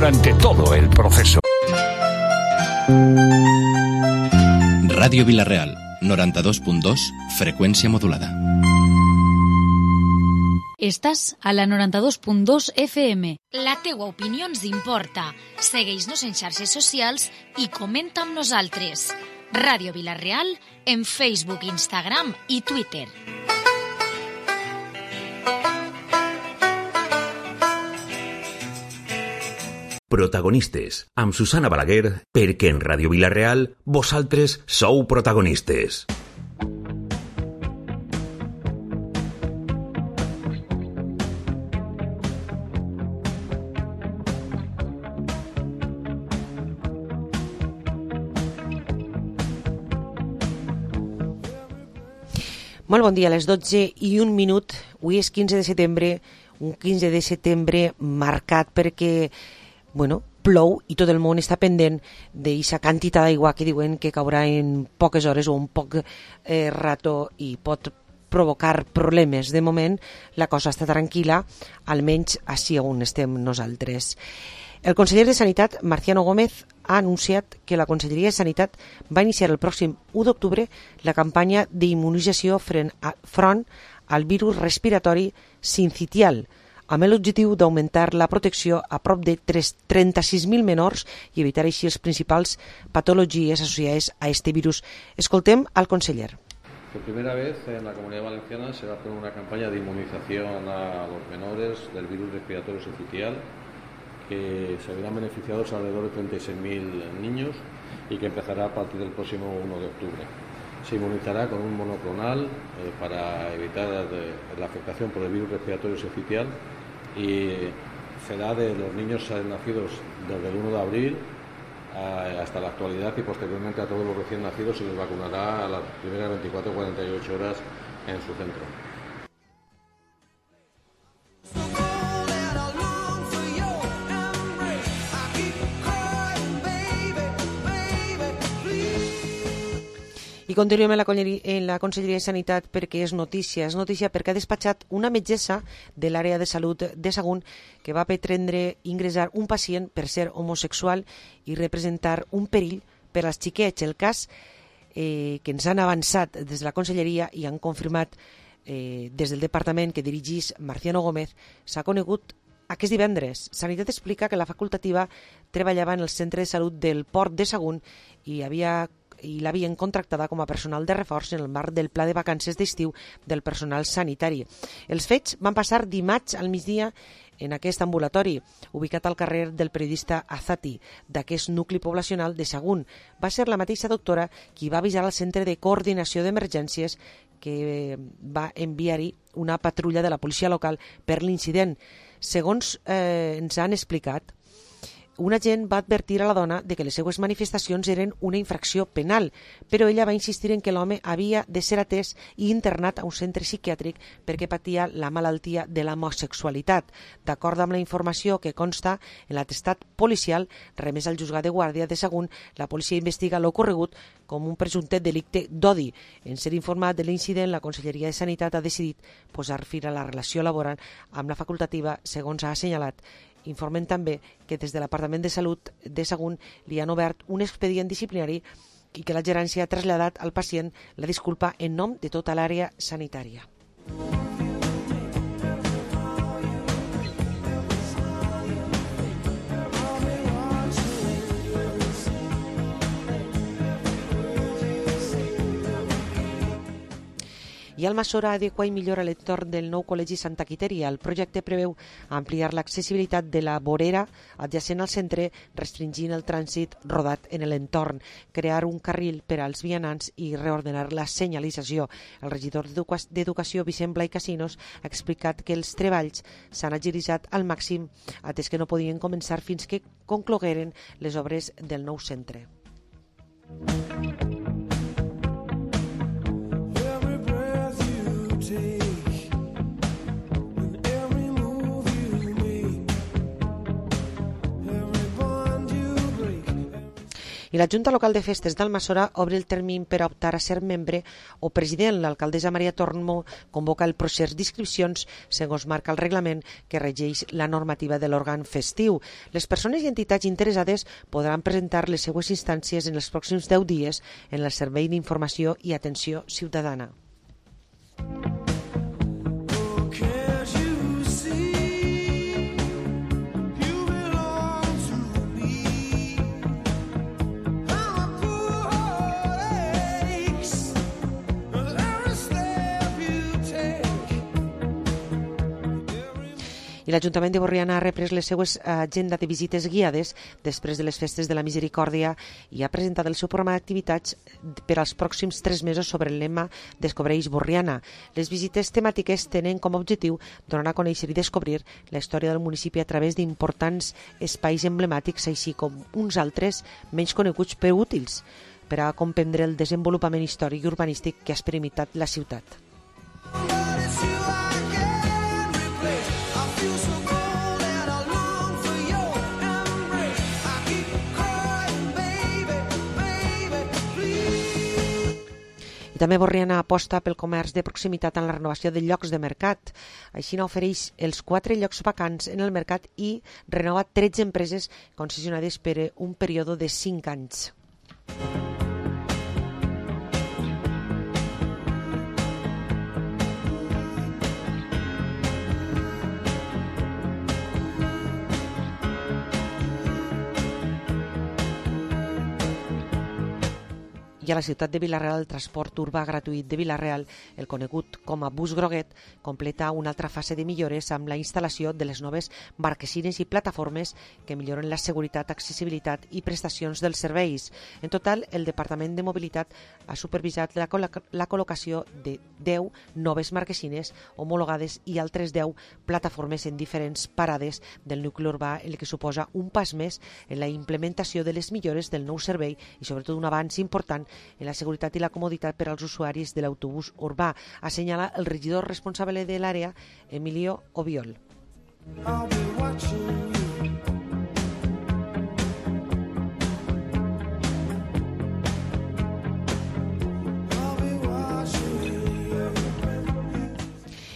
durante todo el proceso. Ràdio Vila-real, 92.2, freqüència modulada. Estàs a la 92.2 FM. La teua opinió ens importa. Segueix-nos en xarxes socials i comenta amb nosaltres. Ràdio Vila-real en Facebook, Instagram i Twitter. Protagonistes, amb Susana Balaguer, perquè en Ràdio Vila-real vosaltres sou protagonistes. Molt bon dia, a les 12:01. Avui és 15 de setembre, un 15 de setembre marcat perquè plou i tot el món està pendent d'aquesta quantitat d'aigua que diuen que caurà en poques hores o un poc rato i pot provocar problemes. De moment la cosa està tranquil·la, almenys així on estem nosaltres. El conseller de Sanitat, Marciano Gómez, ha anunciat que la Conselleria de Sanitat va iniciar el pròxim 1 d'octubre la campanya d'immunització front al virus respiratori sincitial, amb l'objectiu d'augmentar la protecció a prop de 36.000 menors i evitar així les principals patologies associades a este virus. Escoltem al conseller. Por primera vez en la Comunidad Valenciana se va a hacer una campaña de inmunización a los menores del virus respiratorio sincitial, que se verán beneficiados alrededor de 36.000 niños y que empezará a partir del próximo 1 de octubre. Se inmunizará con un monoclonal para evitar la afectación por el virus respiratorio sincitial y será de los niños nacidos desde el 1 de abril hasta la actualidad, y posteriormente a todos los recién nacidos se les vacunará a las primeras 24 o 48 horas en su centro. I continuem en la Conselleria de Sanitat perquè és notícia perquè ha despatxat una metgessa de l'àrea de salut de Sagunt que va pretendre ingressar un pacient per ser homosexual i representar un perill per als xiquets. El cas que ens han avançat des de la Conselleria i han confirmat des del departament que dirigís Marciano Gómez s'ha conegut aquest divendres. Sanitat explica que la facultativa treballava en el centre de salut del Port de Sagunt i l'havien contractada com a personal de reforç en el marc del pla de vacances d'estiu del personal sanitari. Els fets van passar dimarts al migdia en aquest ambulatori, ubicat al carrer del periodista Azati, d'aquest nucli poblacional de Sagunt. Va ser la mateixa doctora qui va avisar al centre de coordinació d'emergències que va enviar-hi una patrulla de la policia local per l'incident. Segons ens han explicat, un agent va advertir a la dona de que les seues manifestacions eren una infracció penal, però ella va insistir en que l'home havia de ser atès i internat a un centre psiquiàtric perquè patia la malaltia de l'homosexualitat. D'acord amb la informació que consta en l'atestat policial remès al juzgat de guàrdia de Sagunt, la policia investiga l'ocorregut com un presumpte delicte d'odi. En ser informat de l'incident, la Conselleria de Sanitat ha decidit posar fi a la relació laboral amb la facultativa, segons ha assenyalat. Informen també que des de l'Apartament de Salut de Sagunt li han obert un expedient disciplinari i que la gerència ha traslladat al pacient la disculpa en nom de tota l'àrea sanitària. I Almassora adequa i millora l'entorn del nou Col·legi Santa Quiteria. El projecte preveu ampliar l'accessibilitat de la vorera adjacent al centre, restringint el trànsit rodat en l'entorn, crear un carril per als vianants i reordenar la senyalització. El regidor d'Educació, Vicent Blai Casinos, ha explicat que els treballs s'han agilitzat al màxim, atès que no podien començar fins que conclogueren les obres del nou centre. I la Junta Local de Festes d'Almassora obre el termini per a optar a ser membre o president. L'alcaldessa Maria Tormo convoca el procés d'inscripcions segons marca el reglament que regeix la normativa de l'òrgan festiu. Les persones i entitats interessades podran presentar les seues instàncies en els pròxims 10 dies en el Servei d'Informació i Atenció Ciutadana. I l'Ajuntament de Borriana ha reprès les seues agenda de visites guiades després de les festes de la Misericòrdia i ha presentat el seu programa d'activitats per als pròxims 3 mesos sobre el lema Descobreix Borriana. Les visites temàtiques tenen com a objectiu donar a conèixer i descobrir la història del municipi a través d'importants espais emblemàtics, així com uns altres menys coneguts però útils per a comprendre el desenvolupament històric i urbanístic que ha experimentat la ciutat. També Borriana aposta pel comerç de proximitat en la renovació de llocs de mercat. Així n'ofereix els 4 llocs vacants en el mercat i renova 13 empreses concessionades per un període de 5 anys. I a la ciutat de Vila-real, el transport urbà gratuït de Vila-real, el conegut com a bus groguet, completa una altra fase de millores amb la instal·lació de les noves marquesines i plataformes que milloren la seguretat, accessibilitat i prestacions dels serveis. En total, el Departament de Mobilitat ha supervisat la col·locació de 10 noves marquesines homologades i altres 10 plataformes en diferents parades del nucli urbà, el que suposa un pas més en la implementació de les millores del nou servei i sobretot un avanç important en la seguretat i la comoditat per als usuaris de l'autobús urbà, assenyala el regidor responsable de l'àrea, Emilio Obiol.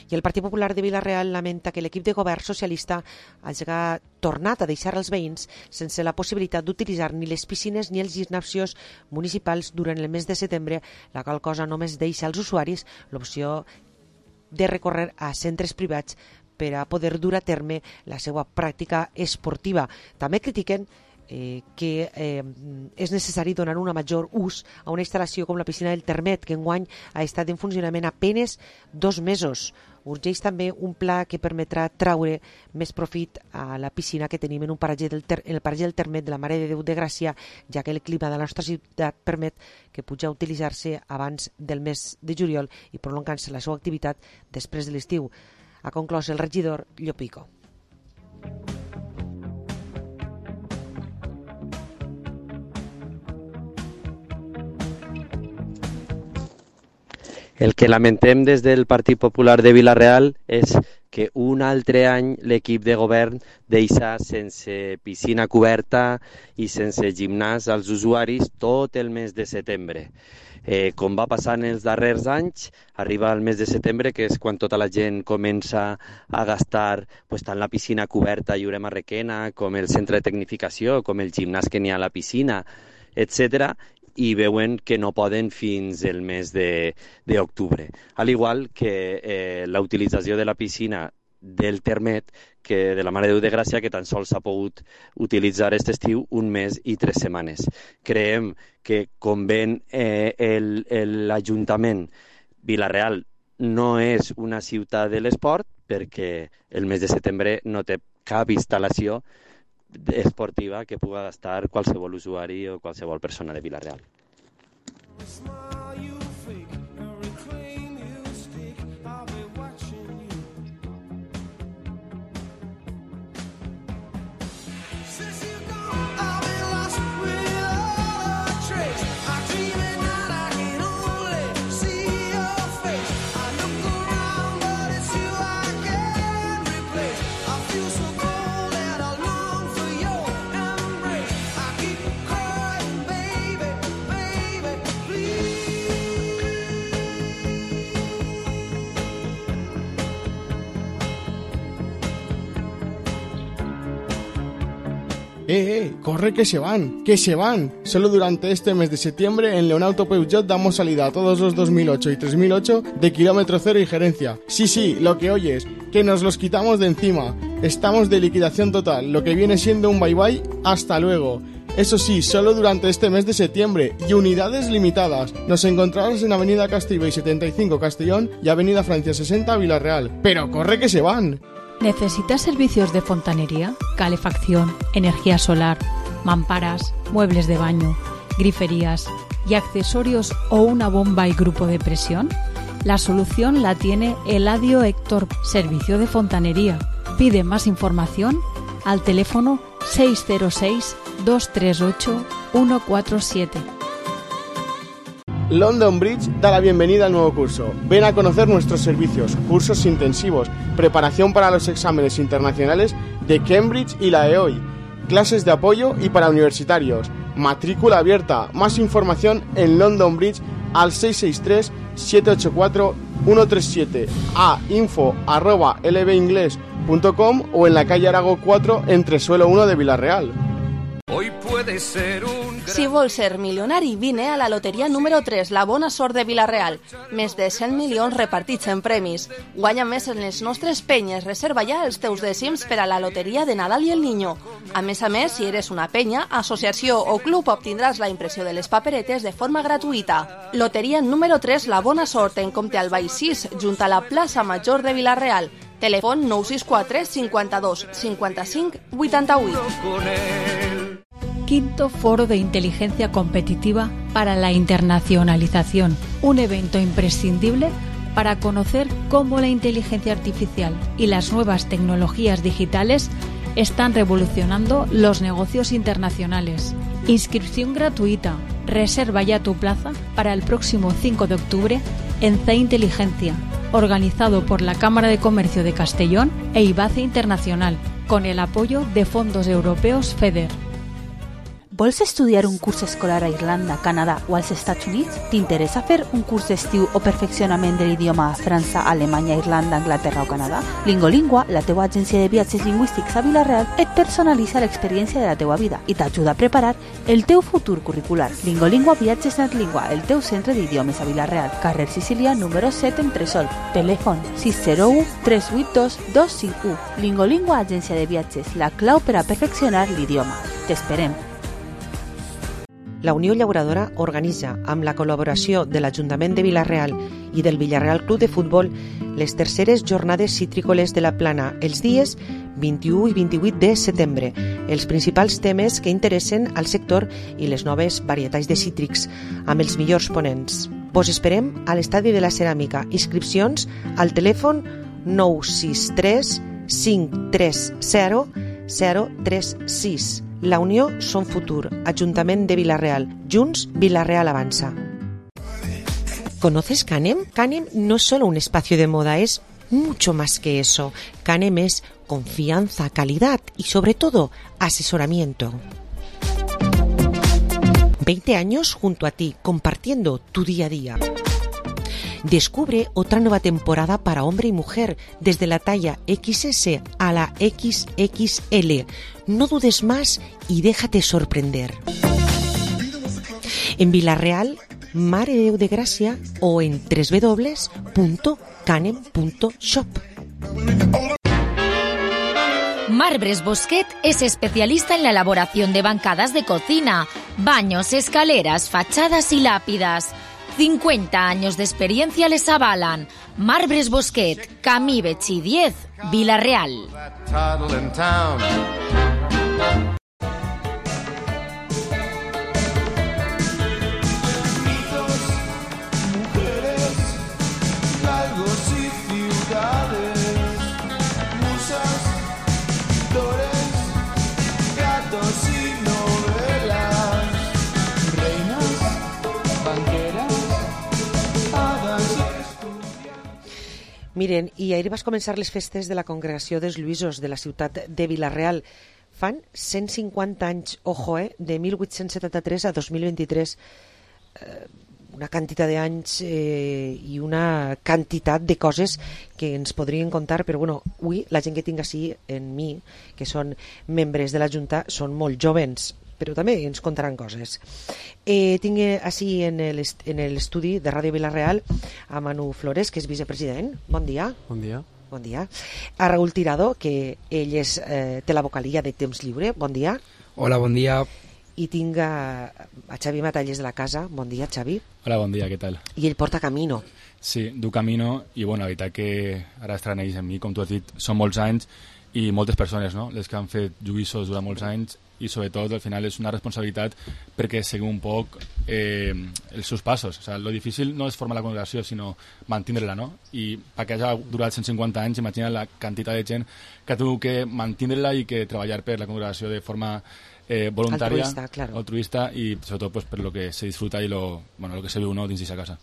I el Partit Popular de Vila-real lamenta que l'equip de govern socialista hagi tornat a deixar els veïns sense la possibilitat d'utilitzar ni les piscines ni els gimnasios municipals durant el mes de setembre, la qual cosa només deixa als usuaris l'opció de recórrer a centres privats per a poder dur a terme la seva pràctica esportiva. També critiquen que és necessari donar un major ús a una instal·lació com la piscina del Termet, que enguany ha estat en funcionament apenes 2 mesos. Urgeix també un pla que permetrà traure més profit a la piscina que tenim en el paratge del Termet de la Mare de Déu de Gràcia, ja que el clima de la nostra ciutat permet que pugui utilitzar-se abans del mes de juliol i prolongant-se la seva activitat després de l'estiu. Ha conclòs el regidor Llopico. El que lamentem des del Partit Popular de Vila-real és que un altre any l'equip de govern deixa sense piscina coberta i sense gimnàs als usuaris tot el mes de setembre. Com va passar en els darrers anys, arriba el mes de setembre, que és quan tota la gent comença a gastar tant la piscina coberta a Lloret Marrequena, com el centre de tecnificació, com el gimnàs que n'hi ha a la piscina, etc., i veuen que no poden fins el mes d'octubre. Al igual que la utilització de la piscina del Termet, que de la Mare de Déu de Gràcia, que tan sols s'ha pogut utilitzar aquest estiu 1 mes i 3 setmanes. Creiem que, com ven l'Ajuntament, Vila-real no és una ciutat de l'esport, perquè el mes de setembre no té cap instal·lació esportiva que pugui gastar qualsevol usuari o qualsevol persona de Vila-real. Corre que se van, que se van. Solo durante este mes de septiembre en Leonauto Peugeot damos salida a todos los 2008 y 3008 de kilómetro cero y gerencia. Sí, lo que oyes, que nos los quitamos de encima. Estamos de liquidación total, lo que viene siendo un bye bye, hasta luego. Eso sí, solo durante este mes de septiembre y unidades limitadas. Nos encontrarás en Avenida Castellbell 75 Castellón y Avenida Francia 60 Villarreal. ¡Pero corre que se van! ¿Necesitas servicios de fontanería, calefacción, energía solar, mamparas, muebles de baño, griferías y accesorios o una bomba y grupo de presión? La solución la tiene Eladio Héctor, servicio de fontanería. Pide más información al teléfono 606-238-147. London Bridge da la bienvenida al nuevo curso. Ven a conocer nuestros servicios, cursos intensivos, preparación para los exámenes internacionales de Cambridge y la EOI, clases de apoyo y para universitarios, matrícula abierta. Más información en London Bridge al 663-784-137, a info@lbingles.com o en la calle Arago 4 entre suelo 1 de Villarreal. Hoy puede ser un... Si vols ser milionari, vine a la loteria número 3, la bona sort de Villarreal. Més de 100 milions repartits en premis. Guanya més en les nostres penyes. Reserva ja els teus dècims per a la loteria de Nadal i el Niño. A més, si eres una penya, associació o club, obtindràs la impressió de les paperetes de forma gratuïta. Loteria número 3, la bona sort, en compte al Vall 6, junt a la plaça Major de Villarreal. Telèfon 964 52 55 88. Quinto Foro de Inteligencia Competitiva para la Internacionalización, un evento imprescindible para conocer cómo la inteligencia artificial y las nuevas tecnologías digitales están revolucionando los negocios internacionales. Inscripción gratuita. Reserva ya tu plaza para el próximo 5 de octubre en C Inteligencia, organizado por la Cámara de Comercio de Castellón e IBACE Internacional, con el apoyo de fondos europeos FEDER. Vols estudiar un curs escolar a Irlanda, Canadà o als Estats Units? T'interessa fer un curs d'estiu o perfeccionament de l'idioma a França, Alemanya, Irlanda, Anglaterra o Canadà? Lingolingua, la teua agència de viatges lingüístics a Villarreal, et personalitza l'experiència de la teua vida i t'ajuda a preparar el teu futur curricular. Lingolingua Viatges NetLingua, el teu centre d'idiomes a Villarreal, carrer Sicília, número 7 en Tresol. Telèfon 601 382 251. Lingolingua, agència de viatges, la clau per a perfeccionar l'idioma. T'esperem. La Unió Llauradora organitza, amb la col·laboració de l'Ajuntament de Villarreal i del Villarreal Club de Futbol, les terceres jornades citrícoles de la Plana els dies 21 i 28 de setembre. Els principals temes que interessen al sector i les noves varietats de cítrics, amb els millors ponents. Vos esperem a l'Estadi de la Ceràmica. Inscripcions al telèfon 963 530 036. La Unió Son Futur, Ayuntamiento de Villarreal. Junts, Villarreal avanza. ¿Conoces Canem? Canem no es solo un espacio de moda, es mucho más que eso. Canem es confianza, calidad y sobre todo asesoramiento. 20 años junto a ti, compartiendo tu día a día. Descubre otra nueva temporada para hombre y mujer, desde la talla XS a la XXL. No dudes más y déjate sorprender. En Villarreal, Mare de Déu de Gràcia o en www.canem.shop. Marbres Bosquet es especialista en la elaboración de bancadas de cocina, baños, escaleras, fachadas y lápidas. 50 años de experiencia les avalan. Marbres Bosquet, Camí Betxí 10, Villarreal. Miren, i ahir vas començar les festes de la Congregació dels Lluïsos de la ciutat de Villarreal. Fan 150 anys, ojo, de 1873 a 2023. una quantitat d'anys i una quantitat de coses que ens podrien contar, però bueno, avui la gent que tinc així en mi, que són membres de la Junta, són molt jovens, però també ens contaran coses. Tinc així en l'estudi de Ràdio Vila-real a Manu Flores, que és vicepresident. Bon dia. Bon dia. Bon dia. A Raúl Tirado, que ell té la vocalia de Temps Lliure. Bon dia. Hola, bon dia. I tinc a Xavi Matalles de la casa. Bon dia, Xavi. Hola, bon dia, què tal? I ell porta Camino. Sí, du Camino, i bueno, la veritat que ara estreneix en mi, com tu has dit, són molts anys i moltes persones, no? Les que han fet lluïssos durant molts anys, i sobretot al final és una responsabilitat perquè seguim un poc els seus passos. O sigui, lo difícil no és formar la congregació, sinó mantindre-la, no? I perquè hagi durat 150 anys, imagina la quantitat de gent que tu que mantindre-la i que treballar per la congregació de forma voluntària, altruista, i sobretot pues, per lo que se disfruta i lo que se viu, no, dins d'aquesta casa.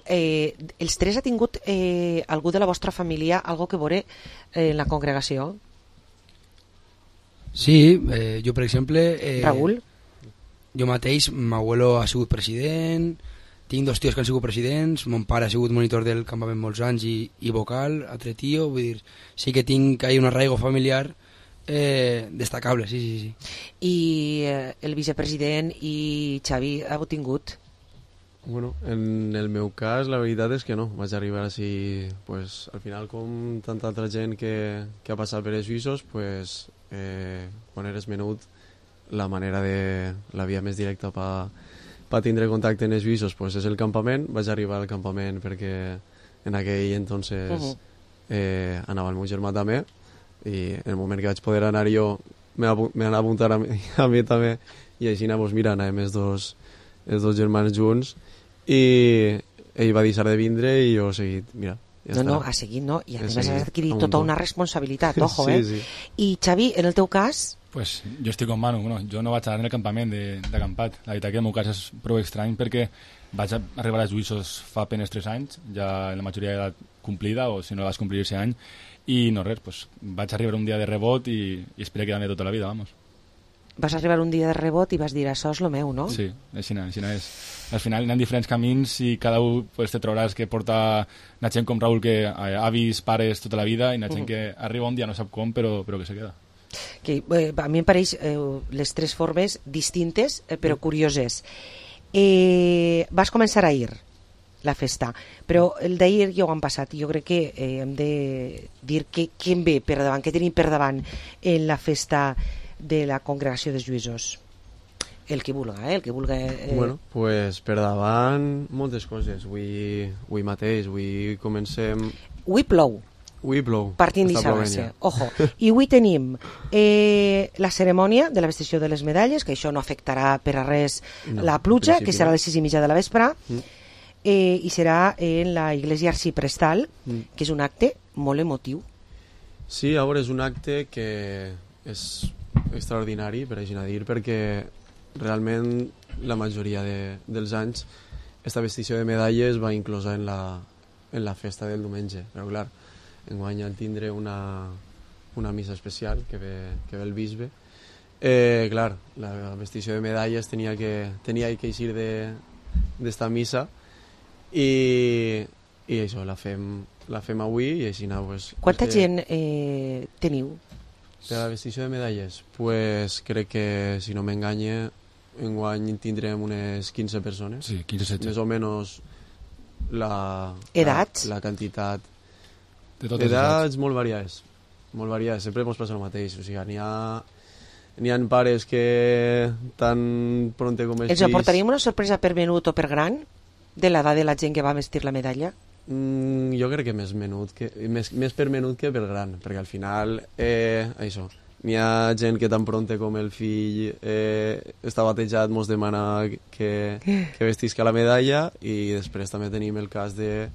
Els tres ha tingut algú de la vostra família algo que veure en la congregació? Sí, jo per exemple... Raúl? Jo mateix, m'abuelo ha sigut president, tinc dos tios que han sigut presidents, mon pare ha sigut monitor del campament molts anys i vocal, altre tio, vull dir, sí que tinc un arraigo familiar destacable, sí. I el vicepresident i Xavi heu tingut? Bueno, en el meu cas la veritat és que no, vaig arribar així, pues, al final com tanta altra gent que ha passat per els suïssos, pues, quan eres menut la via més directa per tindre contacte amb els suïssos pues, és el campament. Vaig arribar al campament perquè en aquell entonces anava el meu germà també, i en el moment que vaig poder anar jo me van apuntar a mi també, i així anàvem els dos germans junts, i ell va deixar de vindre i jo he seguit, mira. Ha seguit, no? I a més has adquirit tota una responsabilitat, ojo, sí. I Xavi, en el teu cas? Pues jo estic com Manu, jo no vaig anar en el campament d'acampat. La veritat que el meu cas és prou estrany perquè vaig arribar als Lluïssos fa apenas 3 anys, ja en la majoria d'edat complida, o si no la vas complir aquest any, i no res, pues vaig arribar un dia de rebot i espero quedar-me tota la vida, vamos. Vas arribar un dia de rebot i vas dir, això és lo meu, no? Sí, així és. Al final hi ha diferents camins i cada un pues, te trobaràs que porta una gent com Raúl que avis, pares tota la vida, i una gent que arriba un dia no sap com, però que se queda. A mi em pareix les tres formes distintes però curioses. Vas començar ahir la festa, però el d'ahir ja ho han passat. Jo crec que hem de dir què em ve per davant, què tenim per davant en la festa de la congregació dels Lluïssos. El que vulga, el que vulga... Bueno, pues per davant moltes coses. Avui mateix, avui comencem... Avui plou. Partint d'Ixabassa, ojo. I avui tenim la cerimònia de la vestició de les medalles, que això no afectarà per a res la pluja, que serà a les 6:30 de la vespre, i serà en la Iglesia Arciprestal, que és un acte molt emotiu. Sí, ara és un acte que és extraordinari, per així dir, perquè realment la majoria dels anys aquesta vestició de medalles va inclosa en la festa del diumenge, però clar, enguany al tindre una missa especial que ve el bisbe, clar, la vestició de medalles tenia que eixir d'esta missa, i això la fem avui, i així pues, quanta gent teniu? Per la vestició de medalles, pues crec que, si no m'enganye, enguany tindrem unes 15 persones. Sí, 15-16. Més o menys edats? La quantitat d'edats molt variades. Sempre ens passa el mateix. O sigui, n'hi ha pares que tan pronte com els fills... Ens aportaríem una sorpresa per menut o per gran de l'edat de la gent que va vestir la medalla? Jo crec que més per menut que per gran, perquè al final això, n'hi ha gent que tan pronte com el fill està batejat, mos demana que vestisca la medalla, i després també tenim el cas de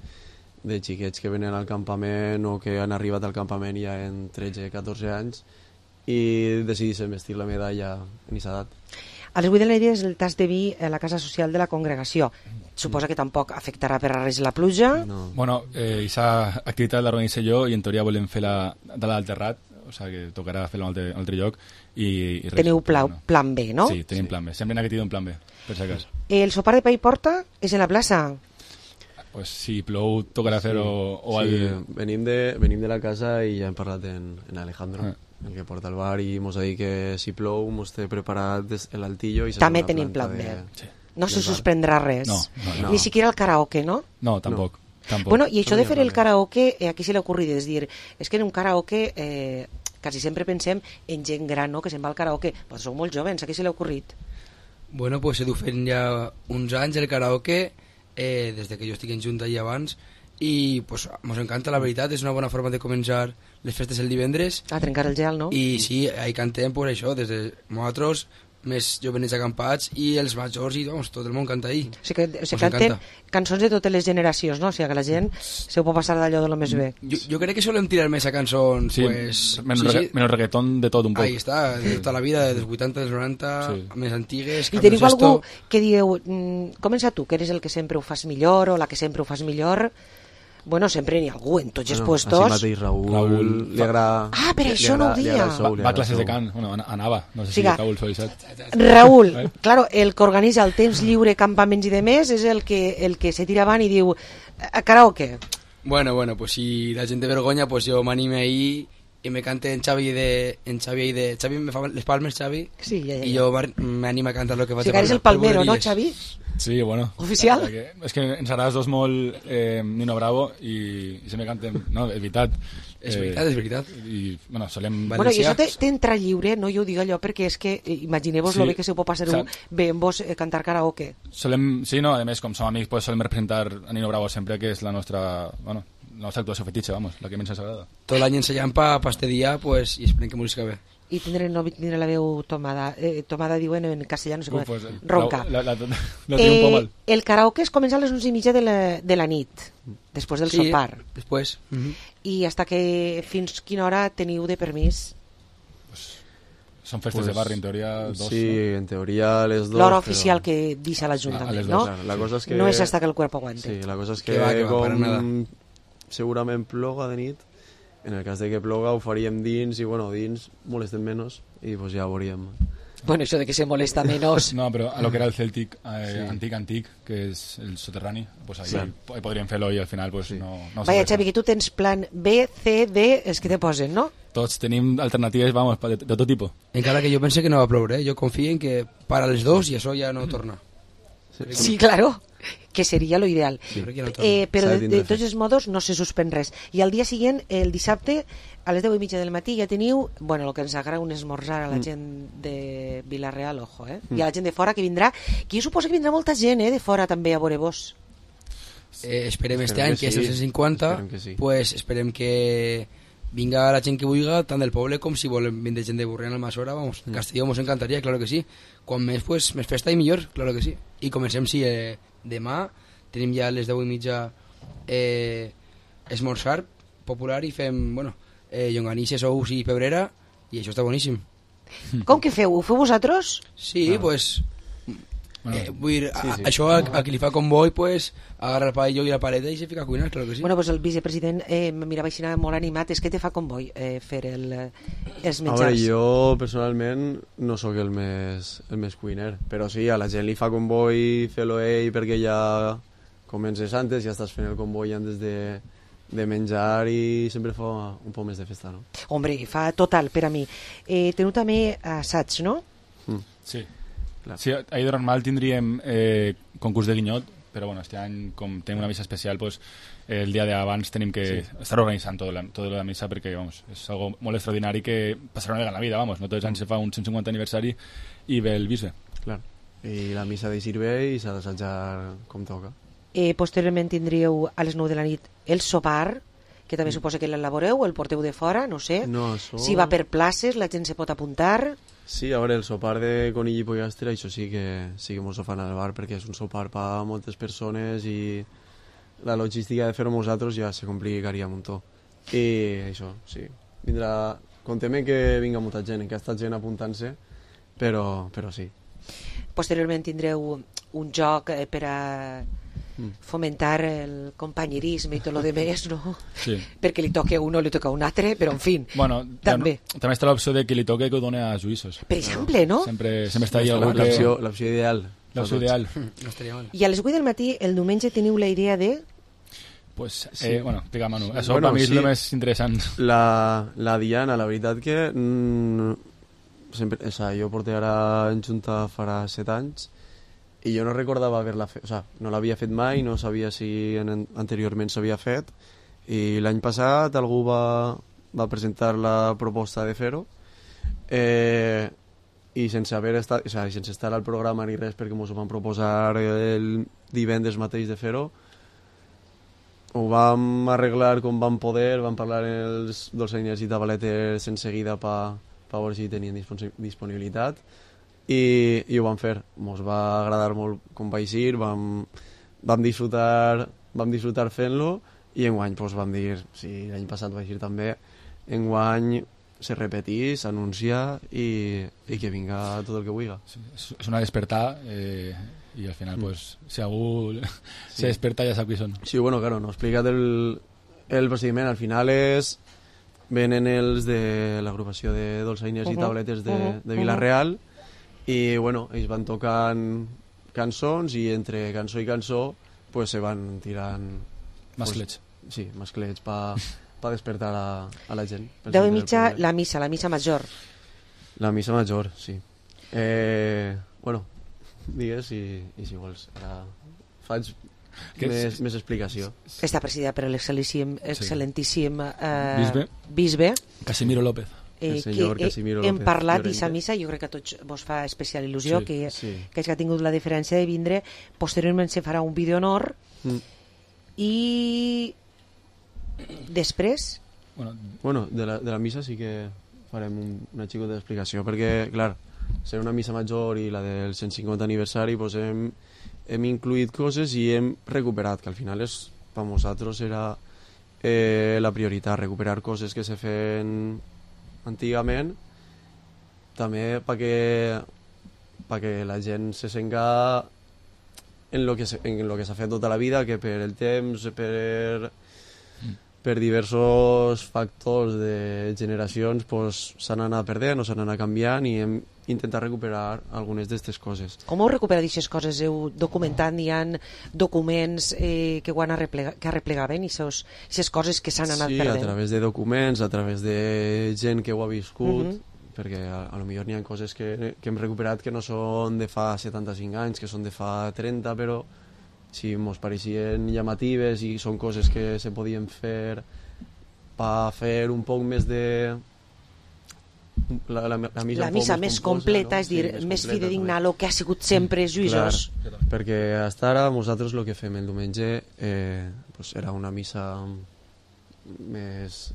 xiquets que venen al campament o que han arribat al campament ja en 13-14 anys i decideixen vestir la medalla en aquesta edat. A les 8 de la nit és el tas de vi a la casa social de la congregació. Suposa que tampoc afectarà per a res la pluja? No. Bueno, aquesta activitat la organitzo jo i en teoria volem fer-la de l'alt terrat. o sigui que tocarà fer-lo en un altre lloc i res. Teniu plan B, no? Sí, tenim plan B, sempre n'ha tingut un plan B, per si cas. El sopar de pa i porta és en la plaça? Pues si plou tocarà fer-ho o sí, venim de la casa i ja hem parlat en Alejandro, el que porta el bar, i mos ha dit que si plou mos té preparat l'altillo i també tenim plan B. No se suspendrà res. No. Ni siquiera el karaoke, ¿no? No, tampoc. Bueno, i això de fer el karaoke, a qui se l'ha ocorrit? És dir, és que en un karaoke quasi sempre pensem en gent gran, no?, que se'n va al karaoke. Però sou molt jovens, a qui se l'ha ocorrit? Bueno, pues he dut fent ja uns anys el karaoke, des de que jo estic en Junta i abans, i pues mos encanta, la veritat, és una bona forma de començar les festes el divendres. A trencar el gel, no? I sí, ahí cantem pues això, des de nosaltres, més jovenets acampats i els majors, i doncs, tot el món canta ahí. O sigui que se canten cançons de totes les generacions, no? O sigui que la gent se ho pot passar d'allò de lo més bé. Jo crec que solem tirar més a cançons, sí, pues... Menys reggaeton de tot un poc. Ahí està, de tota la vida, dels 80, dels 90, més antigues... I teniu algú que dieu, comença tu, que eres el que sempre ho fas millor, o la que sempre ho fas millor... Bueno, sempre n'hi ha algú en tots els puestos. Així mateix Raül li agrada... Ah, per això no ho dia. Va a classes de cant, bueno, anava, no sé si Raül s'ho ha deixat. Raül, claro, el que organitza el temps lliure, campaments i demés, és el que se tira avant i diu karaoke. Bueno, pues si la gent té vergonya, pues jo m'anime ahí i me cante en Xavi Xavi me fa les palmes, Xavi, sí, ja. I jo m'anime a cantar lo que vaig a palmes. O sigui que eres el palmero, no, Xavi? Sí, bueno. Oficial? És que ens agrades dos molt Nino Bravo i sempre cantem... No, és veritat. És veritat. I, bueno, solem... Bueno, i això t'entra lliure, no? Jo ho dic allò perquè és que imagineu-vos lo bé que se ho pot passar bé en vos cantar karaoke. Solem, sí, no, a més, com som amics, pues solem representar a Nino Bravo sempre, que és la nostra... Bueno, la nostra actuació fetitxa, vamos, la que menys ens agrada. Tot l'any ensayant pa este dia, pues, i esperem que m'ho bé. I tindré la veu tomada. Tomada diuen en castellà, no sé com. Pues, ronca. La tinc un poc mal. El karaoke es comença a les 11:30 de la nit, després del sopar. Després. I hasta que fins quina hora teniu de permís? Pues, són festes de barri, en teoria, 2. Sí, en teoria a les 2. L'hora oficial que deixa l'Ajuntament, no? La cosa és que... No és hasta que el cuerpo aguante. Sí, la cosa és que com segurament ploga de nit, en el cas de que ploga ho faríem dins i bueno, dins molestem menys i pues ja veuríem. Bueno, això de que se molesta menos... No, però a lo que era el Celtic antic, que és el soterrani, pues ahí podríem fer-lo i al final pues no... Vaya, Xavi, que tu tens plan B, C, D, els que te posen, no? Tots tenim alternatives, vamos, de tot tipus. Encara que jo pense que no va ploure, jo confio en que para les 2 i això ja no torna. Sí, claro, que seria lo ideal. Sí, però de tots els modos no se suspèn res. I al dia següent, el dissabte, a les 10:30 del matí, ja teniu, bueno, el que ens agrada un esmorzar a la gent de Vila-real, ojo, i a la gent de fora que vindrà, que jo suposo que vindrà molta gent, de fora també a veure vos. Esperem este any, que és el 150, pues esperem que vinga la gent que vulgui, tant del poble com si volen vindre gent de Borriana, Almassora, vamos, Castelló mos encantaria, claro que sí. Quan més, pues, més festa i millor, claro que sí. I comencem, sí, demà tenim ja a les 10:30 esmorzar popular i fem, bueno, llonganisses, ous i pebrera, i això està boníssim. Com que feu? Ho feu vosaltres? Sí, pues... vull dir, això a qui li fa comboi, pues, agarra el paelló i la paleta i se fica a cuinar, claro que sí. Bueno, pues el vicepresident mirava així molt animat. És que te fa comboi fer els menjars? A veure, jo personalment no sóc el més cuiner, però sí, a la gent li fa comboi fer-lo ell perquè ja comences antes, ja estàs fent el comboi antes de menjar i sempre fa un poc més de festa, no? Hombre, fa total per a mi. Teniu també assaig, no? Sí. Sí, ahir de normal tindríem concurs de guinyot, però bueno, este any, com tenim una missa especial, pues, el dia d'abans tenim que estar organitzant tot la missa perquè vamos, és algo molt extraordinari que passarà una vegada en la vida, vamos, no tots els anys se fa un 150 aniversari i ve el bisbe. Clar, i la missa de sirve i s'ha d'assajar com toca. Posteriorment tindríeu a les 9 de la nit el sopar, que també suposa que l'elaboreu, el porteu de fora, no sé. No, si va per places, la gent se pot apuntar. Sí, a veure, el sopar de conill i pollastre, això sí que mos ho fan al bar, perquè és un sopar per a moltes persones i la logística de fer-ho nosaltres ja se complicaria un muntó. I això, sí, vindrà... Contem que vinga molta gent, que ha estat gent apuntant-se, però sí. Posteriorment tindreu un joc per a fomentar el companyerisme i tot lo de més, no? Sí. Perquè li toca a un o li toca a un altre, però en fi, Bueno, també. també està l'opció de que li toque que ho doni a juïssos. Per exemple, no? Sempre està ahí algú que... L'opció ideal. L'opció ideal. No estaria mal. I a les 8 del matí, el diumenge, teniu la idea de... Pues, Sí. bueno, explica, Manu. Això per mi és el més interessant. La Diana, la veritat que... sempre, o sea, jo porto ara en Junta farà 7 anys i jo no recordava haver-la fet, o sea, no l'havia fet mai, no sabia si anteriorment s'havia fet, i l'any passat algú va presentar la proposta de fer-ho, i sense haver estat, o sea, sense estar al programa ni res, perquè ens ho van proposar el divendres mateix de fer-ho. Ho vam arreglar com vam poder, vam parlar amb els dolçainers i tabaletes en seguida per veure si tenien disponibilitat, i ho vam fer. Ens va agradar molt com va eixir, vam disfrutar fent-lo, i enguany pues, vam dir, si l'any passat va eixir també, enguany se repetís, s'anuncia i que vinga tot el que vulgui. Sí, és una despertar i al final, pues, si algú se desperta ja sap qui són. Sí, bueno, claro, no he explicat el procediment. Al final venen els de l'agrupació de dolçainers i tabletes de Vila-real, i bueno, ells van tocant cançons, i entre cançó i cançó pues, se van tirant masclets. Pues, sí, masclets per despertar a la gent. 10:30 la missa major. La missa major, sí. Bueno, digues i si vols. Ara faig més explicació. Està presidida per l'excel·lentíssim bisbe Casimiro López. El senyor Casimiro López. Hem parlat d'aquesta missa, jo crec que a tots vos fa especial il·lusió que ha tingut la diferència de vindre. Posteriorment se farà un vídeo honor i després... Bueno, de la missa sí que farem una xicota d'explicació, perquè, clar, ser una missa major i la del 150 aniversari, doncs hem incluït coses i hem recuperat, que al final per nosaltres era la prioritat, recuperar coses que se feien antigament, també perquè la gent se senga en lo que s'ha fet tota la vida, que per el temps, per diversos factors de generacions s'han anat perdent o s'han anat canviant, i hem intentat recuperar algunes d'aquestes coses. Com heu recuperat aquestes coses? Heu documentat? Hi ha documents que arreplegaven i aquestes coses que s'han anat perdent? Sí, a través de documents, a través de gent que ho ha viscut, perquè a lo millor n'hi ha coses que hem recuperat que no són de fa 75 anys, que són de fa 30, però si ens pareixien llamatives i són coses que se podien fer per fer un poc més de... La missa més completa, no? És dir, més fidedigna a lo que ha sigut sempre juïsos. Clar, perquè fins ara nosaltres el que fem el diumenge era una missa més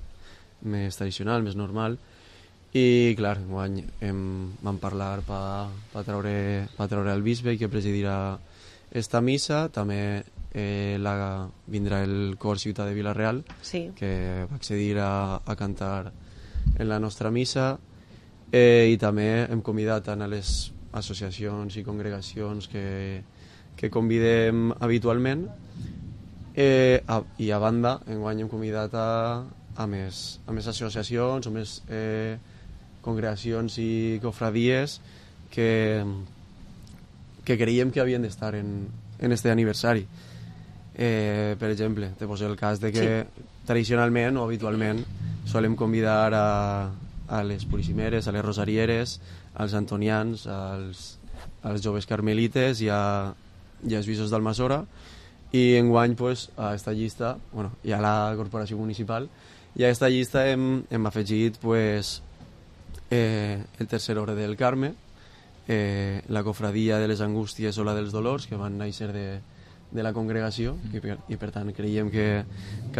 tradicional, més normal, i clar, enguany vam parlar per treure el bisbe que presidirà esta missa. També vindrà el cor Ciutat de Vila-real, que va accedir a cantar en la nostra missa, i també hem convidat a les associacions i congregacions que convidem habitualment, i a banda enguany hem convidat a més associacions o més congregacions i cofradies que creiem que havien d'estar en este aniversari. Per exemple, te poso el cas de que tradicionalment o habitualment solem convidar a les purissimeres, a les rosarieres, als antonians, als joves carmelites i als juïsos d'Almassora, i enguany a esta llista, hi ha la corporació municipal, i a esta llista hem afegit el tercer ordre del Carme, la cofradia de les Angústies o la dels Dolors, que van néixer de la congregació, i per tant creiem que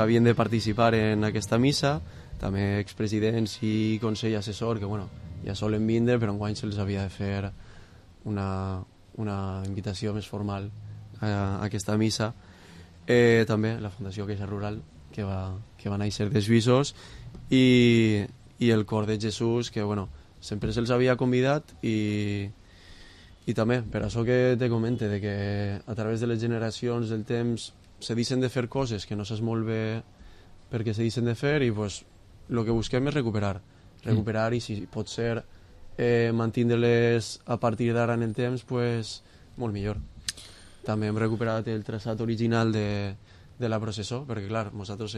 havien de participar en aquesta missa. També expresidents i consell assessor, que ja solen vindre, però enguany se'ls havia de fer una invitació més formal a aquesta missa. També la Fundació Caixa Rural, que va néixer de Suïssos, i el Cor de Jesús, que sempre se'ls havia convidat, i I també, per això que te comente, de que a través de les generacions, del temps, se deixen de fer coses que no saps molt bé perquè se deixen de fer i pues, el que busquem és recuperar i si pot ser mantindre-les a partir d'ara en el temps, pues, molt millor. També hem recuperat el traçat original de la processó, perquè clar, nosaltres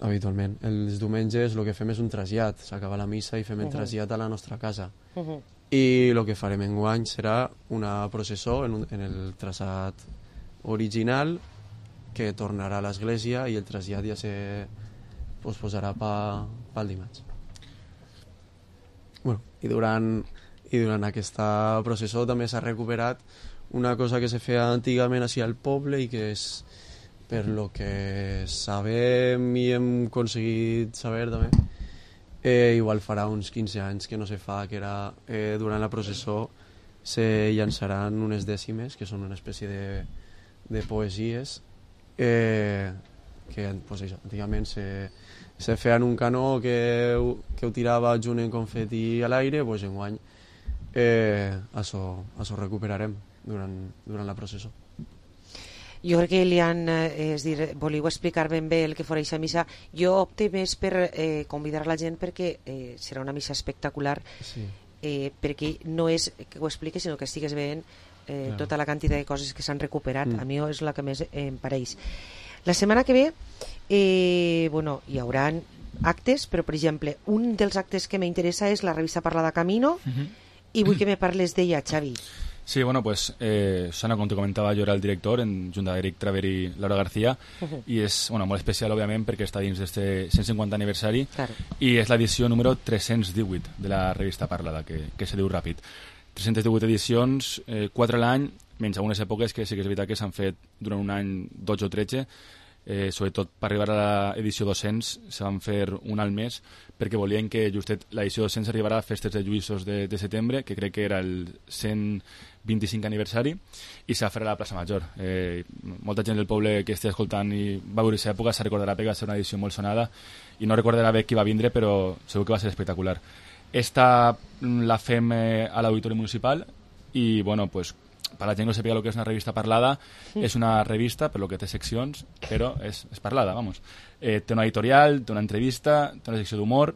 habitualment els diumenges el que fem és un trasllat, s'acaba la missa i fem el trasllat a la nostra casa. I el que farem enguany serà una processó en el traçat original que tornarà a l'església i el trasllat ja se posposarà pel dimarts. Bueno, i durant aquesta processó també s'ha recuperat una cosa que se feia antigament així al poble i que és, per lo que sabem i hem aconseguit saber també, igual farà uns 15 anys que no se fa, que era durant la processó se llançaran unes dècimes, que són una espècie de poesies que pues això, antigament se feien un canó que ho tirava junt en confeti a l'aire, pues enguany això recuperarem durant la processó. Jo crec que Elian, és dir, volíeu explicar ben bé el que fora aquesta missa. Jo opte més per convidar la gent perquè serà una missa espectacular, perquè no és que ho expliques, sinó que estigues veient tota la quantitat de coses que s'han recuperat. A mi és la que més em pareix. La setmana que ve hi haurà actes, però per exemple un dels actes que m'interessa és la revista Parlada Camino i vull que me parles d'ella, Xavi. Sí, bueno, pues Susana, com te comentava, jo era el director junt d'Eric Traver i Laura García i és molt especial, òbviament, perquè està dins d'este 150 aniversari i és l'edició número 318 de la revista Parlada, que se diu ràpid. 318 edicions, 4 a l'any, menys algunes èpoques que sí que és veritat que s'han fet durant un any 12 o 13, sobretot per arribar a l'edició 200 se van fer un al mes perquè volien que justet l'edició 200 arribarà a festes de Lluïssos de setembre, que crec que era el 125 aniversari, i se va fer a la plaça Major. Molta gent del poble que estigui escoltant i va veure aquesta època se recordarà perquè va ser una edició molt sonada i no recordarà bé qui va vindre, però segur que va ser espectacular. Esta la fem a l'Auditori Municipal i, bueno, pues per la gent que no sàpiga el que és una revista parlada, és una revista, per lo que té seccions, però és parlada, vamos. Té una editorial, té una entrevista, té una secció d'humor.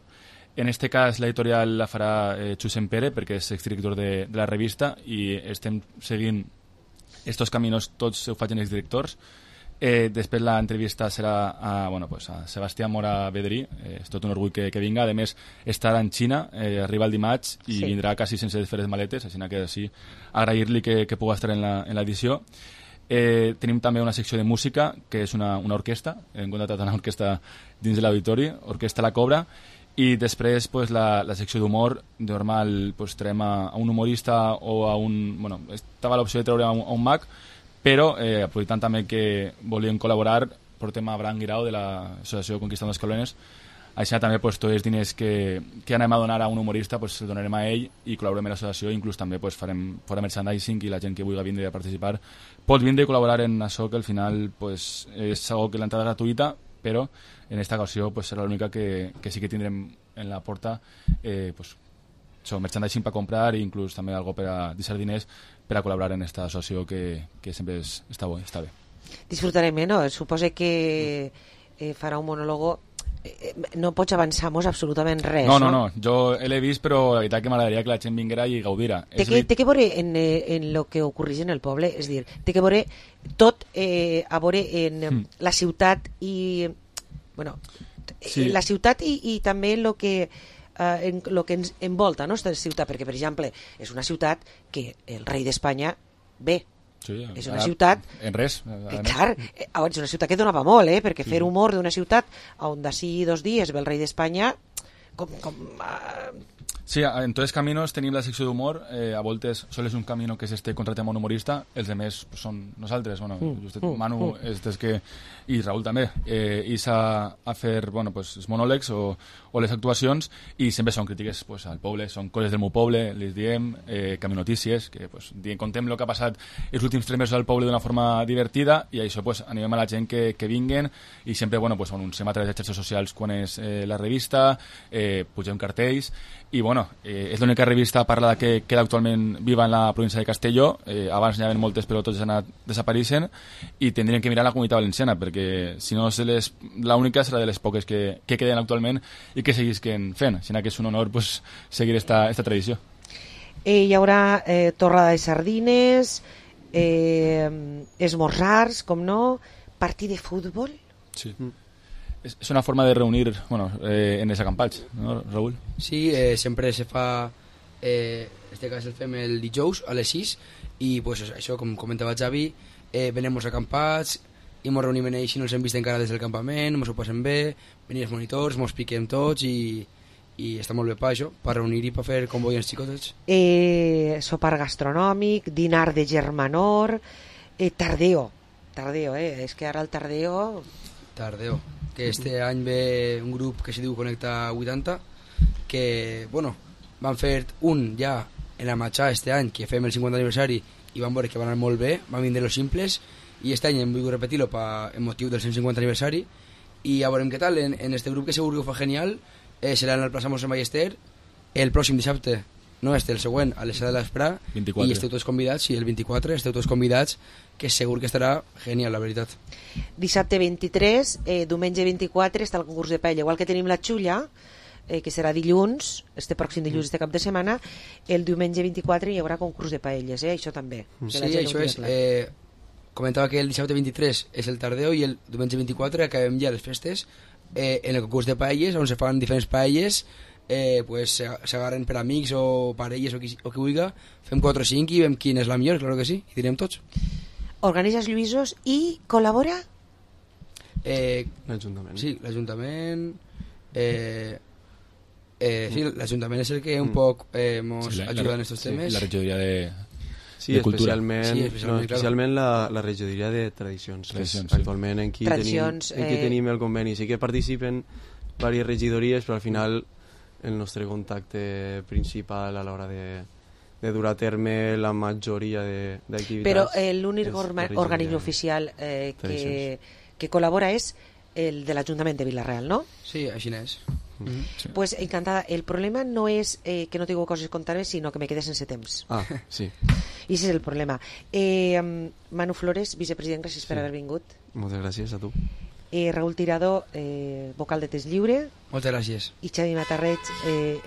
En este cas l'editorial la farà Xusem Pere, perquè és exdirector de la revista, i estem seguint estos caminos, tots ho facin els directors. Després l'entrevista serà a Sebastià Mora Bedrí, és tot un orgull que vinga. A més, estarà en Xina, arriba el dimarts i vindrà quasi sense fer les maletes, així que sí, agrair-li que pugui estar en l'edició. Tenim també una secció de música, que és una orquestra, hem contratat una orquestra dins de l'auditori, Orquestra La Cobra, i després la secció d'humor. Normal traiem a un humorista o a un... Bueno, estava l'opció de treure a un mag, però aprofitant també que volien col·laborar, portem a Bran Guirao de l'associació Conquistando Escalones. Així també tots els diners que anem a donar a un humorista els donarem a ell i col·laborem amb l'associació, inclús també farem fora merchandising i la gent que vulgui vindre a participar pot vindre i col·laborar en això, que al final és algo que l'entrada és gratuïta, però en aquesta ocasió serà l'única que sí que tindrem en la porta merchandising per comprar i inclús també algo per a deixar diners per a col·laborar en aquesta associació que sempre està bé. Disfrutarem, no? Suposo que farà un monòlogo. No pots avançar-nos absolutament res, no? No, jo l'he vist, però la veritat que m'agradaria que la gent vinguera i gaudirà. Té que veure en lo que ocorreix en el poble, és dir, té que veure tot a veure en la ciutat i la ciutat i també en lo que ens envolta, no, esta ciutat, perquè per exemple és una ciutat que el rei d'Espanya ve. Sí, és una ciutat en res, clar, és una ciutat que donava molt, perquè fer humor d'una ciutat on d'ací 2 dies ve el rei d'Espanya Sí, en tots els caminos tenim la secció d'humor, a voltes sols és un camino que s'este contratem a un humorista, els demés són nosaltres, Manu és des que, i Raül també, i s'ha a fer els monòlegs o les actuacions, i sempre són crítiques al poble, són coses del meu poble, les diem, caminotícies, que contem el que ha passat els últims 3 mesos al poble d'una forma divertida, i això animem a la gent que vinguen, i sempre anunciem a través de xarxes socials quan és la revista, pugem cartells, i bueno, és l'única revista parlada que queda actualment viva en la província de Castelló. Abans n'hi havia moltes, però totes han anat desapareixent, i tindrien que mirar la Comunitat Valenciana, perquè si no l'única serà de les poques que queden actualment i que seguisquen fent. Sinó que és un honor pues, seguir esta tradició. Hi haurà torrada de sardines, esmorzars, com no, partit de futbol. Sí. És una forma de reunir en els acampats, no, Raül? Sí, sempre se fa, este cas el fem el dijous a les 6 i pues, això, com comentava Xavi, venem els acampats i ens reunim en ells i no els hem vist encara des del campament, ens ho passem bé, venim els monitors, ens piquem tots i està molt bé per això, per reunir i per fer comboi als xicotets. Sopar gastronòmic, dinar de germanor, tardeo, és que ara el tardeo... Tardeo, que este any ve un grup que se diu Connecta 80, que, bueno, van fer un ja en la Matxà este any, que fem el 50 aniversari, i van veure que van anar molt bé, van vindre los simples, i este any hem volgut repetir-lo en motiu del 150 aniversari, i ja veurem què tal, en este grup que segur que ho fa genial, serà en el plaça Mossèn Ballester el pròxim dissabte, no el següent, a les 7 de l'Esprà, i esteu tots convidats, i el 24 esteu tots convidats, que segur que estarà genial, la veritat. Dissabte 23, diumenge 24 està el concurs de paella, igual que tenim la xulla, que serà dilluns, este pròxim dilluns de cap de setmana, el diumenge 24 hi haurà concurs de paelles, això també. Sí, això és... comentava que el dissabte 23 és el tardeo i el diumenge 24 acabem ja les festes en el concurs de paelles, on se fan diferents paelles, pues s'agarren per amics o parelles o qui vulgui, fem 4 o 5 i veiem quina és la millor, claro que sí, i direm tots. Organitzes Lluïsos i col·labora? L'Ajuntament. Sí, l'Ajuntament... sí, l'Ajuntament és el que un poc ens ajuda en aquests temes. La regidoria de cultura. Especialment la regidoria de tradicions. Actualment en qui tenim el conveni. Sí que participen diverses regidories, però al final el nostre contacte principal a l'hora de dur a terme la majoria d'activitats. Però l'únic organisme oficial que col·labora és el de l'Ajuntament de Vila-real, no? Sí, així és. Sí. Pues encantada. El problema no és que no tinc coses a contar-me, sinó que me quedé sense temps. Sí. I ese és el problema. Manu Flores, vicepresident, gràcies per haver vingut. Moltes gràcies a tu. Raül Tirado, vocal de Test Lliure. Moltes gràcies. I Xavi Matarreig,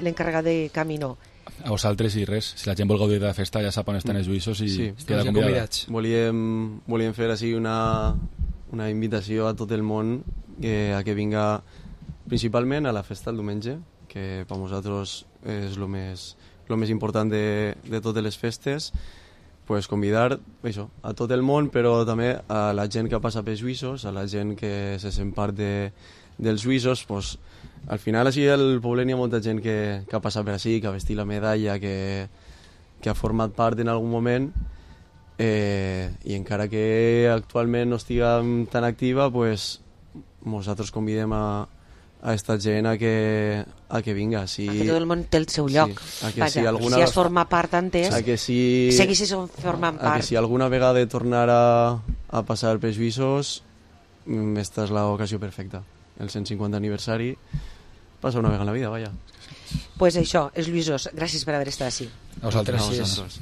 l'encarregat de Camino. A vosaltres i res, si la gent vol gaudir de la festa ja sap on estan els Lluïsos i queda convidats. Volíem fer així una invitació a tot el món a que vinga principalment a la festa el diumenge, que per nosaltres és el més important de totes les festes, pues convidar això, a tot el món, però també a la gent que passa pels Lluïsos, a la gent que se sent part dels Lluïsos. Pues, al final així al poble hi ha molta gent que ha passat per així, que ha vestit la medalla, que ha format part en algun moment, i encara que actualment no estiguem tan activa, pues, nosaltres convidem a esta gent a que vinga. Si tot el món té el seu lloc. Sí, si has format part antes, segueixis formant part. Si alguna vegada tornar a passar pels Lluïsos, esta és l'ocasió perfecta. El 150 aniversari passa una vegada en la vida, vaja. Pues això, els Lluïsos, gràcies per haver estat així. A vosaltres.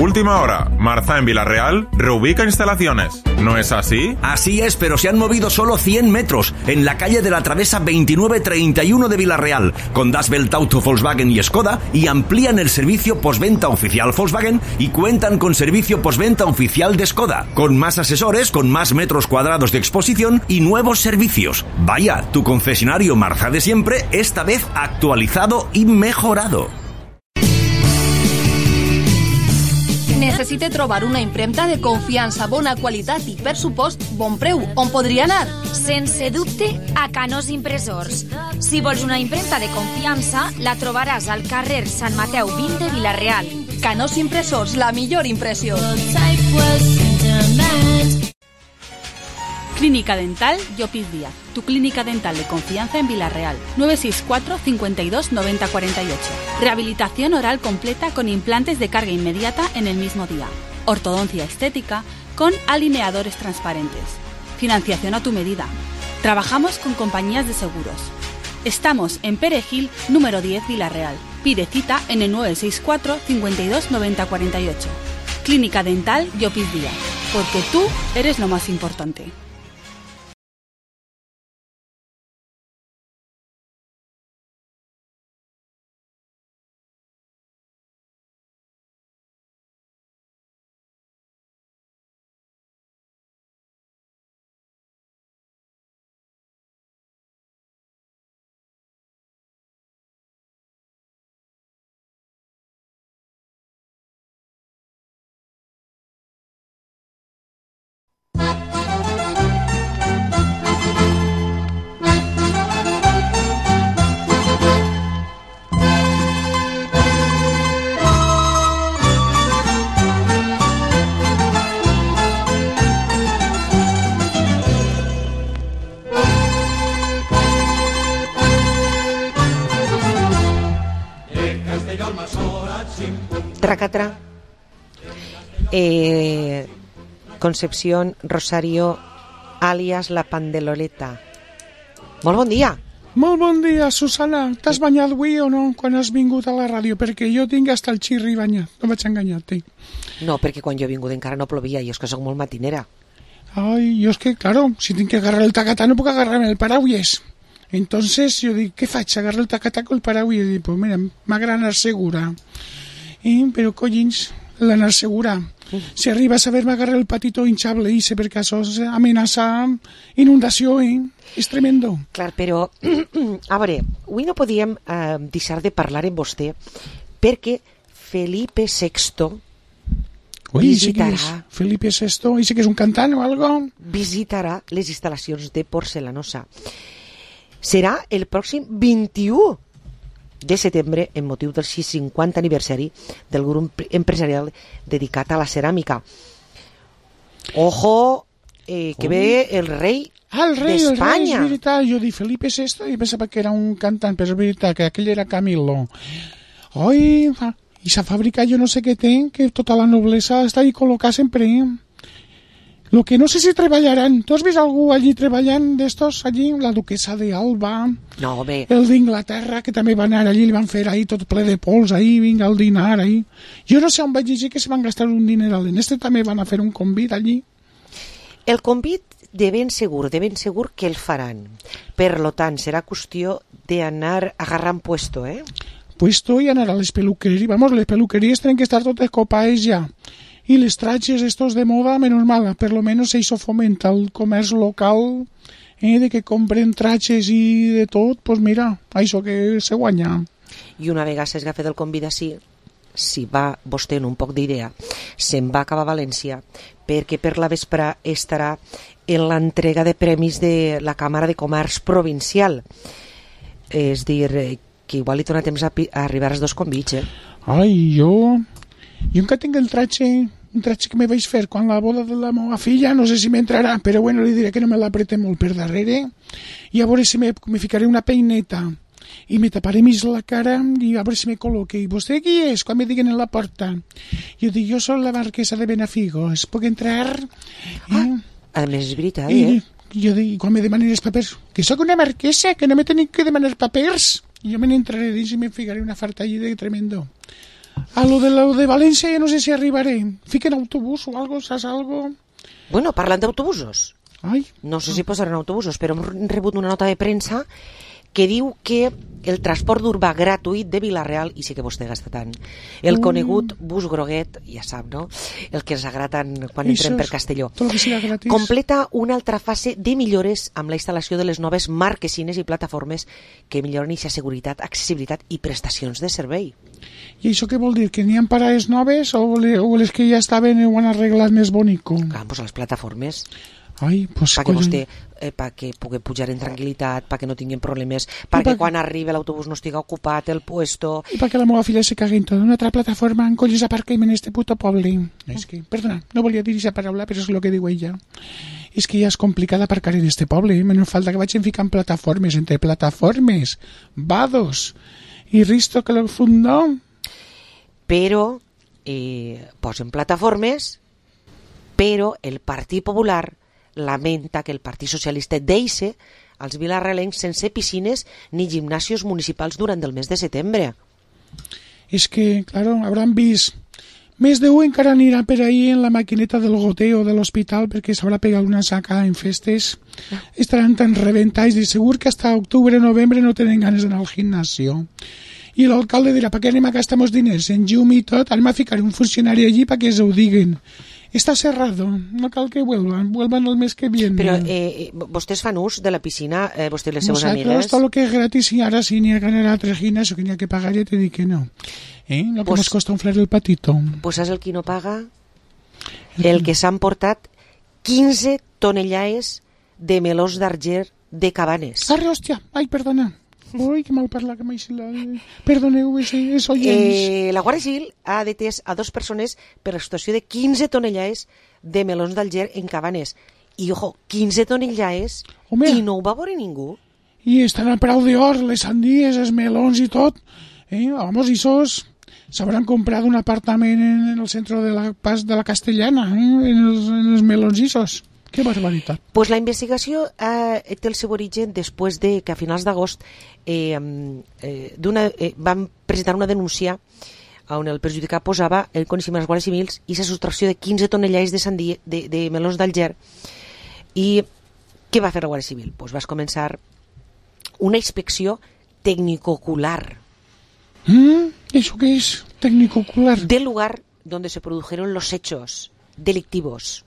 Última hora, Marza en Villarreal reubica instalaciones. ¿No es así? Así es, pero se han movido solo 100 metros en la calle de la Travesa 2931 de Villarreal, con Das Welt Auto Volkswagen y Skoda, y amplían el servicio postventa oficial Volkswagen y cuentan con servicio postventa oficial de Skoda, con más asesores, con más metros cuadrados de exposición y nuevos servicios. Vaya, tu concesionario Marza de siempre, esta vez actualizado y mejorado. Necessite trobar una impremta de confiança, bona qualitat i, per supost, bon preu. On podria anar? Sense dubte, a Canós Impressors. Si vols una impremta de confiança, la trobaràs al carrer Sant Mateu 20 de Vila-real. Canós Impressors, la millor impressió. Clínica Dental Llopis Díaz, tu clínica dental de confianza en Vila-real. 964 52 90 48. Rehabilitación oral completa con implantes de carga inmediata en el mismo día. Ortodoncia estética con alineadores transparentes. Financiación a tu medida. Trabajamos con compañías de seguros. Estamos en Perejil, número 10, Vila-real. Pide cita en el 964 52 90 48. Clínica Dental Llopis Díaz, porque tú eres lo más importante. Tracatra. Concepción Rosario, alias La Pandeloleta. Molt bon dia. Molt bon dia, Susana. T'has banyat avui o no, quan has vingut a la ràdio? Perquè jo tinc hasta el xirri banyat. No vaig enganyar-te. No, perquè quan jo he vingut encara no plovia, i és que soc molt matinera. Ai, jo és que, claro, si tinc que agarrar el tacatà no puc agarrar-me el paraulles. Entonces jo dic, què faig? Agarrar el tacatà con el paraulles? I dic, pues mira, m'agrada anar segura. Però collins, l'anar segura. Si arriba a saber-me agarrar el patito hinchable i sé per caso amenaça inundació, és tremendo. Clar, però, a veure, avui no podíem deixar de parlar amb vostè perquè Felipe VI visitarà... Felipe VI, i sé que és un cantant o algo? Visitarà les instal·lacions de Porcelanosa. Serà el pròxim 21 de setembre, en motiu del 50 aniversari del grup empresarial dedicat a la ceràmica. Ojo, que ve el rei d'Espanya. És veritat, jo dic Felipe VI i pensava que era un cantant, però és veritat que aquell era Camilo. Oi, i esa fàbrica jo no sé què té, que tota la noblesa està ahí col·locada sempre. Lo que no sé si treballaran. ¿Tú has vist algú allí treballant d'estos allí? La duquesa de Alba, no, home. El d'Inglaterra, que també van anar allí, li van fer ahí tot ple de pols, ahí, vinga, el dinar, ahí. Jo no sé on vaig llegir que se van gastar un dineral. En este també van a fer un convit allí. El convit de ben segur que el faran. Per lo tant, serà qüestió d'anar agarrant puesto, Puesto i anar a les peluqueries. Vamos, les peluqueries tenen que estar totes copades ja. Y les trajes estos de moda, menos mal, per lo menos eso fomenta el comerç local, de que compren trajes i de tot, pues mira, això que se guanya. I una vegada s'esgafa del convida, si va vostè en un poc d'idea, se'n va cap a València, perquè per la vespre estarà en l'entrega de premis de la Càmera de Comerç Provincial. És dir, que igual li dona temps a arribar als dos convits, Ai, jo encara tinc el traje, un traje que me vaig fer quan la boda de la meva filla, no sé si m'entrarà, però bueno, li diré que no me l'aprete molt per darrere, i a veure si me ficaré una peineta i me taparé més la cara i a veure si me col·loque. I vostè qui és? Quan me diguen en la porta. Jo dic, jo soc la marquesa de Benafigos, puc entrar? A més és veritat, Jo dic, quan me demanen els papers, que sóc una marquesa, que no me tenen que demanar papers. Jo me n'entraré dins i me ficaré una farta allí de tremendo. A lo de València ja no sé si arribaré. Fiquen autobús o algo, saps algo? Bueno, parlant d'autobusos. Ai. No sé si posaran autobusos, però hem rebut una nota de premsa que diu que el transport urbà gratuït de Vila-real, i sí que vostè gasta tant, el conegut bus groguet, ja sap, no? El que ens agrada tant quan entrem per Castelló, completa una altra fase de millores amb la instal·lació de les noves marquesines i plataformes que milloren aquesta seguretat, accessibilitat i prestacions de servei. I això què vol dir? Que n'hi ha parades noves o les que ja estaven ho han arreglat més bonico? Clar, doncs les plataformes. Ai, pues perquè vostè perquè pugui pujar en tranquil·litat, perquè no tinguin problemes, perquè quan arribi l'autobús no estigui ocupat el puesto. I perquè la meva filla se cagui en tota una altra plataforma en colles aparquem en este puto poble. És que, perdona, no volia dir aquesta paraula, però és el que diu ella. És que ja és complicat aparcar en este poble, menys falta que vagin ficant plataformes, entre plataformes, vados i Risto que lo fundó. Però posen plataformes, però el Partit Popular lamenta que el Partit Socialista deixe als vilarrealencs sense piscines ni gimnasios municipals durant el mes de setembre. És que, claro, hauran vist més d'un encara anirà per ahí en la maquineta del goteo de l'hospital perquè s'haurà pegat una saca en festes. Estaran tan reventats i segur que hasta octubre o novembre no tenen ganes d'anar al gimnasio. I l'alcalde dirà, ¿para qué anem a gastar diners en llum i tot? Anem a ficar un funcionari allí para que se ho diguen. Está cerrado, no cal que vuelvan el mes que viene. Però vostès fan ús de la piscina, vostès les seves amigues? Nosotros todo lo que es gratis y ahora si ni a ganar a 3 gimnasios que ni a que pagar ya te di que no. Lo que nos costa inflar el patito. Pues saps el qui no paga? El que s'han portat 15 tonellades de melons d'arger de Cabanes. Arre, hòstia, ai, perdona. Ui, que mal parla, que m'aixila. Perdoneu, és oients. La Guàrdia Civil ha detès a 2 persones per l'extorsió de 15 tonellades de melons d'Alger en Cabanes. I, ojo, 15 tonellades i no ho va veure ningú. I estan a preu d'or, les sandies, els melons i tot. Vamos, i s'hauran comprat un apartament en el centre de la Castellana, en els melons isos. Que barbaritat. Pues la investigació té el seu origen després de que a finals d'agost van presentar una denúncia on el perjudicat posava el coneixement dels guàrdies civils i la subtracció de 15 tonellades de melons d'Alger. I què va fer la Guàrdia Civil? Pues va començar una inspecció tecnico-ocular. ¿Eso qué es? Tecnico-ocular. Del lugar donde se produjeron los hechos delictivos,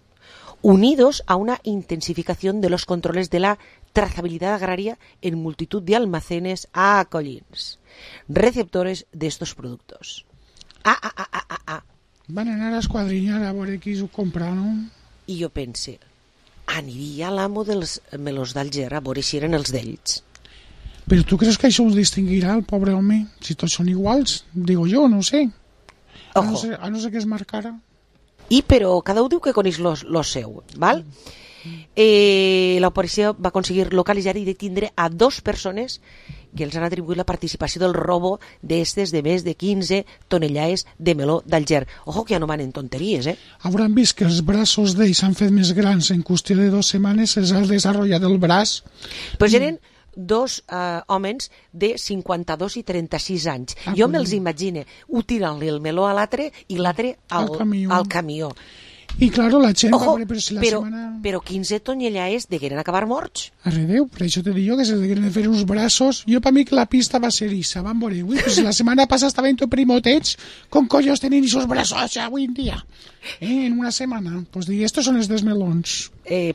unidos a una intensificación de los controles de la trazabilidad agraria en multitud de almacenes acollins, receptores de estos productos. Van anar a esquadrinyar a veure qui s'ho compra, no? I jo pense, aniria l'amo dels melons d'Alger a veure si eren els d'ells. Però tu creus que això ho distinguirà el pobre home? Si tots són iguals, digo jo, no sé. A no ser que es marcara. Però cada un diu que coneix lo seu, val? La policia va aconseguir localitzar i detindre a 2 persones que els han atribuït la participació del robo d'estes de més de 15 tonellades de meló d'Alger. Ojo que ja no van en tonteries, Hauran vist que els braços d'ells s'han fet més grans en qüestió de 2 setmanes, se'ls ha desenvolupat el braç. Pues eren 2 homes de 52 i 36 anys. Jo me'ls imagine tirant-li el meló a l'altre i l'altre al camió. I claro, la gent Ojo, va veure, però 15 tonellades degueren acabar morts. Arredeu, per això te dic jo que se degueren fer uns braços. Jo per mi que la pista va ser issa, van veure, pues la setmana passada estaven tot primotets, con collos tenien esos brazos avui en dia. En una setmana. Pues dic, estos son els dels melons.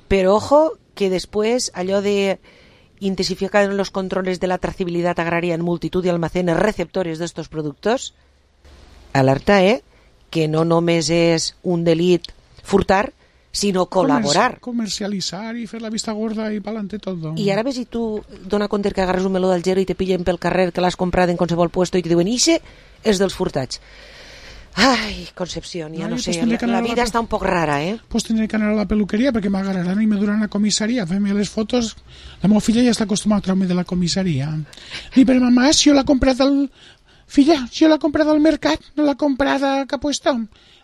Però ojo, que després allò de intensificar los controles de la trazabilidad agraria en multitud de almacenes receptores de estos productos. Alerta, que no només és un delit furtar, sinó col·laborar. Comercialitzar i fer la vista gorda i pa'lante tot. I ara ves si tu dona compte que agarres un meló d'Alger i te pillen pel carrer que l'has comprat en qualsevol puesto i te diuen ixe és dels furtats. Ai, Concepción, ja no sé, la vida està un poc rara, Pues tindré que anar a la peluqueria perquè m'agarraran i me duran a la comissaria, fem-me les fotos. La meva filla ja està acostumada a treure'm de la comissaria. I per mamà, si jo l'he comprat filla, yo la he comprado al mercat, no la he comprado que ha puesto.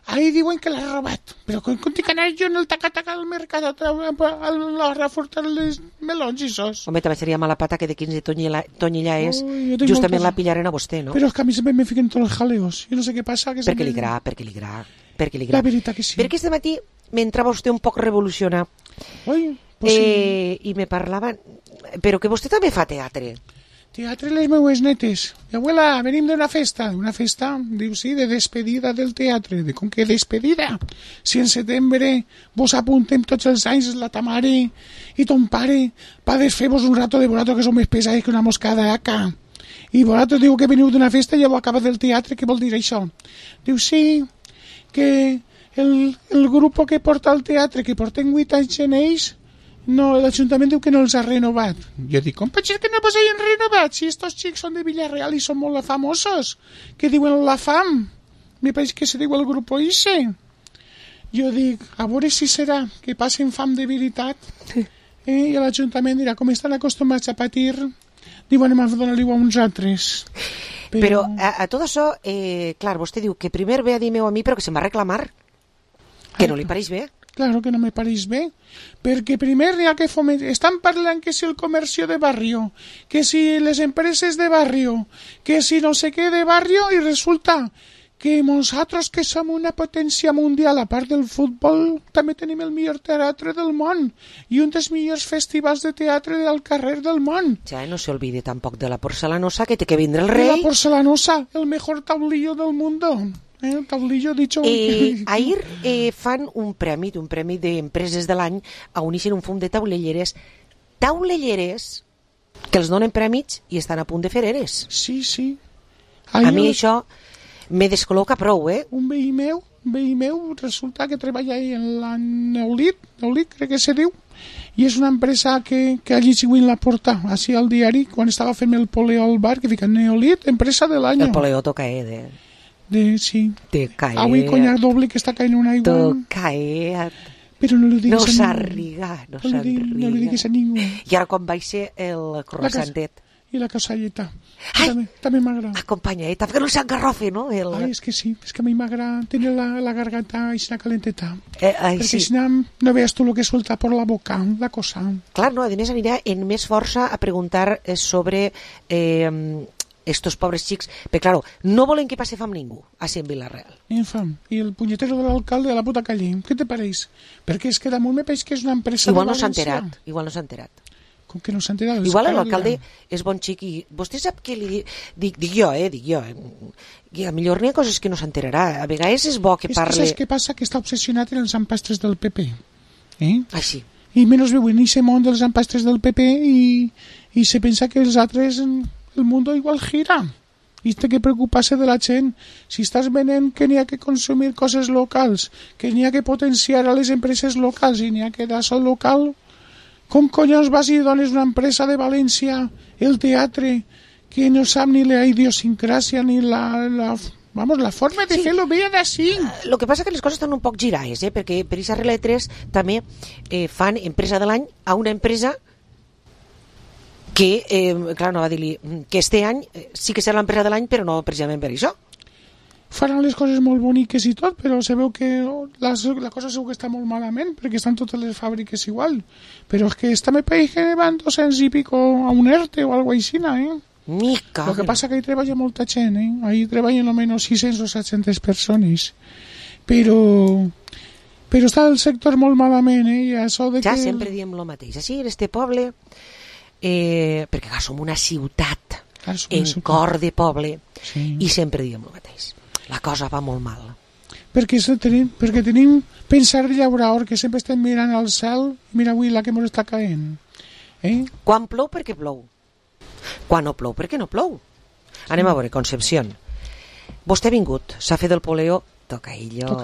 Ahí diuen que l'ha robat, però com tinc anar jo en el taca-taca del mercat a reforçar les melons i sos. Home, també seria mala pata que de 15 tonyilla és, justament la pillaren a vostè, no? Però és que a mi sempre me fiquen tots els jaleos, jo no sé què passa. Perquè li gra. La veritat que sí. Perquè este matí m'entrava vostè un poc revolucionat. I me parlava, però que vostè també fa teatre. Teatre les meues netes. Abuela, venim d'una festa. Una festa, diu, sí, de despedida del teatre. De com que despedida? Si en setembre vos apuntem tots els anys la ta mare i ton pare pa desfer-vos un rato de vosaltres que som més pesats que una moscada acá. I vosaltres diu que veniu d'una festa i ja ho acaba del teatre. Què vol dir això? Diu, sí, que el grup que porta el teatre, que porten 8 anys en ells, no, l'Ajuntament diu que no els ha renovat. Jo dic, com pot ser que no vos hagin renovat? Si estos xics són de Villarreal i són molt famosos, que diuen la fam. Me pareix que se diu el grup Oise. Jo dic, a veure si serà que passen fam de veritat. I l'Ajuntament dirà, com estan acostumats a patir, diuen, anem a donar-li a uns altres. Però a tot això, clar, vostè diu que primer ve a dir-me a mi, però que se'n va reclamar. Que no li pareix bé. Claro que no me pareix bé, perquè primer hi ha que fomentar, estan parlant que si el comercio de barrio, que si les empreses de barrio, que si no sé què de barrio, i resulta que nosaltres que som una potència mundial, a part del futbol, també tenim el millor teatre del món i un dels millors festivals de teatre del carrer del món. Ja, no se olvide tampoc de la porcelanosa, que té que vindre el rei. La porcelanosa, el mejor tablillo del mundo. El tablillo dicho... Ahir fan un premi d'empreses de l'any a uneixen un fum de taulelleres que els donen prèmits i estan a punt de fer eres. Sí, sí. A mi això me descol·loca prou, Un veí meu resulta que treballa en la Neolit, crec que se diu, i és una empresa que allí siguen la porta, així al diari, quan estava fent el poleo al bar, que fica Neolit, empresa de l'any. El poleo toca, sí. Te cae. Avui conyac doble que està caient una aigua. Tocaet. Però no li digues no s'arriga. No li digues a ningú. I ara com va ser el croissantet? I la casalleta. També m'agrada. Acompanyeta, que no s'engarrofi, no? Ai, és que sí, és que a mi m'agrada tenir la garganta així calenteta. Perquè sí. Si no veus tu el que suelta per la boca, la cosa. Clar, no, a més anirà en més força a preguntar sobre... estos pobres xics, però claro, no volen que passe fam ningú així en Villarreal. Ni fam. I el punyetero de l'alcalde de la puta calle, què te pareix? Perquè és que damunt me pareix que és una empresa igual de València. Igual no s'ha enterat. Com que no s'ha enterat? Igual l'alcalde és bon xic i vostè sap que li dic jo, i a millor n'hi ha coses que no s'enterarà. A vegades és bo que parli... És que saps què passa? Que està obsessionat en els empastres del PP. Així. I menys veu en aquest món dels empastres del PP i se pensa que els altres... el mundo igual gira i té que preocupar-se de la gent. Si estàs venent que n'hi ha que consumir coses locals, que n'hi ha que potenciar a les empreses locals i n'hi ha que d'això local, com collons vas i dones una empresa de València el teatre que no sap ni la idiosincràsia ni la forma de fer-lo bé d'ací? El que passa que les coses estan un poc girades, perquè per aquesta regla de 3 també fan empresa de l'any a una empresa que, clar, no va dir-li que este any sí que serà l'empresa de l'any, però no precisament per això. Faran les coses molt boniques i tot, però se veu que la cosa segur que està molt malament, perquè estan totes les fàbriques igual. Però és que esta me pareix que van 200 i pico a un ERTE o algo així, Mica. Lo que passa que hi treballa molta gent, Ahí treballen almenys 600 o 700 persones. Però està el sector molt malament, I això de ja que... sempre diem el mateix. Així, en este poble... perquè clar, som una ciutat cor de poble i sempre diem el mateix, la cosa va molt mal perquè tenim pensar de llaurador que sempre estem mirant al cel i mira avui la que ens està caent quan plou perquè plou, quan no plou perquè no plou. Anem a veure, Concepción, vostè ha vingut, s'ha fet el poleo, tocaillo.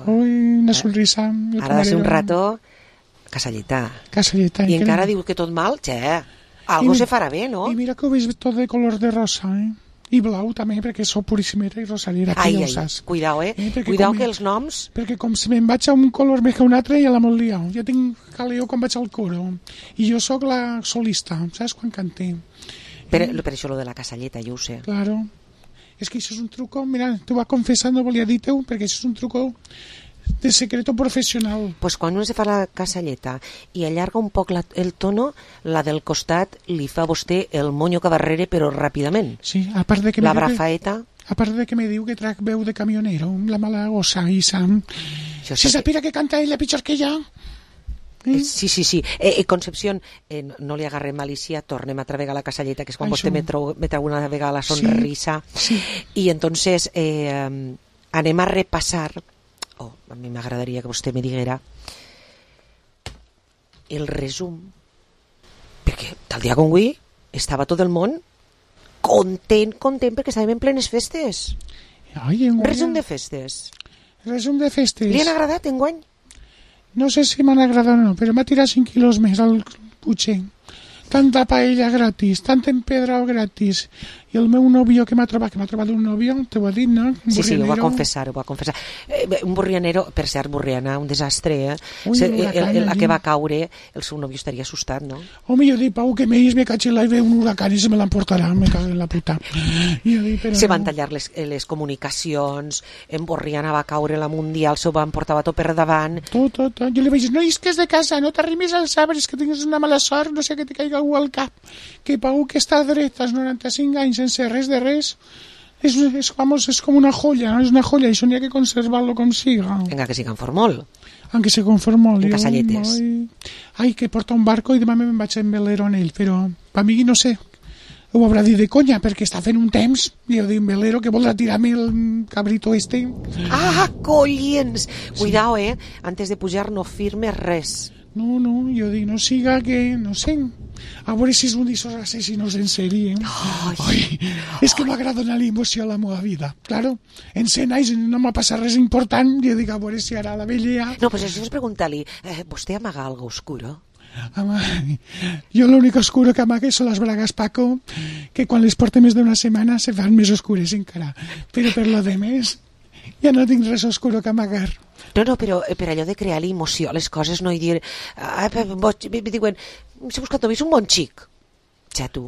Ui, una sonrisa ara de ser un rato Casalleta. I encara diu que tot mal, algo se farà bé, no? I mira que ho veig tot de color de rosa, I blau també, perquè sóc puríssimera i rosalera. Ai, cuidao, cuidao que els noms... Perquè com si me'n vaig a un color més que un altre, ja la molt liau. Jo tinc caleo quan vaig al coro. I jo sóc la solista, saps, quan canté. Per això lo de la casalleta, jo ho sé. Claro. És que això és un truco, mira, t'ho va confessar, no volia dir-te-ho, perquè això és un truco de secreto professional. Pues quan uno se fa la casalleta i allarga un poc el tono, la del costat li fa a vostè el monyo que darrere, però ràpidament. Sí, a part de que la brafaeta. A part de que me diu que trac veu de camionero, la mala gossa, i Sam. Si sapira que canta ella pitjor que jo. Sí. Concepción, no li agarrem malícia, tornem a travegar la casalleta, que és quan vostè me treu una vegada la sonrisa. Sí. I entonces anem a repassar, a mi m'agradaria que vostè me diguera el resum, perquè tal dia com avui estava tot el món content, perquè estàvem en plenes festes. Resum de festes. Resum de festes. Li han agradat enguany? No sé si m'han agradat o no, però m'ha tirat 5 quilos més al Puigcer. Tanta paella gratis, tant empedrao gratis. I el meu nòvio que m'ha trobat un nòvio, t'ho ha dit, no? Sí, ho va confessar. Un burrianero, per cert, burriana, un desastre, el que va caure, el seu nòvio estaria assustat, no? Home, jo dic, Pau, que me caig en l'aire un huracán i se me l'emportarà, me cago en la puta. Se van tallar les comunicacions, en Borriana va caure la Mundial, s'ho van portar tot per davant. Tot. Jo li vaig dir, no isques de casa, no t'arrimis als arbres, que tinguis una mala sort, no sé que te caiga algú al cap. Que Pau, que està dret als 95 anys sense res de res, és com una joya, no? És una joya, i això n'hi ha que conservar-lo com siga. Encara que siga en formol. Aunque se conformó. En casalletes. Ai, que porta un barco i demà me'n vaig en velero en ell, però per mi no sé, ho haurà dit de conya, perquè està fent un temps, i jo dic, un velero que voldrà tirar-me el cabrito este. Ah, collins! Cuidao, antes de pujar no firmes res. No, jo dic, no siga que, no sé, a veure si és un d'esos assassinos en sèrie. És que m'agrada donar l'emoció a la meva vida. Claro, en 100 anys no m'ha passat res important, jo dic, a veure si ara la vella... No, pues això és preguntar-li, ¿vostè amaga algo oscuro? Jo l'únic oscuro que amague són les bragues Paco, que quan les porte més d'una setmana se fan més oscures encara. Però per lo de més, ja no tinc res oscuro que amagar. No, però per allò de crear l'emoció a les coses, no, i dir... diuen, s'ha buscat només un bon xic. Ja, tu.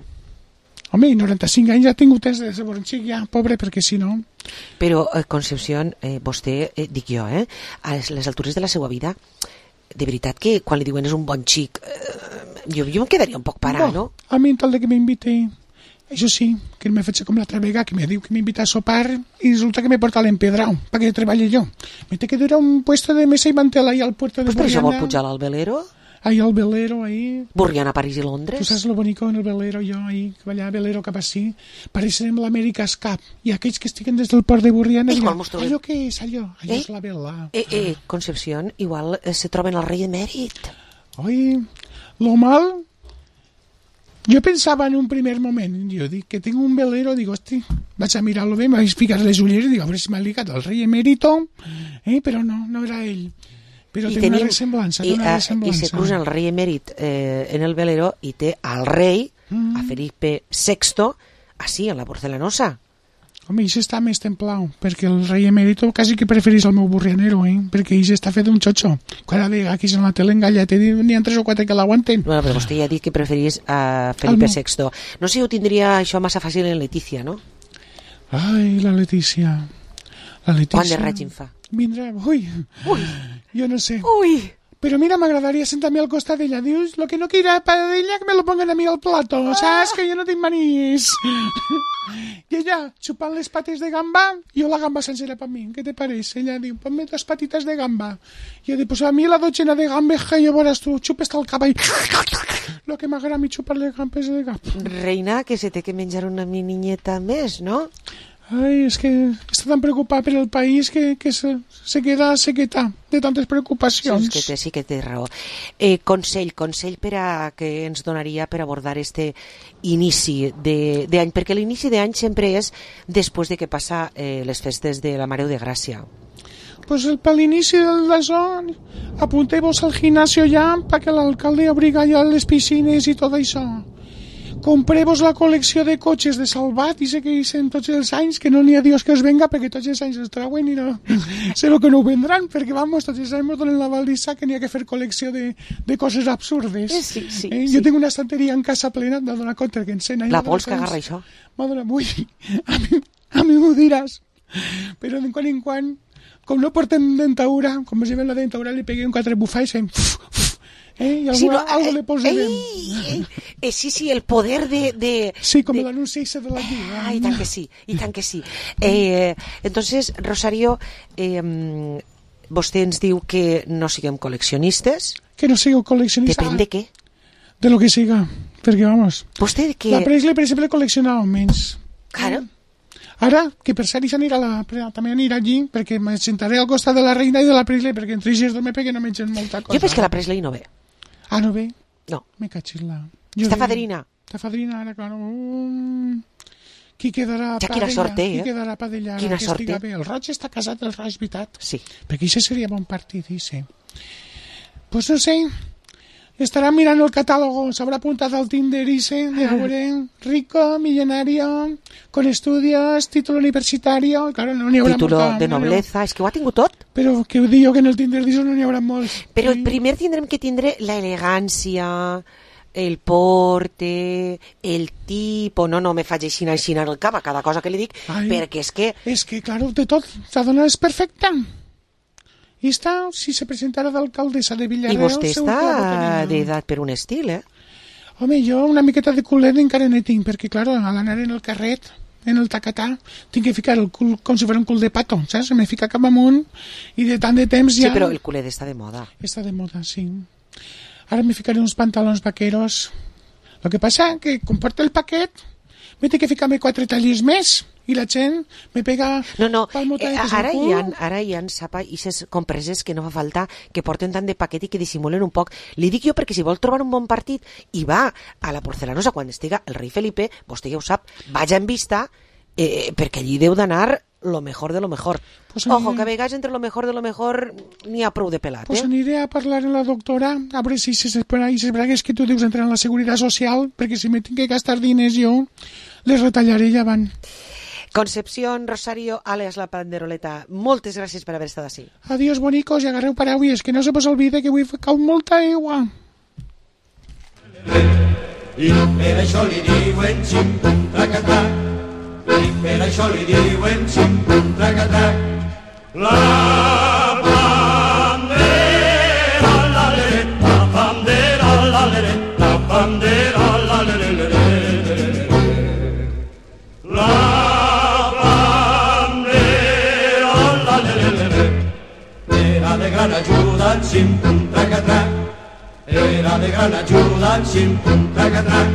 Home, 95 anys ja ha tingut temps de ser bon xic, ja, pobre, perquè si no... Però, Concepción, vostè, dic jo, a les altures de la seva vida, de veritat que quan li diuen és un bon xic, jo em quedaria un poc parat, no? A mi, tal de que m'invite... Això sí, que me faig com l'altra vegada, que me diu que m'invita a sopar i resulta que me porta l'empedrau, perquè treballe jo. Me té que durar un puesto de mesa i mantel ahí al puerto de Borriana. Pues per això vol pujar al velero? Ahí al velero, ahí. Borriana, París i Londres. Tu saps lo bonico en el velero, jo, ahí, que allà velero cap així, parecerem l'America's Cup. I aquells que estiguen des del port de Borriana... Allò què és, allò? Allò és la vela. Concepción, igual se troben al rei emèrit. Oi, lo mal... Jo pensava en un primer moment, jo dic que tinc un velero, dic, hosti, vaig a mirar-lo bé, em vaig ficar les ulleres i dic, a veure si m'ha ligat el rei emèrito, però no era ell. Però té una ressemblança, I se cruza el rei emèrit en el velero i té al rei, a Felipe VI, així, en la porcelanosa. Home, ell està més templau, perquè el rei emèrito quasi que preferís el meu burrianero, perquè ell està fet un xotxo. Cada vegada que és en la tele engalleta, n'hi ha 3 o 4 que l'aguanten. Bueno, però vostè ja ha dit que preferís a Felipe VI. No sé si ho tindria això massa fàcil en Letícia, no? Ai, la Letícia. Quant de règim fa? Vindrà, jo no sé. Però mira, m'agradaria sentar-me al costat d'ella. Dius, lo que no quiera para ella, que me lo pongan a mi al plato. Saps que jo no tinc manies. I ella, chupant les pates de gamba, jo la gamba sencera per mi. Què te parece? Ella diu, ponme 2 patitas de gamba. Jo dic, pues a mi la docena de gambes que jo veuràs tu, xupes el cabell. Lo que m'agrada a mi xupar les gambes de gamba. Reina, que se té que menjar una niñeta més, no? Ai, és que està tan preocupat per el país que se queda sequeta de tantes preocupacions. Sí que té raó. Consell per a que ens donaria per abordar este inici d'any, perquè l'inici d'any sempre és després de que passa les festes de la Mare de Gràcia. Pues per l'inici d'això, apunteu-vos al gimnasio ja perquè l'alcalde obriga ja les piscines i tot això. Compreu-vos la col·lecció de cotxes de Salvat i sé que dicen tots els anys que no n'hi ha Dios que els venga perquè tots els anys els trauen i no sé que no ho vendran perquè vamos, tots els anys ens donen la baldissa que n'hi ha que fer col·lecció de coses absurdes. Sí. Jo tinc una estanteria en casa plena de donar compte que en 100 anys... La pols que agarra això. Madre, a mi m'ho diràs. Però de quan en quan, com no portem dentadura, com es lleven la dentadura, li peguem 4 bufades i fem... I algo le posarem. Sí, el poder de... Sí, com l'anunci de la lliga. I tant que sí. Entonces, Rosario, vostè ens diu que no siguem col·leccionistes. Que no sigueu col·leccionistes. Depèn de què? De lo que siga. Perquè, vamos... Vostè de què? La Presley, per exemple, col·leccionava menys. Claro. Ara, que per cert, també anirà allí, perquè me sentaré al costat de la reina i de la Presley, perquè entre ells dos me peguen a menjar molta cosa. Jo penso que la Presley no ve. Ah, no ve? No. Me cachis-la. Està fadrina. Està fadrina, ara, claro. Qui quedarà ja quina sort té, Qui quedarà per d'allà? Quina sort té. El Roig està casat, el Roig, veritat? Sí. Perquè això seria bon partit, dice. Pues no sé, estarà mirant el catàlogo, s'haurà apuntat al Tinder, dice, de veure, rico, millonario, con estudios, título universitario, claro, no n'hi haurà título molta, de nobleza, és que ho ha tingut tot. Però que diu que en el Tinder dice no n'hi haurà molts. Però primer tindrem que tindre la elegància, el porte, el tipo... No me faig així en el cap a cada cosa que li dic, perquè és que... És que, claro, de tot, la dona és perfecta. I està, si se presentara d'alcaldessa de Villarreal... I vostè està d'edat per un estil, Home, jo una miqueta de culet encara ne tinc, perquè, claro, a l'anar en el carret, en el tacatà, tinc que ficar el cul com si fos un cul de pato, saps? Se me fica cap amunt i de tant de temps ja... Sí, però el culet està de moda. Està de moda, sí. Ara me ficaré uns pantalons vaqueros. Lo que passa que, com porto el paquet, me té que ficar-me 4 tallis més i la gent me pega... No, ara hi ha sapa i ses compreses que no fa falta que porten tant de paquet i que dissimulen un poc. Li dic jo perquè si vol trobar un bon partit i va a la Porcelanosa quan estiga el rei Felipe, vostè ja ho sap, vaja en vista, perquè allí deu d'anar lo mejor de lo mejor. Pues ojo, que a vegades entre lo mejor de lo mejor n'hi ha prou de pelat. Pues aniré a parlar amb la doctora a veure si ses bragues que tu deus entrar en la Seguretat Social, perquè si me tinc que gastar diners jo, les retallaré ja van. Concepción Rosario, alias la Panderoleta, moltes gràcies per haver estat així. Adiós, bonicos, i agarreu paraules, que no se vos olvide que avui cau molta aigua. I per això li diuen xim-pum trac-atac, i per això li diuen xim-pum trac-atac. La bandera, la leret, la bandera, la leret, la bandera, la leret, la era de gran ajuda en xim-pum trac-atac, era de gran ajuda en xim-pum trac-atac.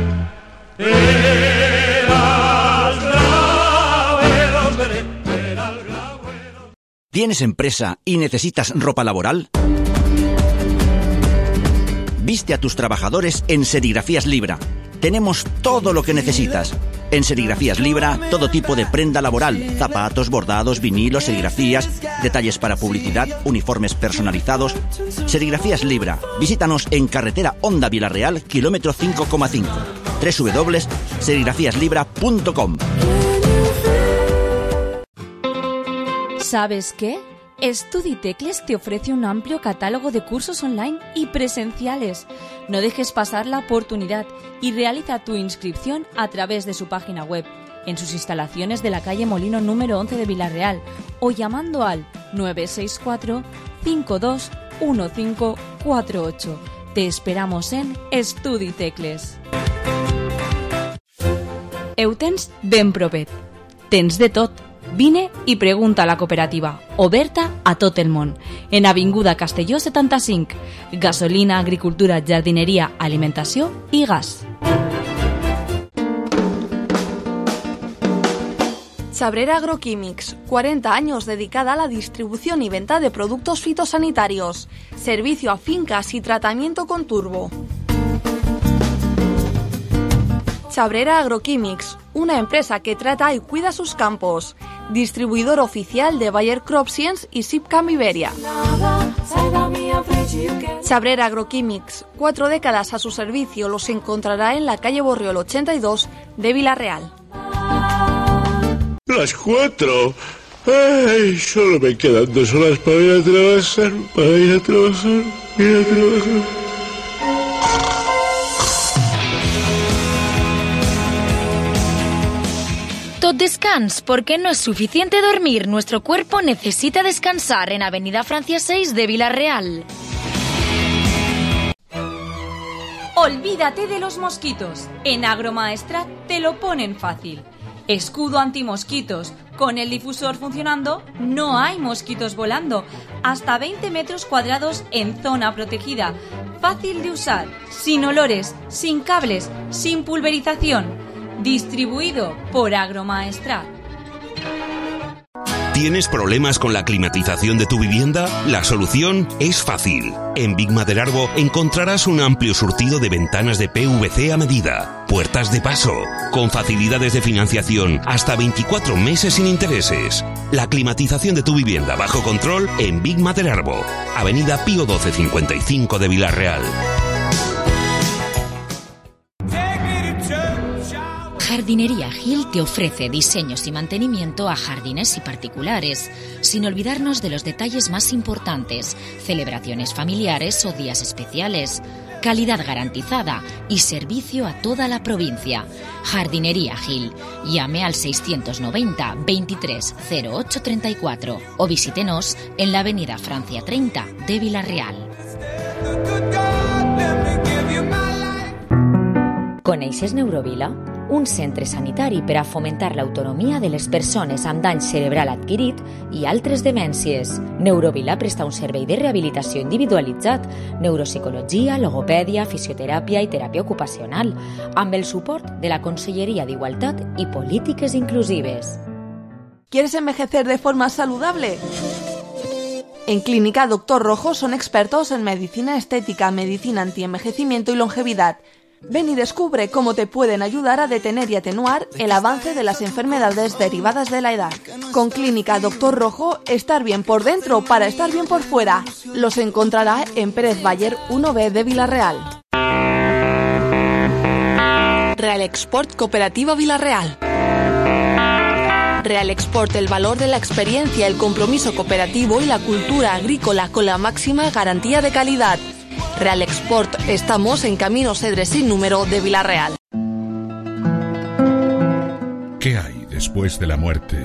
¿Tienes empresa y necesitas ropa laboral? Viste a tus trabajadores en Serigrafías Libra. Tenemos todo lo que necesitas. En Serigrafías Libra, todo tipo de prenda laboral, zapatos, bordados, vinilos, serigrafías, detalles para publicidad, uniformes personalizados. Serigrafías Libra. Visítanos en carretera Honda Villarreal, kilómetro 5,5. www.serigrafíaslibra.com. ¿Sabes qué? StudiTecles te ofrece un amplio catálogo de cursos online y presenciales. No dejes pasar la oportunidad y realiza tu inscripción a través de su página web, en sus instalaciones de la calle Molino número 11 de Villarreal o llamando al 964 521548. Te esperamos en StudiTecles. Eutens ben propet. Tens de tot. Vine i pregunta a la cooperativa, oberta a tot el món, en Avinguda Castelló 75, gasolina, agricultura, jardineria, alimentació i gas. Chabrera Agroquímics, 40 años dedicada a la distribución y venta de productos fitosanitarios, servicio a fincas y tratamiento con turbo. Chabrera Agroquímics, una empresa que trata y cuida sus campos. Distribuidor oficial de Bayer Crop Science y Sipcam Iberia. Chabrera Agroquímics, 4 décadas a su servicio, los encontrará en la calle Borriol 82 de Villarreal. Las 4. Ay, solo me quedan 2 horas para ir a trabajar, tot descans, porque no es suficiente dormir, nuestro cuerpo necesita descansar en Avenida Francia 6 de Villarreal. Olvídate de los mosquitos. En Agromaestrat te lo ponen fácil. Escudo antimosquitos. Con el difusor funcionando, no hay mosquitos volando. Hasta 20 metros cuadrados en zona protegida. Fácil de usar, sin olores, sin cables, sin pulverización. Distribuido por Agromaestrat. ¿Tienes problemas con la climatización de tu vivienda? La solución es fácil. En Big Maderarbo encontrarás un amplio surtido de ventanas de PVC a medida, puertas de paso, con facilidades de financiación hasta 24 meses sin intereses. La climatización de tu vivienda bajo control en Big Maderarbo, Avenida Pío 1255 de Villarreal. Jardinería Gil te ofrece diseños y mantenimiento a jardines y particulares, sin olvidarnos de los detalles más importantes, celebraciones familiares o días especiales, calidad garantizada y servicio a toda la provincia. Jardinería Gil. Llame al 690 23 08 34 o visítenos en la Avenida Francia 30 de Villarreal. Coneixes Neurovila? Un centre sanitari per a fomentar l'autonomia de les persones amb dany cerebral adquirit i altres demències. Neurovila presta un servei de rehabilitació individualitzat, neuropsicologia, logopèdia, fisioteràpia i teràpia ocupacional, amb el suport de la Conselleria d'Igualtat i Polítiques Inclusives. ¿Quieres envejecer de forma saludable? En Clínica Dr. Rojo son expertos en medicina estética, medicina antienvejecimiento y longevidad. Ven y descubre cómo te pueden ayudar a detener y atenuar el avance de las enfermedades derivadas de la edad. Con Clínica Dr. Rojo, estar bien por dentro para estar bien por fuera. Los encontrará en Pérez Bayer 1B de Villarreal. Real Export Cooperativa Villarreal. Real Export, el valor de la experiencia, el compromiso cooperativo y la cultura agrícola con la máxima garantía de calidad. Real Export, estamos en Camino Cedres sin número de Villarreal. ¿Qué hay después de la muerte?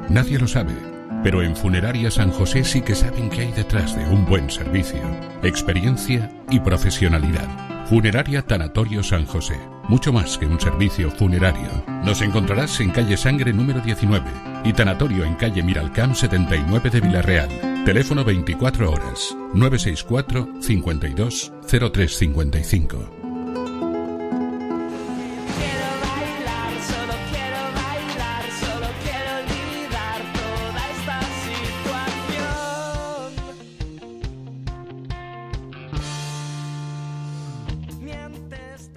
Nadie lo sabe, pero en Funeraria San José sí que saben qué hay detrás de un buen servicio, experiencia y profesionalidad. Funeraria Tanatorio San José, mucho más que un servicio funerario. Nos encontrarás en calle Sangre número 19 y Tanatorio en calle Miralcamp 79 de Villarreal. Teléfono 24 horas, 964 52 0355.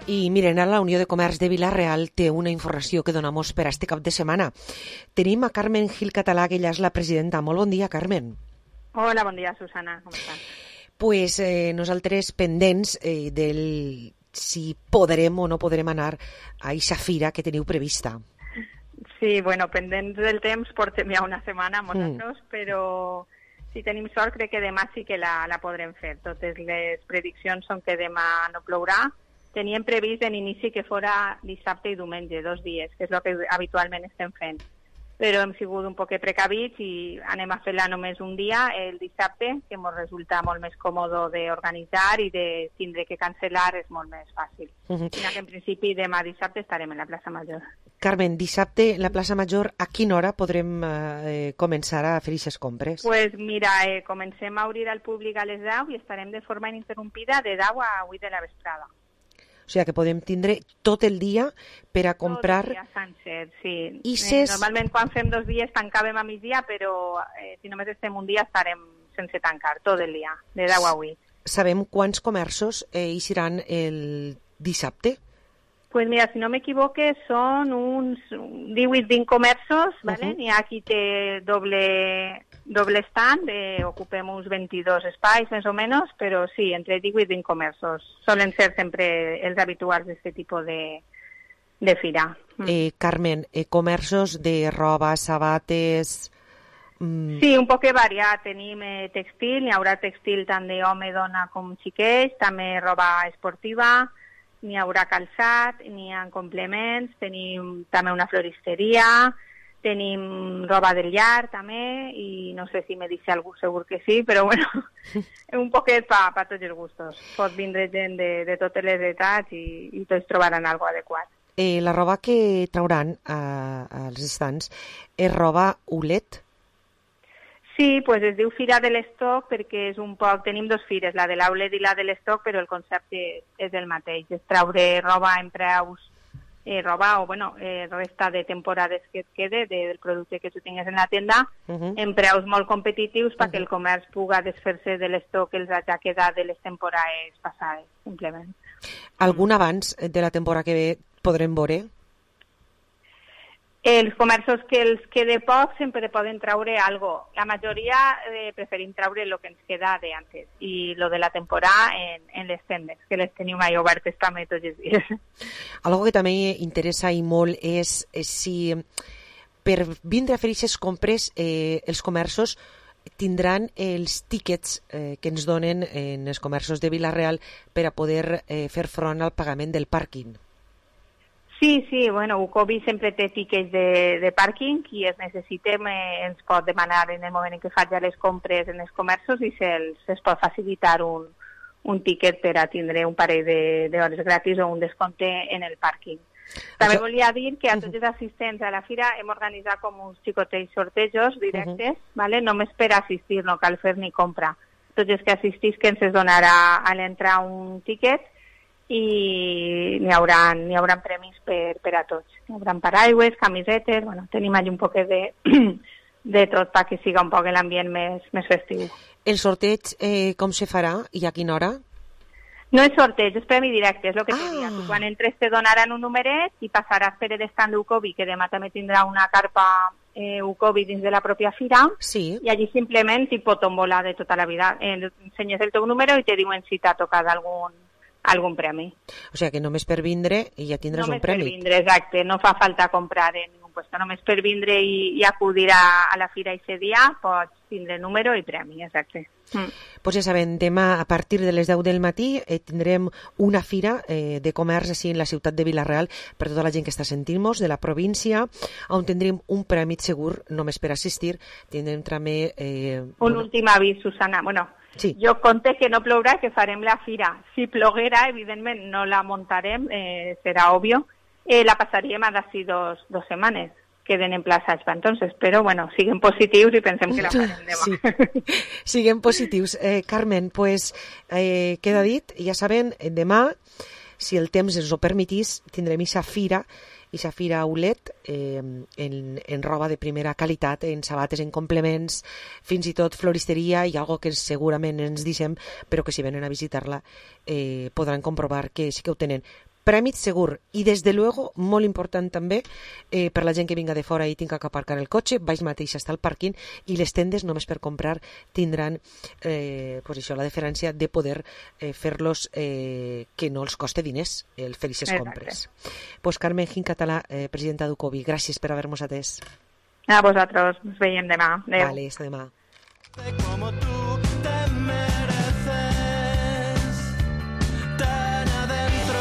I miren, ara la Unió de Comerç de Vila-real té una informació que donamos per a este cap de setmana. Tenim a Carmen Gil Català, que ella és la presidenta. Molt bon dia, Carmen. Hola, bon dia, Susana. Com estàs? Pues nosaltres pendents del si podrem o no podrem anar a eixa fira que teniu prevista. Sí, bueno, pendents del temps portem ja una setmana, nosaltres, però si tenim sort crec que demà sí que la podrem fer. Totes les prediccions són que demà no plourà. Teníem previst en inici que fora dissabte i diumenge, 2 dies, que és el que habitualment estem fent. Però hem sigut un poc precavits i anem a fer-la només un dia, el dissabte, que ens resulta molt més còmode d'organitzar i de tindre que cancel·lar és molt més fàcil. Que en principi demà dissabte estarem en la plaça Major. Carmen, dissabte la plaça Major, a quina hora podrem començar a fer aquestes compres? Pues mira, comencem a obrir al públic a les 10 i estarem de forma ininterrompida de 10 a 8 de la vesprada. O sigui que podem tindre tot el dia per a comprar... Tot el dia sencer, sí. Ises... Normalment quan fem 2 dies tancàvem a migdia, però si només estem un dia estarem sense tancar, tot el dia, de 10 a 8. Sabem quants comerços hi seran el dissabte? Pues mira, si no m'equivoque, són uns 18-20 comerços, ¿vale? N'hi ha qui té doble stand, ocupem uns 22 espais més o menys, però sí, entre 18 i 20 comerços. Solen ser sempre els habituals d'aquest tipus de fira. Carmen, comerços de roba, sabates... Sí, un poc variat. Tenim textil, n'hi haurà textil tant d'home, dona com xiquets, també roba esportiva, n'hi haurà calçat, n'hi ha complements, tenim també una floristeria, tenim roba del llar també, i no sé si me deixa algú, segur que sí, però bueno, un poquet pa tots els gustos. Pot vindre gent de totes les edats i tots trobaran algo adequat. La roba que trauran als estants és roba ULED? Sí, pues es diu Fira de l'Estoc perquè és un poc... Tenim dos fires, la de l'Outlet i la de l'Estoc, però el concepte és el mateix. És traure roba en preus, resta de temporades que et quede del producte que tu tingues en la tenda, en preus molt competitius perquè el comerç pugui desfer-se de l'estoc que els hagi quedat de les temporades passades, simplement. Algun abans de la temporada que ve podrem veure? Els comerços que els quede poc sempre poden traure algo. La majoria preferim traure el que ens queda d'antes i lo de la temporada en les tendes, que les tenim mai obertes també tots els dies. Algo que també interessa i molt és si per vindre a fer aquestes compres els comerços tindran els tíquets que ens donen en els comerços de Vila-real per a poder fer front al pagament del pàrquing. Sí, bueno, Ucovi sempre té tiquets de pàrquing i es necessitem, ens pot demanar en el moment en què faci les compres en els comerços i se'ls pot facilitar un tiquet per a tindre un parell d'hores gratis o un descompte en el pàrquing. També volia dir que a tots els assistents a la fira hem organitzat com uns xicotets sortejos directes, ¿vale? Només per assistir, no cal fer ni compra. Tots els que assistisquen se'ls donarà a l'entrar un tiquet i n'hi haurà premis per a tots. N'hi haurà paraigües, camisetes, bueno, tenim allà un poquet de tot perquè siga un poc l'ambient més festiu. El sorteig com se farà i a quina hora? No és sorteig, és premi directe, és el que te diria. Quan entres te donaran un numeret i passaràs per l'estand d'Ucovi, que demà també tindrà una carpa Ucovi dins de la pròpia fira, i allí simplement tipo tombola de tota la vida. Ensenyes el teu número i te diuen si t'ha tocat algun premi. O sigui que només per vindre i ja tindràs un premi. Només per vindre, exacte. No fa falta comprar en ningú puesto. Només per vindre i acudir a la fira aquest dia pots tindre número i premi, exacte. Pues ja saben, demà a partir de les 10 del matí tindrem una fira de comerç així en la ciutat de Vila-real per tota la gent que està sentint-nos de la província, on tindrem un premi segur només per assistir. Tindrem també... un últim avís, Susana. Bueno, sí. Jo conté que no plourà, que farem la fira. Si ploguera, evidentment, no la muntarem, serà òbvio. La passaríem a d'ací dos setmanes. Queden emplaçats per entonces, però bueno, siguem positius i pensem que la farem demà. Sí. Siguem positius. Carmen, pues queda dit, ja saben, demà, si el temps ens ho permetís, tindrem aquesta fira ULED en roba de primera qualitat, en sabates, en complements, fins i tot floristeria i algo que segurament ens deixem, però que si venen a visitar-la podran comprovar que sí que ho tenen. Prèmit segur, i des de luego, molt important també, per la gent que vinga de fora i tinga que aparcar el cotxe, baix mateix està el pàrquing, i les tendes només per comprar tindran pues això, la deferència de poder fer-los que no els coste diners el fer aquestes compres. Pues Carmen Gincatala, presidenta d'Ucovi, gràcies per haver-nos atès. A vosaltres, ens veiem demà. Adéu. Vale, hasta demà. Como tú te mereces, tan adentro,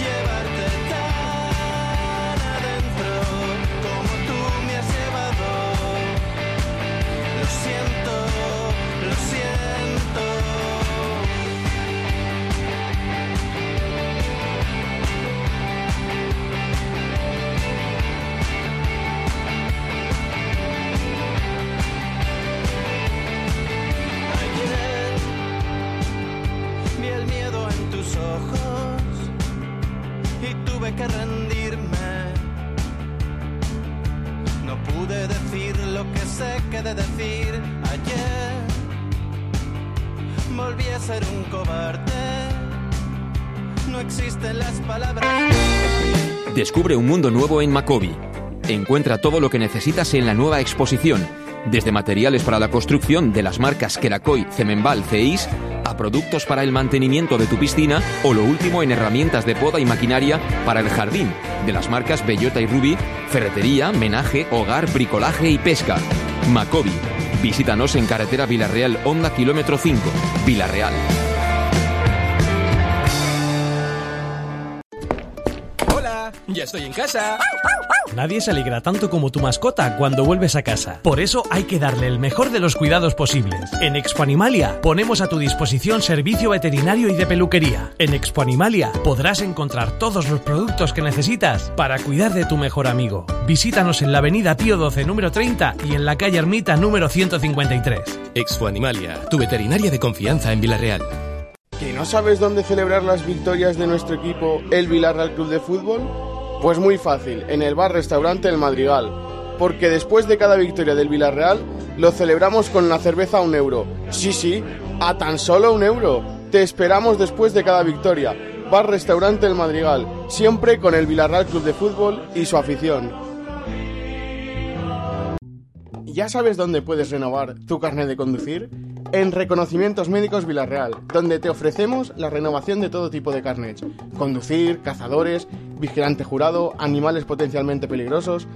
llevarte tan adentro, como tú me has llevado. Lo siento, lo siento. Vi el miedo en tus ojos y tuve que rendirme. No pude decir lo que sé que de decir ayer. Volví a ser un cobarde. No existen las palabras. Descubre un mundo nuevo en Macovi. Encuentra todo lo que necesitas en la nueva exposición. Desde materiales para la construcción de las marcas Kerakoy, Cemenbal, Ceis, a productos para el mantenimiento de tu piscina o lo último en herramientas de poda y maquinaria para el jardín, de las marcas Bellota y Ruby, ferretería, menaje, hogar, bricolaje y pesca. Macovi. Visítanos en carretera Vila-real, Honda, kilómetro 5, Vila-real. ya estoy en casa. Nadie se alegra tanto como tu mascota cuando vuelves a casa. Por eso hay que darle el mejor de los cuidados posibles. En Expo Animalia ponemos a tu disposición servicio veterinario y de peluquería. En Expo Animalia podrás encontrar todos los productos que necesitas para cuidar de tu mejor amigo. Visítanos en la avenida Pío XII número 30 y en la calle Ermita número 153. Expo Animalia, tu veterinaria de confianza en Villarreal. ¿Que no sabes dónde celebrar las victorias de nuestro equipo, el Villarreal Club de Fútbol? Pues muy fácil, en el bar-restaurante El Madrigal. Porque después de cada victoria del Villarreal, lo celebramos con la cerveza a €1. Sí, a tan solo €1. Te esperamos después de cada victoria. Bar-restaurante El Madrigal, siempre con el Villarreal Club de Fútbol y su afición. ¿Ya sabes dónde puedes renovar tu carnet de conducir? En Reconocimientos Médicos Villarreal, donde te ofrecemos la renovación de todo tipo de carnets. Conducir, cazadores, vigilante jurado, animales potencialmente peligrosos.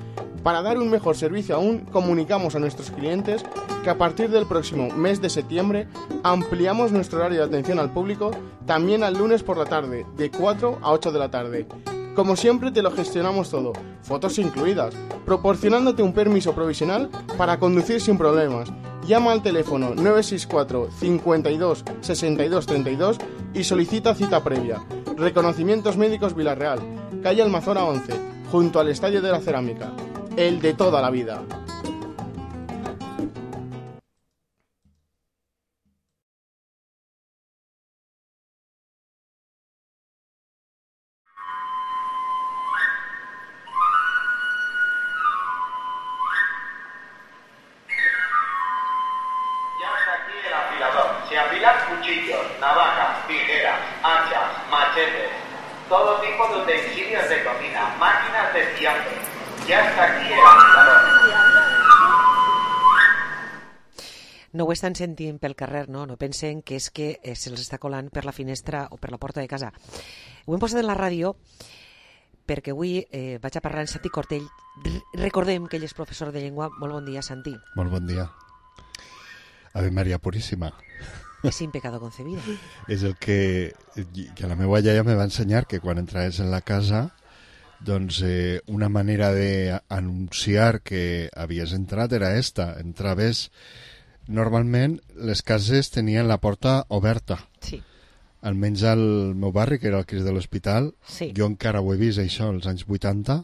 Para dar un mejor servicio aún, comunicamos a nuestros clientes que a partir del próximo mes de septiembre ampliamos nuestro horario de atención al público también al lunes por la tarde, de 4 a 8 de la tarde. Como siempre te lo gestionamos todo, fotos incluidas, proporcionándote un permiso provisional para conducir sin problemas. Llama al teléfono 964 52 62 32 y solicita cita previa. Reconocimientos Médicos Villarreal, calle Almazora 11, junto al Estadio de la Cerámica. El de toda la vida. Se afilan cuchillos, navajas, tijeras, hachas, machetes, todo tipo de utensilios de cocina, máquinas de fiambre. Ya está aquí el afilador. No ho estan sentint pel carrer, no pensen que és que se'ls està colant per la finestra o per la porta de casa. Ho hem posat en la ràdio perquè avui vaig a parlar amb Santi Cortell. Recordem que ell és professor de llengua. Molt bon dia, Santi. Molt bon dia. Ave María Purísima. És sin pecado concebida. És el que la meva iaia me va ensenyar, que quan entraves en la casa, doncs una manera d'anunciar que havies entrat era esta. Entraves... Normalment les cases tenien la porta oberta. Sí. Almenys al meu barri, que era el Crist de l'Hospital, sí. Jo encara ho he vist, això, als anys 80,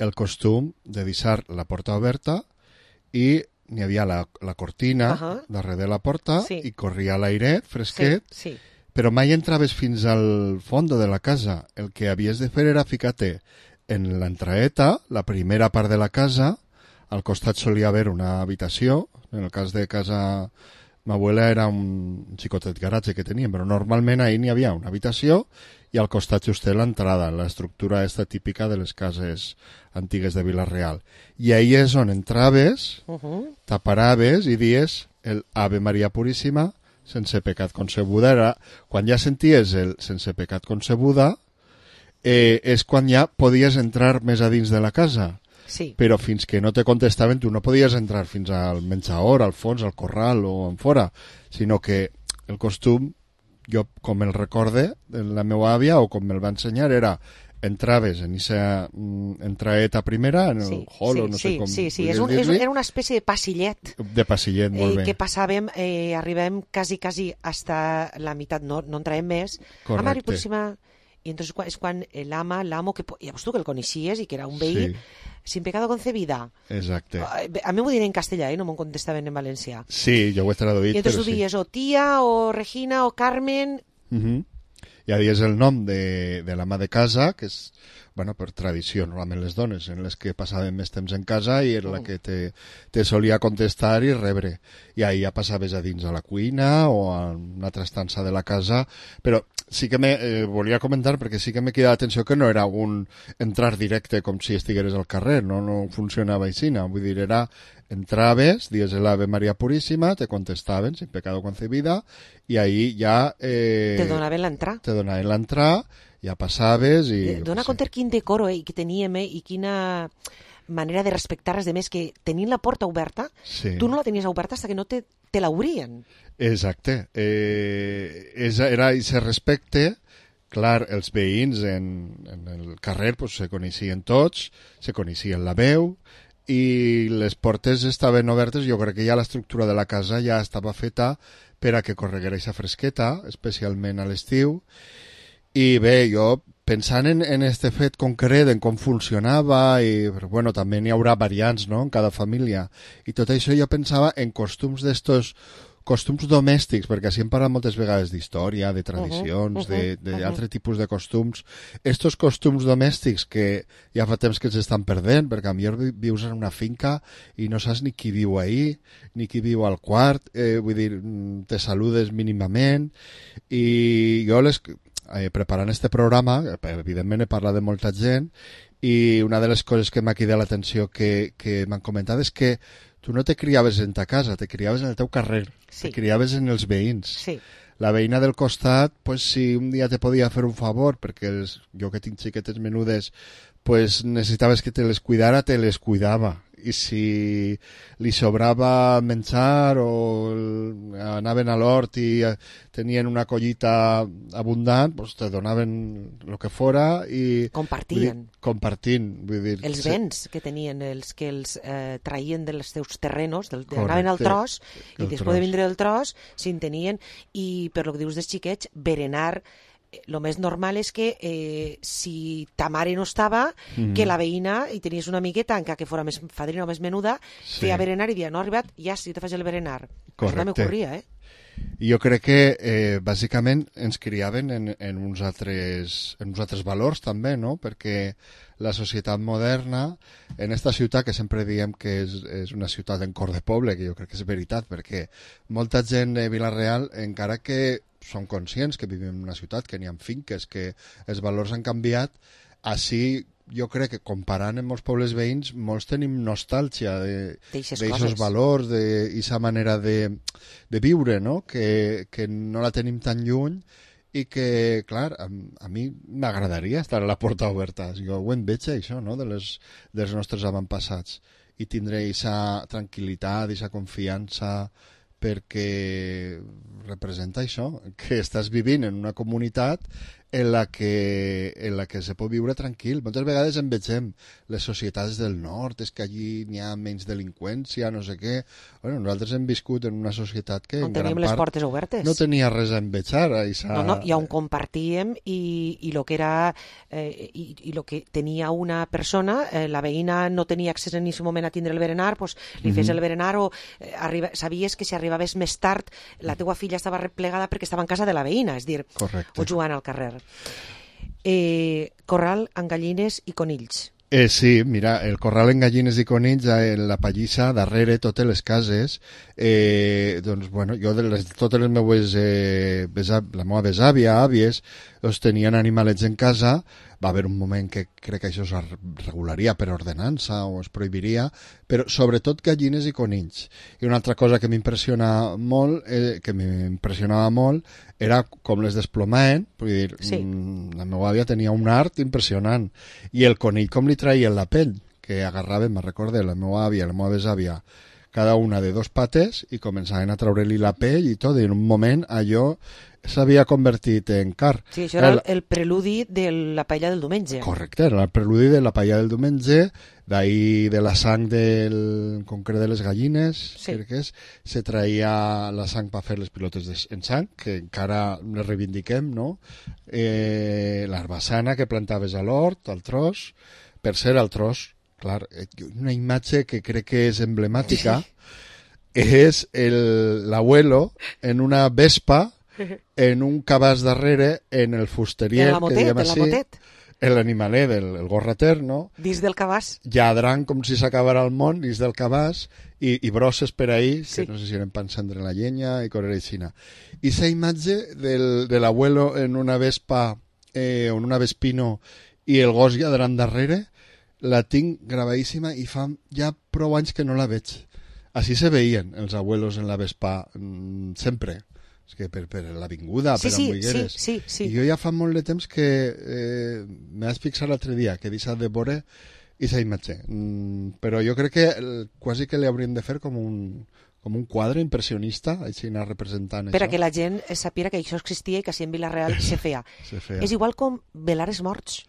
el costum de deixar la porta oberta i n'hi havia la cortina darrere de la porta i corria l'airet fresquet, però mai entraves fins al fons de la casa. El que havies de fer era ficar-te en l'entraeta, la primera part de la casa. Al costat solia haver una habitació. En el cas de casa m'abuela era un xicotet garatge que teníem, però normalment ahir n'hi havia una habitació i al costat just l'entrada, l'estructura esta típica de les cases antigues de Vila-real. I ahir és on entraves, t'aparaves i dies el Ave María Purísima sense pecat concebuda. Era, quan ja senties el sense pecat concebuda, és quan ja podies entrar més a dins de la casa. Sí. Però fins que no te contestaven tu no podies entrar fins al menjador, al fons, al corral o en fora, sinó que el costum, jo com el recorde de la meva àvia o com me'l va ensenyar, era entraves en aquesta entraeta primera, en el hall o no sé com era una espècie de passillet. De passillet, molt bé. Que passàvem, arribem quasi hasta la meitat, no entràvem més. Correcte. A Maria Puríssima. I entonces és quan l'amo, que llavors tu que el coneixies i que era un veí, sin pecado concebida. Exacte. A mi m'ho diuen en castellà, no m'ho contestaven en valencià. Sí, jo ho he traduït, I entonces ho dies o tia, o Regina, o Carmen... Ja dies el nom de l'ama de casa, que és, bueno, per tradició, normalment les dones, en les que passaven més temps en casa i era la que te solia contestar i rebre. I ahir ja passaves a dins a la cuina o a una altra estança de la casa, però sí que volia comentar, perquè sí que m'he quedat l'atenció que no era un entrar directe com si estigueres al carrer, no funcionava així, vull dir, era entraves, dies el Ave María Purísima, te contestaven sin pecado concebida i ahí ja... te donaven l'entrar. Te donaven l'entrar, ja passaves i... Dona compte quin decoro que teníem i quina manera de respectar res de més, que tenint la porta oberta, tu no la tenies oberta fins que no te l'obrien. Exacte. Era aquest respecte clar, els veïns en el carrer pues, se coneixien tots, se coneixien la veu, i les portes estaven obertes. Jo crec que ja l'estructura de la casa ja estava feta per a que correguera aquesta fresqueta, especialment a l'estiu. I bé, jo pensant en este fet concret, en com funcionava, i bueno, també n'hi haurà variants, no?, en cada família, i tot això jo pensava en costums costums domèstics, perquè així hem parlat moltes vegades d'història, de tradicions, d'altre tipus de costums. Estos costums domèstics que ja fa temps que s'estan perdent, perquè potser vius en una finca i no saps ni qui viu ahí, ni qui viu al quart, vull dir, te saludes mínimament, i jo preparant este programa, evidentment he parlat de molta gent, i una de les coses que m'ha cridat l'atenció que m'han comentat és que tu no te criaves en ta casa, te criaves en el teu carrer, te criaves en els veïns. Sí. La veïna del costat, pues, si un dia te podia fer un favor, perquè jo que tinc xiquetes menudes, pues, necessitaves que te les cuidara, te les cuidava. I si li sobrava menjar o anaven a l'hort i tenien una collita abundant, pues te donaven el que fora i... Compartint. Vull dir, els béns que tenien, els que els traien dels seus terrenos, anaven al tros, i després de vindre del tros, si en tenien, i per lo que dius dels xiquets, berenar. Lo més normal és que si ta mare no estava, que la veïna, i tenies una amigueta, encara que fora més fadrina o més menuda, feia berenar i dia, no ha arribat, ja sí, te faig el berenar. Correcte. Això m'ocorria, Jo crec que bàsicament ens criaven en uns altres valors també, no? Perquè la societat moderna, en esta ciutat que sempre diem que és una ciutat en cor de poble, que jo crec que és veritat, perquè molta gent de Vila-real, encara que són conscients que vivim en una ciutat, que n'hi ha finques, que els valors han canviat, així jo crec que comparant amb molts pobles veïns, molts tenim nostàlgia d'aixos valors, d'aquesta manera de viure, no? Que no la tenim tan lluny i que, clar, a mi m'agradaria estar a la porta oberta. Jo ho en veig, això, no?, dels nostres avantpassats, i tindré aquesta tranquil·litat, aquesta confiança, perquè representa això, que estàs vivint en una comunitat en la que se pot viure tranquil. Moltes vegades en vegem les societats del nord, és que allí n'hi ha menys delinqüència, no sé què. Bueno, nosaltres hem viscut en una societat que on teníem les portes obertes. No tenia res a envejar. No, i on compartíem i lo que era i lo que tenia una persona, la veïna no tenia accés en aquest moment a tindre el berenar, pues, li fes el berenar, o sabies que si arribaves més tard la teua filla estava replegada perquè estava en casa de la veïna, és dir, correcte, o jugant al carrer. Corral amb gallines i conills. Sí, mira, el corral en gallines i conills, en la pallissa, darrere, totes les cases, doncs, bueno, jo totes les meues, la meva besàvia, àvies, doncs tenien animalets en casa. Va haver un moment que crec que això es regularia per ordenança o es prohibiria, però sobretot gallines i conills. I una altra cosa que m'impressionava molt, era com les desplomaven. Vull dir, la meva àvia tenia un art impressionant, i el conill com li traien la pell, que agarraven, me recorde, la meva àvia i la meva besàvia, cada una de dos pates, i començaven a treure-li la pell i tot, i en un moment allò s'havia convertit en car. Sí, això era el preludi de la paella del diumenge. Correcte, era el preludi de la paella del diumenge, d'ahir de la sang en concret de les gallines, crec que és, se traia la sang per fer les pilotes en sang, que encara les reivindiquem, no? L'herbassana que plantaves a l'hort, al tros, per ser al tros, clar, una imatge que crec que és emblemàtica, és l'abuelo en una vespa, en un cabàs darrere, en el fusterier, que diem així, l'animalet, el gorrater, no? Dins del cabàs. Lladrant com si s'acabara el món, dins del cabàs, i brosses per ahí, que no sé si eren per encendre la llenya i correr aixina. I aquesta imatge de l'abuelo en una vespa, en una vespino, i el gos lladrant darrere, la tinc gravadíssima i fa ja prou anys que no la veig. Així se veien els abuelos en la vespa, sempre. És que per l'avinguda, per Ambuigueres. Sí. I jo ja fa molt de temps que m'he fixat l'altre dia, que he deixat de veure aquesta imatge. Però jo crec que quasi que li hauríem de fer com com un quadre impressionista, així anar representant per això. a que la gent sàpiga que això existia i que així en Vila-real se feia. Se feia. És igual com velares morts.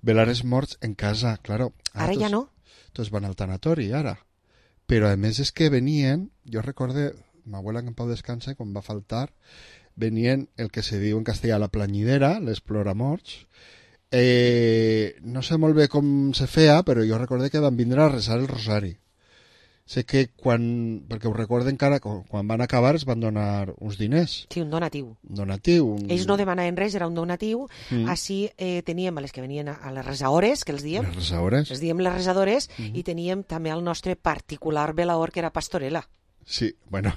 Velares morts en casa, claro. Ara ja no. Tots van al tanatori, ara. Però a més és que venien, jo recorde, m'abuela que en pau descansa, quan va faltar, venien el que se diu en castellà la planyidera, les ploramorts. No sé molt bé com se feia, però jo recorde que van vindre a resar el rosari. Sé que perquè ho recorde encara, quan van acabar es van donar uns diners. Sí, un donatiu. Ells no demanaven res, era un donatiu. Així teníem a les que venien a les resaores, que els diem. Les resaores. Les diem les resadores, i teníem també el nostre particular velaor, que era Pastorela. Sí, bueno,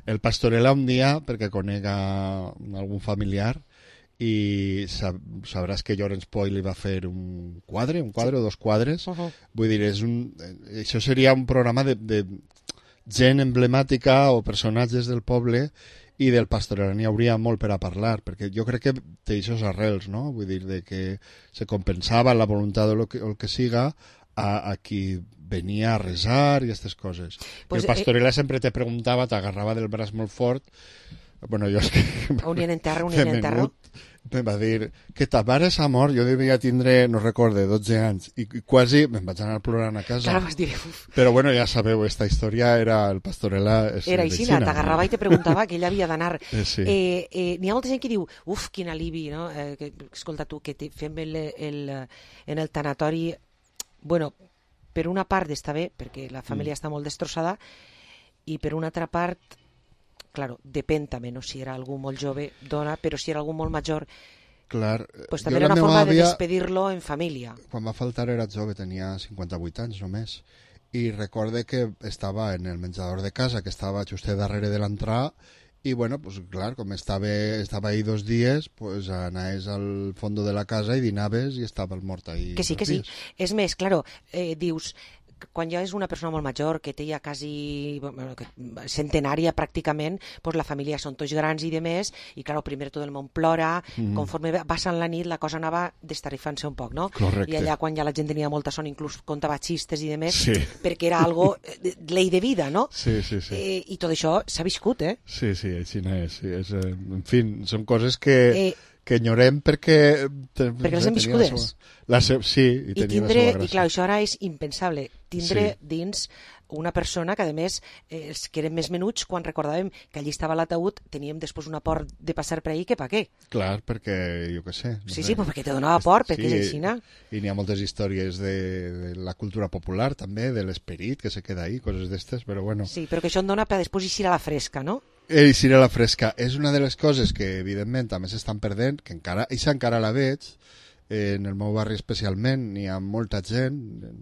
el Pastorela un dia, perquè conec algun familiar, i sabràs que Llorenç Poi li va fer un quadre o dos quadres. Vull dir, això seria un programa de gent emblemàtica o personatges del poble, i del Pastorela n'hi hauria molt per a parlar, perquè jo crec que té aquests arrels, no? Vull dir, de que se compensava la voluntat o el que siga a qui venia a resar i aquestes coses. Pues, el Pastorela sempre te preguntava, t'agarrava del braç molt fort. Bueno, jo és que... Un en terra. Em va dir que ta mare s'ha mort, jo devia tindre, no recorde, 12 anys, i quasi me'n vaig anar plorant a casa. Clar, vas dir, uf. Però bueno, ja sabeu, esta història era el Pastorela... Era així, t'agarrava i te preguntava que ell havia d'anar. Sí. N'hi ha molta gent que diu, uf, quin alivi, no? Escolta tu, que fem en el tanatori... Bueno, per una part està bé, perquè la família està molt destrossada, i per una altra part, claro, depèn també, no? Si era algú molt jove, dona, però si era algú molt major, clar, pues també era una forma de despedir-lo en família. Quan va faltar era jove, tenia 58 anys només, i recorde que estava en el menjador de casa, que estava just darrere de l'entrada, i bueno, pues clar, com estava ahí 2 dies, pues anaves al fondo de la casa i dinaves i estava el mort ahí. Que sí. És més, claro, dius, quan ja és una persona molt major, que té ja quasi centenària pràcticament, pues la família són tots grans i de més, i clar, primer tot el món plora, conforme va passant la nit la cosa anava destarifant-se un poc, no? Correcte. I allà quan ja la gent tenia molta son, inclús contava xistes i de més, perquè era algo llei de vida, no? Sí. I tot això s'ha viscut, eh? Sí, així no és. En fi, són coses que enyorem perquè les hem viscudes. Sí, i tenia la seva gràcia. I clar, això ara és impensable, tindre dins una persona que, a més, els que eren més menuts, quan recordàvem que allí estava l'ataúd, teníem després una por de passar per ahí, que pa què? Clar, perquè, jo què sé. Sí, perquè te donava por, perquè és així, no? I n'hi ha moltes històries de la cultura popular, també, de l'esperit que se queda ahí, coses d'estes, però bueno. Sí, però que això em dona per després eixir a la fresca, no? Eixir a la fresca. És una de les coses que, evidentment, també s'estan perdent, que encara la veig, en el meu barri especialment, n'hi ha molta gent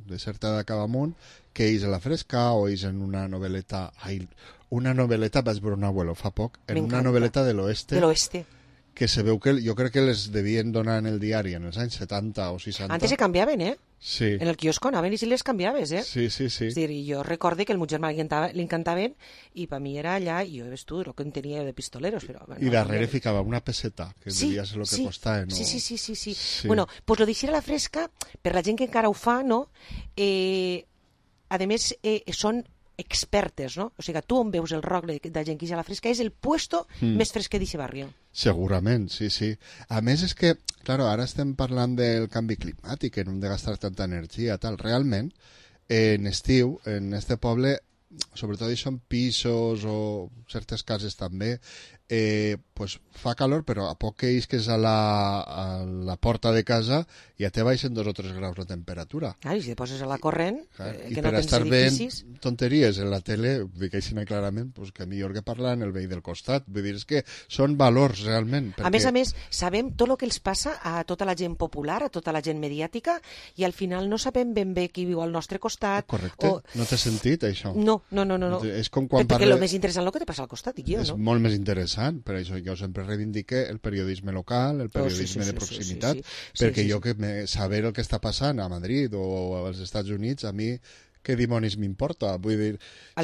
de certa edat cap amunt que eix a la fresca o eix en una novel·leta... Una novel·leta, vaig veure un abuelo fa poc, en una novel·leta de l'oeste. De l'oeste. Que se veu que jo crec que les devien donar en el diari en els anys 70 o 60. Antes se canviaven, eh? Sí. En el quiosco anaven i si les canviaves, eh? Sí. És dir, jo recorde que el meu germà li encantaven i per mi era allà, i jo ves tu, el que en tenia de pistoleros. Però, bueno, i darrere ficava una peseta, que devia ser el que costava. No? Sí. Bueno, pues lo d'eixir a la fresca, per la gent que encara ho fa, no? A més, són expertes, no? O sigui, tu on veus el roc de gent que és a la fresca és el puesto més fresquet d'aquest barri. Segurament, sí. A més és que, claro, ara estem parlant del canvi climàtic, que no hem de gastar tanta energia, tal. Realment, en estiu, en este poble, sobretot hi són pisos o certes cases també, pues fa calor, però a poc que isques a la porta de casa ja te baixen 2 o 3 graus la temperatura. I si te poses a la corrent, i que per no tens estar edificis... veient tonteries en la tele, dic així clarament, pues que millor que parlar en el veí del costat. Vull dir, és que són valors realment. Perquè... A més, sabem tot el que els passa a tota la gent popular, a tota la gent mediàtica, i al final no sabem ben bé qui viu al nostre costat. Correcte. No t'he sentit, això? No. És com quan perquè el més interessant el que te passa al costat, dic jo, és no? molt més interessant, per això jo sempre reivindique el periodisme local, el periodisme de proximitat, perquè jo que saber el que està passant a Madrid o als Estats Units, a mi què dimonis m'importa? Vull dir,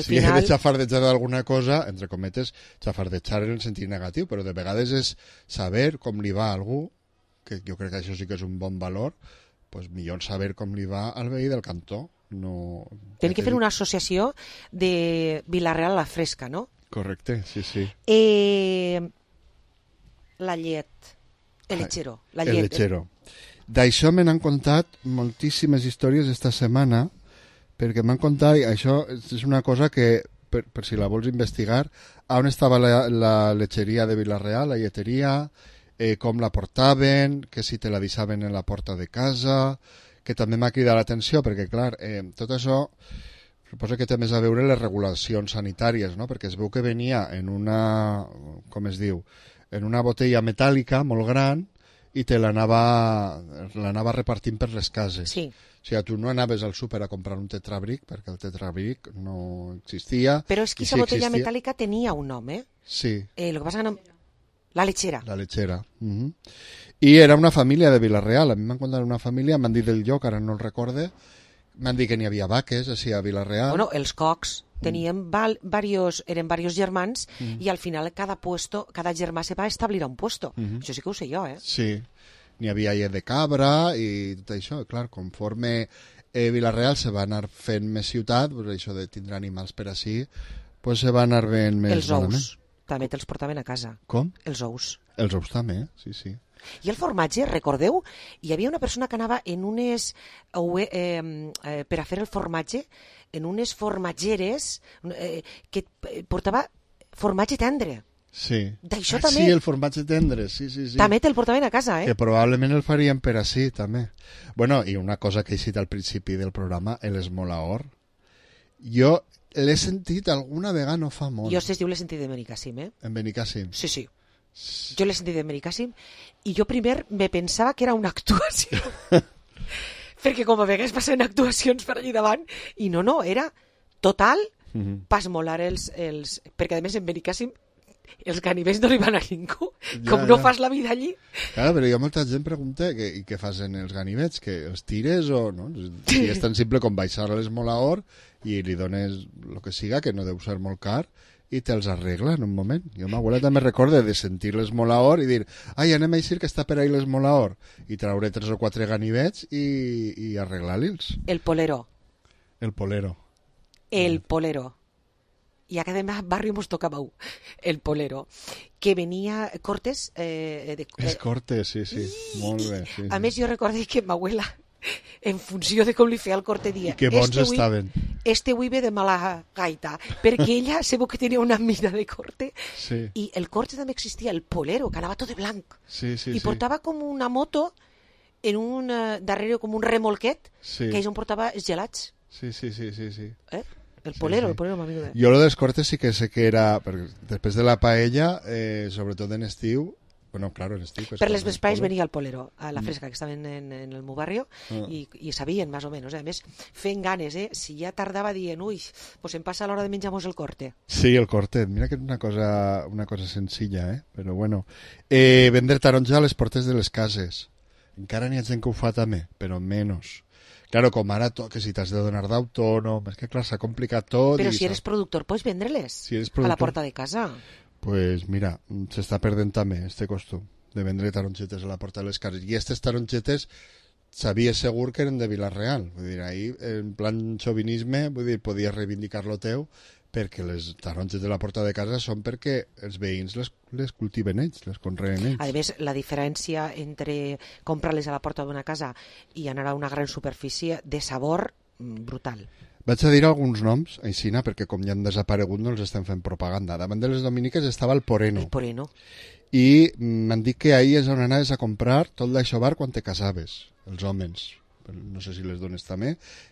si he de xafardejar d'alguna cosa, entre cometes, xafardejar en el sentit negatiu, però de vegades és saber com li va a algú, que jo crec que això sí que és un bon valor, pues millor saber com li va al veí del cantó. no... Tenen que fer una associació de Vila-real a la fresca, no? Correcte, sí. La llet, el lechero. La llet. El lechero. D'això me n'han contat moltíssimes històries esta setmana, perquè m'han contat, això és una cosa que, per si la vols investigar, on estava la lecheria de Vila-real, la lleteria, com la portaven, que si te la deixaven en la porta de casa, que també m'ha cridat l'atenció, perquè, clar, tot això suposo que té més a veure les regulacions sanitàries, no? Perquè es veu que venia en una, com es diu, en una botella metàl·lica molt gran i te l'anava repartint per les cases. Sí. O sigui, tu no anaves al súper a comprar un tetrabric, perquè el tetrabric no existia. Però és que aquesta botella metàl·lica tenia un nom, eh? Sí. Lo que passa que no... La lechera. La lechera. I era una família de Vila-real. A mi m'han contat una família, m'han dit del lloc, ara no el recorde, m'han dit que n'hi havia vaques, així, a Vila-real. Bueno, els cocs tenien eren varios germans i al final cada germà se va establir a un puesto. Això sí que ho sé jo, eh? Sí. N'hi havia llet de cabra i tot això. Clar, conforme Vila-real se va anar fent més ciutat, pues això de tindre animals per així, pues se va anar fent més... Els ous. També te'ls portaven a casa. Com? Els ous. Els ous també, sí. I el formatge, recordeu? Hi havia una persona que anava en unes... per a fer el formatge, en unes formatgeres que portava formatge tendre. Sí. D'això també... Sí, el formatge tendre, sí. També te'l portaven a casa, eh? Que probablement el farien per així, també. Bueno, i una cosa que he dit al principi del programa, l'esmolaor. Jo l'he sentit alguna vegada no fa molt. Jo es diu l'he sentit de Benicàssim, eh? En Benicàssim? Sí. Jo l'he sentit de Benicàssim i jo primer me pensava que era una actuació. Perquè com a vegades passen actuacions per allí davant i no, era total pas molar els... Perquè a més en Benicàssim els ganivets no arriben a ningú. Com no fas la vida allí. Clar, però hi ha molta gent que pregunta i què fas en els ganivets, que els tires o no? Si és tan simple com baixar a l'esmolaor i li dones el que siga, que no deu ser molt car, i te'ls arregla en un moment. Jo m'abuela també recorda de sentir l'esmolaor i dir, ai, anem a dir que està per ahí l'esmolaor, i traure 3 o 4 ganivets i arreglar-los. El polero. El polero. I a cada barri mos tocava el polero, que venia Cortes... És Cortes, sí. Molt bé. Sí, a més, jo recordo que m'abuela, en funció de com li feia el corte, dia... I que bons estaven. Este hui ve de mala gaita, perquè ella sabeu que tenia una mida de corte, i el corte també existia, el polero, que anava tot de blanc, i portava com una moto en un darrere com un remolquet, que és on portava els gelats. Sí. El polero, m'amigo de... Jo lo dels cortes sí que sé que era, perquè després de la paella, sobretot en estiu, bueno, claro, en estiu... Per les vespres venia el polero, a la fresca, que estaven en el meu barrio, i sabien, més o menys. A més, feien ganes, si ja tardava dient, pues em passa a l'hora de menjar-nos el corte. Sí, el corte, mira que és una cosa senzilla, però bueno. Vendre taronja a les portes de les cases. Encara n'hi ha gent que ho fa també, però menys. Claro, com ara, que si t'has de donar d'autònom, és que clar, s'ha complicat tot. Però si eres productor, pots vendre-les a la porta de casa. Pues mira, s'està perdent també este costum de vendre tarongetes a la porta de les cases. I aquestes tarongetes sabies segur que eren de Vila-real. Vull dir, ahí, en plan xovinisme, vull dir, podies reivindicar lo teu, perquè les taronges de la porta de casa són perquè els veïns les cultiven ells, les conreen ells. A més, la diferència entre comprar-les a la porta d'una casa i anar a una gran superfície de sabor brutal. Vaig a dir alguns noms, aixina, perquè com ja han desaparegut no els estem fent propaganda. Davant de les dominiques estava el Poreno. El Poreno. I m'han dit que ahir és on anaves a comprar tot l'aixobar quan te casaves, els homes. No sé si les dones també.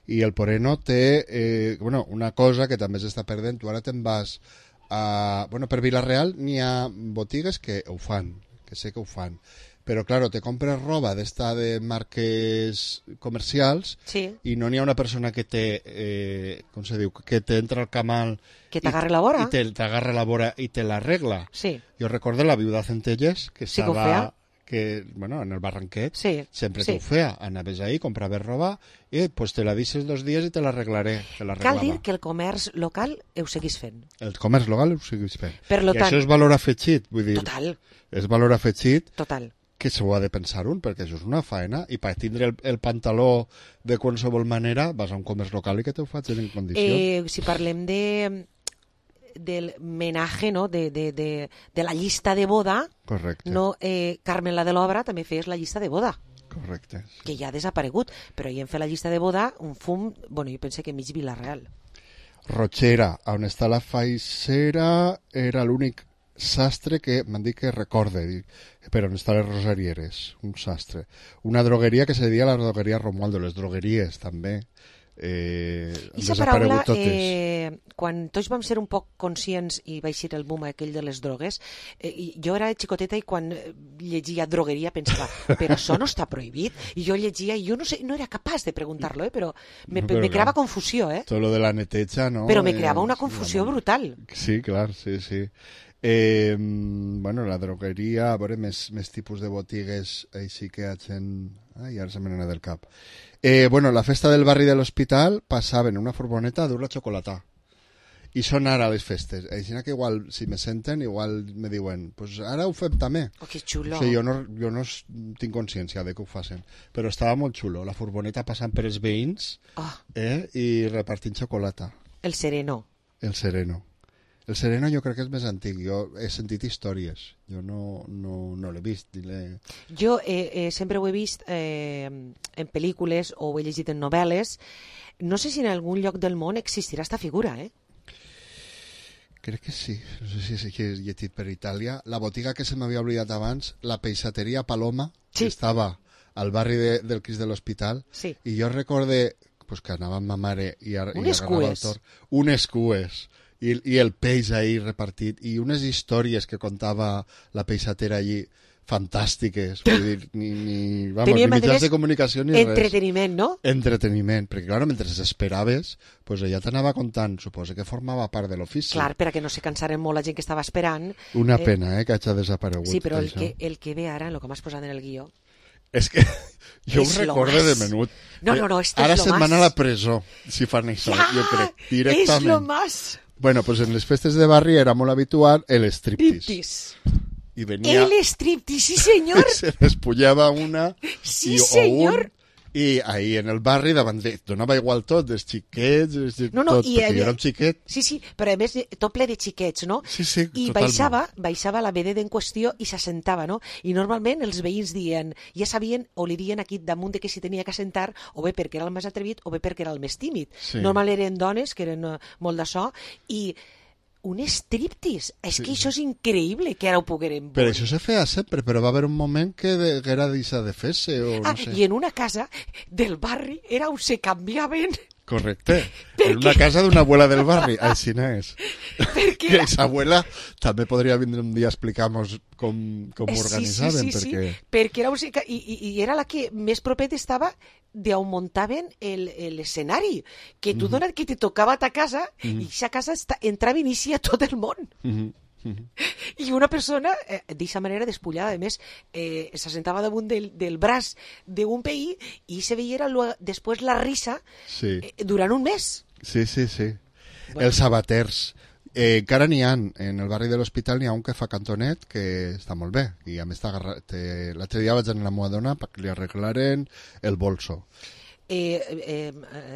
I el Poreno té una cosa que també s'està perdent. Tu ara te'n vas a... per Vila-real n'hi ha botigues que ho fan, que sé que ho fan. Però, claro, te compres roba d'esta de marques comercials i no n'hi ha una persona que com se diu, que t'entra al camal... Que t'agarra la vora. I t'agarra la vora i te l'arregla. Sí. Jo recordo la viuda Centelles, que estava... que en el Barranquet, sempre t'ho feia. Anaves ahí, compraves roba i pues te la deixes 2 dies i te l'arreglaré. Cal dir que el comerç local ho seguís fent. El comerç local ho seguís fent. Per lo I tant... això és valor afegit, vull dir. Total. És valor afegit. Total. que s'ho ha de pensar un, perquè això és una faena, i per tindre el pantaló de qualsevol manera vas a un comerç local i que t'ho facin en condicions. Si parlem del menaje, no? de la llista de boda, correcte. No, Carmen la de l'Obra també fes la llista de boda. Correcte. Que ja ha desaparegut, però hi hem fet la llista de boda, un fum, bueno, jo penso que mig Vila-real. Rotxera, on està la faixera, era l'únic sastre que m'han dit que recorde, però on estan les rosarieres, un sastre. Una drogueria que se deia la drogueria Romualdo, les drogueries també. I aquesta paraula, quan tots vam ser un poc conscients i va eixir el boom aquell de les drogues, jo era xicoteta i quan llegia drogueria pensava, però això no està prohibit? I jo llegia i jo no sé, no era capaç de preguntar-lo, però me creava confusió. Tot lo de la neteja, no? Però me creava una confusió brutal. Sí, clar, sí. Bueno, la drogueria, a veure, més tipus de botigues així que hagin... Ai, ara se me n'ha del cap. Bueno, la festa del barri de l'Hospital passaven una furgoneta a dur la xocolata. I són ara les festes. Així que igual, si me senten, igual me diuen, pues ara ho fem també. Oh, que xulo. O sigui, jo no tinc consciència de que ho facin, però estava molt xulo. La furgoneta passant per els veïns i repartint xocolata. El sereno. El sereno. El sereno jo crec que és més antic. Jo he sentit històries. Jo no l'he vist. Jo sempre ho he vist en pel·lícules o ho he llegit en novel·les. No sé si en algun lloc del món existirà esta figura, Crec que sí. No sé si he llegit per Itàlia. La botiga que se m'havia oblidat abans, la peixateria Paloma, que estava al barri del Crist de l'Hospital. Sí. I jo recorde que anava amb ma mare i unes cues. Unes cues. I el peix ahí repartit, i unes històries que contava la peixatera allí, fantàstiques. Vull dir, ni mitjans de comunicació ni res. Entreteniment, no? Entreteniment, perquè clar, mentre esperaves, pues ella t'anava contant, suposa que formava part de l'ofici. Clar, perquè no se cansaren molt la gent que estava esperant. Una pena, que hagi desaparegut. Sí, però el que ve ara, el que m'has posat en el guió... És que jo ho recordo de menut. No, ara se'n van a la presó, si fan això, jo crec, directament. És lo más... Bueno, pues en les festes de barri era molt habitual el striptease. Y venía... El striptease, sí senyor. Se despullava una sí, senyor. I ahí en el barri davant donava igual tot, dels xiquets, tot, perquè jo era un xiquet. Sí, però a més tot ple de xiquets, no? Sí, I totalment. baixava la vedeta en qüestió i s'assentava, no? I normalment els veïns dien, ja sabien o li dien aquí damunt de que s'hi tenia que assentar, o bé perquè era el més atrevit o bé perquè era el més tímid. Sí. Normalment eren dones, que eren molt d'això, i un striptease. És que això és increïble que ara ho poguérem veure. Però això se feia sempre, però va haver un moment que era deixar de fer-se, o no sé. I en una casa del barri era on se canviaven... Correcte. En una casa d'una abuela del barri, així n'és. Que esa abuela també podria vindre un dia a explicar-nos com ho organitzaven. Sí, perquè era i era la que més propet estava d'on muntaven l'escenari, que tu donat que te tocava a ta casa i aquesta casa entrava i inicia tot el món. I una persona d'aquesta manera despullada, a més s'assentava damunt del braç d'un veí i se veia després la risa durant un mes. Sí. Bueno. Els sabaters encara n'hi ha, en el barri de l'Hospital n'hi ha un que fa cantonet que està molt bé, i a més l'altre dia vaig anar a la meva dona perquè li arreglaren el bolso.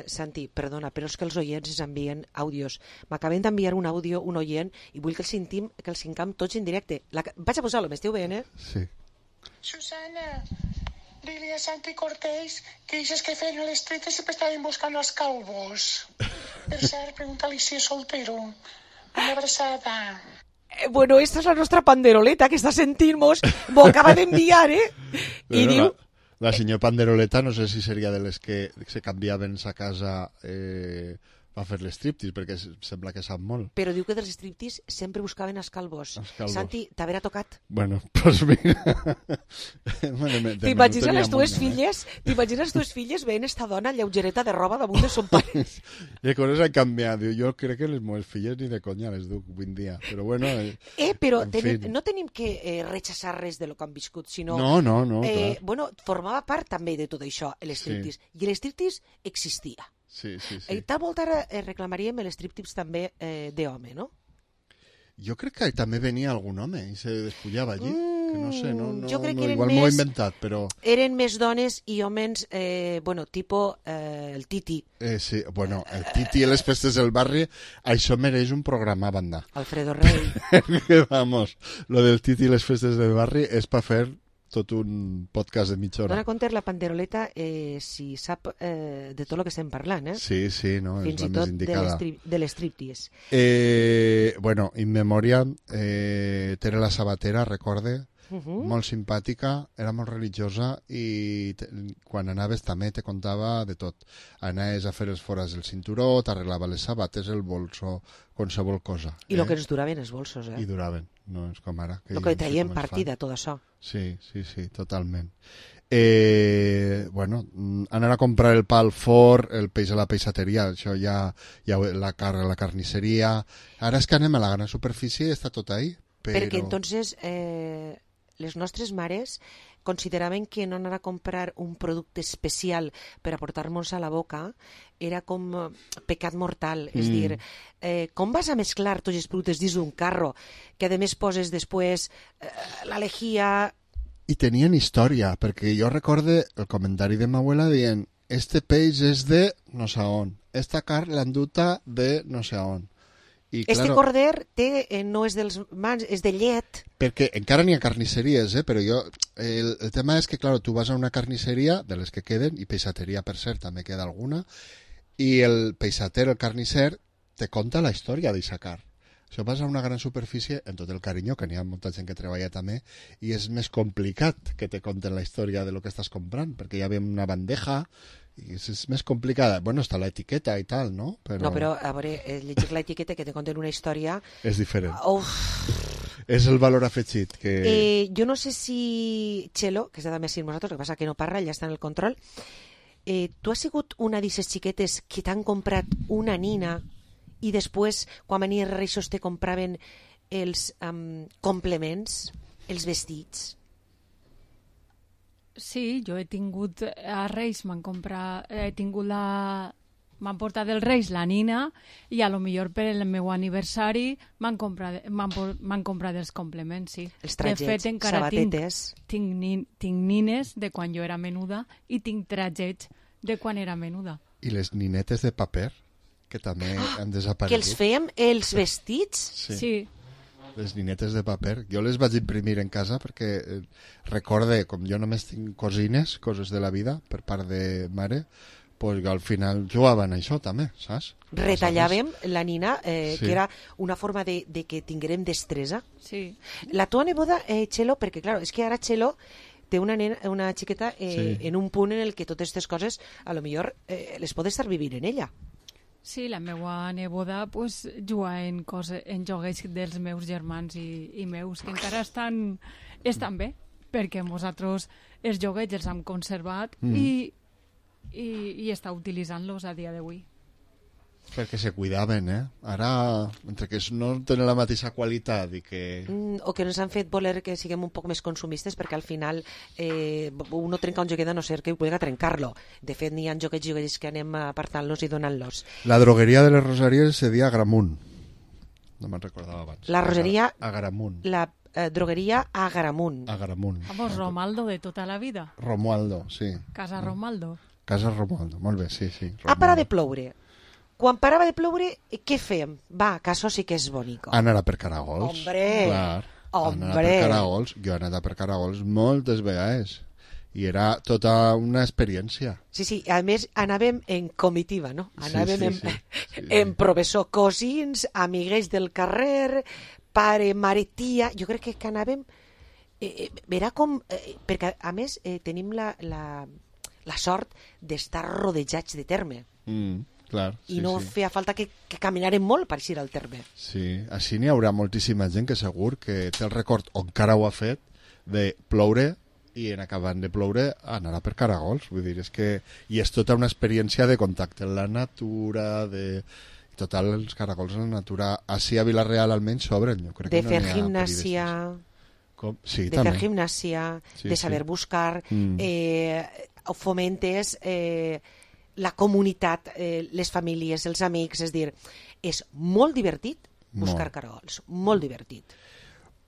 Santi, perdona, però és que els oients ens envien àudios. M'acaben d'enviar un àudio, un oient, i vull que els sentim tots en directe. Vaig a posar-lo, m'esteu veient, Sí. Susana, dile a Santi Cortés que dices que feien el street y siempre estaven buscando los calvos. Per cert, pregúntale si és soltero. Una abraçada. Bueno, esta és la nostra panderoleta que està sentint-nos, m'ho acaba d'enviar, i diu... La senyora Panderoleta no sé si seria de les que se canviaven a casa a fer l'striptease, perquè sembla que sap molt. Però diu que dels striptease sempre buscaven els calvos. Santi, t'haverà tocat? Bueno, pues mira... T'imagines les tues filles veient esta dona lleugereta de roba damunt de son pare? Les coses han canviat. Jo crec que les meves filles ni de conya les duc avui en dia. Però bueno... Però no tenim que rechaçar res de lo que han viscut, sinó... No, clar. Bueno, formava part també de tot això, l'striptease. I l'striptease existia. Sí. Tal volta reclamaríem l'striptease també d'home, no? Jo crec que també venia algun home i se despullava allí. no sé, jo crec que eren igual m'ho he inventat, però... Eren més dones i homes, tipo el Titi. Sí, bueno, el Titi i les festes del barri, això mereix un programa a banda. Alfredo Rey. Vamos, lo del Titi i les festes del barri és per fer tot un podcast de mitja hora. Dona compte la panderoleta si sap de tot el que estem parlant, Sí, no, és la més indicada. Fins i tot de l'estriptease. Bueno, In Memoriam, Tere la Sabatera, recorde, molt simpàtica, era molt religiosa i quan anaves també te contava de tot. Anaves a fer els forats del cinturó, t'arreglava les sabates, el bolso, qualsevol cosa. I el que ens duraven els bolsos, I duraven, no és com ara. El que traiem partida, tot això. Sí, totalment. Bueno, anar a comprar el pa al forn, el peix a la peixateria, això ja la carn a la carnisseria. Ara és que anem a la gran superfície i està tot ahí. Perquè entonces les nostres mares consideraven que no anar a comprar un producte especial per aportar-nos a la boca era com pecat mortal. És dir, com vas a mesclar tots els productes dins d'un carro que a més poses després la lejía... I tenien història, perquè jo recorde el comentari de ma abuela dient este peix és de no sé on, esta carn l'han duta de no sé on. I, este corder no és dels mans, és de llet. Perquè encara n'hi ha carnisseries, però el tema és que, clar, tu vas a una carnisseria de les que queden, i peixateria, per cert, també queda alguna, i el peixater, el carnisser, te conta la història d'aquesta carn. Això vas a una gran superfície, en tot el carinyo, que n'hi ha molta gent que treballa també, i és més complicat que te conten la història de lo que estàs comprant, perquè ja ve una bandeja, i és més complicada. Bueno, està l'etiqueta i tal, no? No, però a veure, llegir l'etiqueta que te conten una història... És diferent. És el valor afegit que... Jo no sé si Txelo, que està també així amb nosaltres, el que passa que no parla, ja està en el control, tu has sigut una d'aquestes xiquetes que t'han comprat una nina i després, quan venies a Reixos, te compraven els complements, els vestits? Sí, jo he tingut a Reis, m'han portat dels Reis la nina i a lo millor per el meu aniversari m'han comprat els complements, sí. Els tratgets, de fet, encara sabatetes. Tinc nines de quan jo era menuda i tinc tratgets de quan era menuda. I les ninetes de paper, que també han desaparegut. Que els fèiem els vestits? Sí. Les ninetes de paper. Jo les vaig imprimir en casa perquè recorde, com jo només tinc cosines, coses de la vida, per part de mare, pues al final jugaven a això també, saps? Retallàvem la nina, que era una forma de que tinguérem destresa. Sí. La tua neboda, Txelo, perquè clar, és que ara Txelo té una xiqueta en un punt en el que totes aquestes coses a lo millor les pot estar vivint en ella. Sí, la meva neboda pues, juga en joguets dels meus germans i meus, que encara estan bé, perquè nosaltres els joguets els hem conservat i està utilitzant-los a dia d'avui. Perquè se cuidaven, Ara, entre que no tenen la mateixa qualitat i que... O que ens han fet voler que siguem un poc més consumistes, perquè al final uno trenca un joguet a no ser que vulgui trencar-lo. De fet, n'hi ha joguets que anem apartant-los i donant-los. La drogueria de les Rosaries se deia Agramunt. No me'n recordava abans. La Rosaria... Agramunt. La drogueria Agramunt. Agramunt. Vamos, Romaldo de tota la vida. Romualdo, sí. Casa Romaldo. Casa Romualdo, molt bé, sí. Romualdo. Ha parat de ploure. Quan parava de ploure, què fèiem? Va, que això sí que és bonico. Anar a per caragols. Hombre! Clar, anar a per caragols. Jo he anat a per caragols moltes vegades. I era tota una experiència. Sí, a més anàvem en comitiva, no? Anàvem en professor, cosins, amiguets del carrer, pare, mare, tia... Jo crec que anàvem... Era com... Perquè, a més, tenim la sort d'estar rodejats de terme. Clar, i no feia falta que caminarem molt per eixir al terme. Sí, així n'hi haurà moltíssima gent que segur que té el record, o encara ho ha fet, de ploure i en acabant de ploure anar a per caragols. Vull dir, és que... I és tota una experiència de contacte amb la natura, de... Total, els caragols en la natura, així a Vilareal almenys s'obren. De fer gimnàsia... Sí, de fer gimnàsia, de saber buscar, fomentes... la comunitat, les famílies, els amics, és dir, és molt divertit buscar caragols, molt divertit.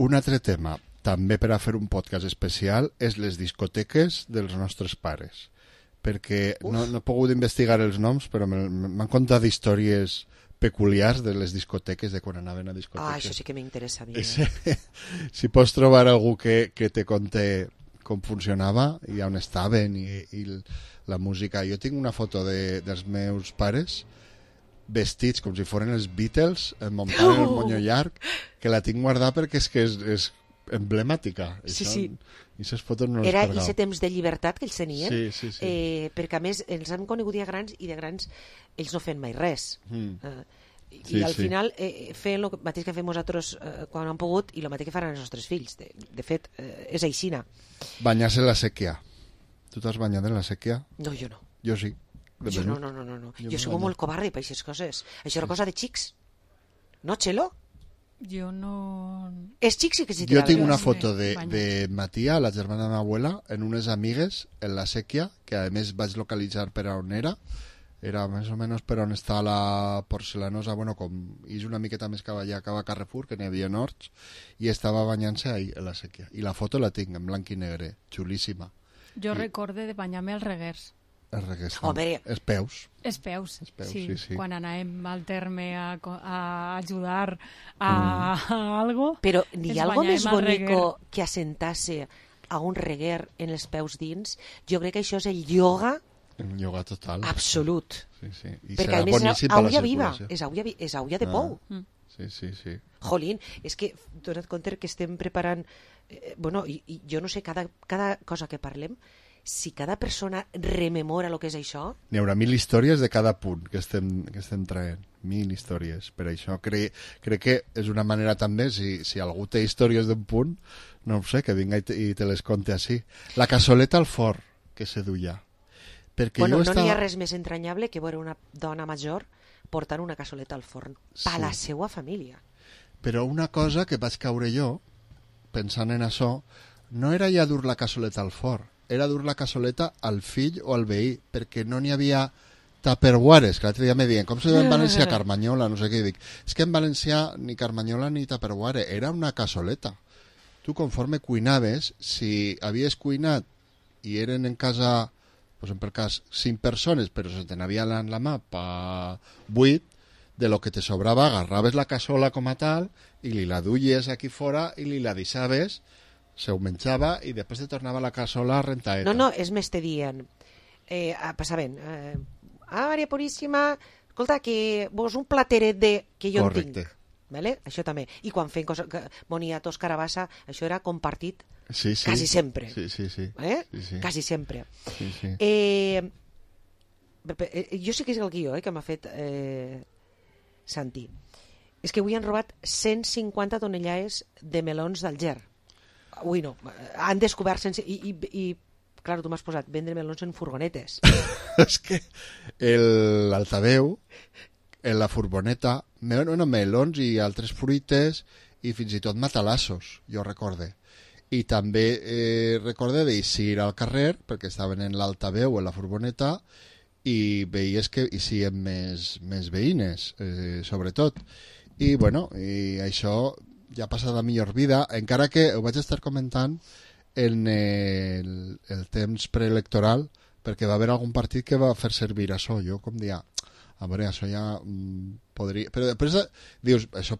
Un altre tema, també per a fer un podcast especial, és les discoteques dels nostres pares. Perquè no he pogut investigar els noms, però m'han contat històries peculiars de les discoteques, de quan anaven a discoteques. Això sí que m'interessa. Si pots trobar algú que te conte com funcionava i on estaven i la música. Jo tinc una foto dels meus pares vestits com si foren els Beatles, muntant el monyo llarg, que la tinc guardada perquè és emblemàtica. Sí. I aquestes fotos no les Era perdau. aquest temps de llibertat que ells tenien, Sí. perquè a més els han conegut ja grans i de grans ells no feien mai res. I al final feien el mateix que fem nosaltres quan han pogut i el mateix que faran els nostres fills. De fet, és aixina. Banyar-se en la sèquia. Tu t'has banyat en la sèquia? No, jo no. Jo sí. Jo no. Jo soc molt covarde per aquestes coses. Això era cosa de xics. No, Txelo? Jo no... És xics sí que s'hi Jo tinc una foto de Matia, la germana de m'abuela, en unes amigues en la sèquia, que a més vaig localitzar per on era més o menys per on està la Porcelanosa, bueno, com és una miqueta més cap allà, cap a Carrefour, que n'hi havia horts, i estava banyant-se ahí, en la sèquia. I la foto la tinc en blanc i negre, xulíssima. Jo recorde de banyar-me als reguers. Els reguers, els peus. Els peus, sí. Sí. Quan anàvem al terme a ajudar a algo. Però n'hi ha algo més bonico que assentar-se a un reguer en els peus dins? Jo crec que això és el ioga. El ioga total. Absolut. Sí. I perquè a més és aulla viva, és aulla de pou. Sí. Jolín, és que dona't compte que estem preparant i jo no sé, cada cosa que parlem, si cada persona rememora el que és això... N'hi haurà 1000 històries de cada punt que estem traient. 1000 històries. Per això crec que és una manera també, si algú té històries d'un punt, no ho sé, que vinga i te les conte així. La cassoleta al forn que se duia. No n'hi ha res més entranyable que veure una dona major portant una cassoleta al forn per la seva família. Però una cosa que vaig caure jo, pensant en això, no era ja dur la cassoleta al forn, era dur la cassoleta al fill o al veí, perquè no n'hi havia tupperwares, que l'altre dia me diuen, com se diu en valencià carmanyola, no sé què, dic, és que en valencià ni carmanyola ni tupperware, era una cassoleta. Tu conforme cuinaves, si havies cuinat i eren en casa, pues en per cas 5 persones, però se te n'havia en la mà pa 8, de lo que te sobrava agarraves la cassola com a tal i li la duies aquí fora i li la deixaves, se ho menjava i després te tornava la cassola rentaeta. No, és més te dient, passaven, Maria Puríssima, escolta, que vos un plateret de... que jo en tinc. Vale? Això també. I quan feien boniatos, carabassa, això era compartit quasi sempre. Sí. Quasi sempre. Sí. Jo sé que és el guió que m'ha fet Santi. És que avui han robat 150 tonellades de melons d'Alger. Avui no. Han descobert sense... I clar, tu m'has posat vendre melons en furgonetes. És que l'altaveu, en la furgoneta, melons i altres fruites i fins i tot matalassos, jo recorde. I també recorde d'eixir al carrer, perquè estaven en l'altaveu, en la furgoneta, i veies que hi siguin més veïnes, sobretot. I, i això ja ha passat a millor vida, encara que ho vaig estar comentant en el temps preelectoral, perquè va haver algun partit que va fer servir això. Jo com dia, a veure, això ja podria... Però després dius, això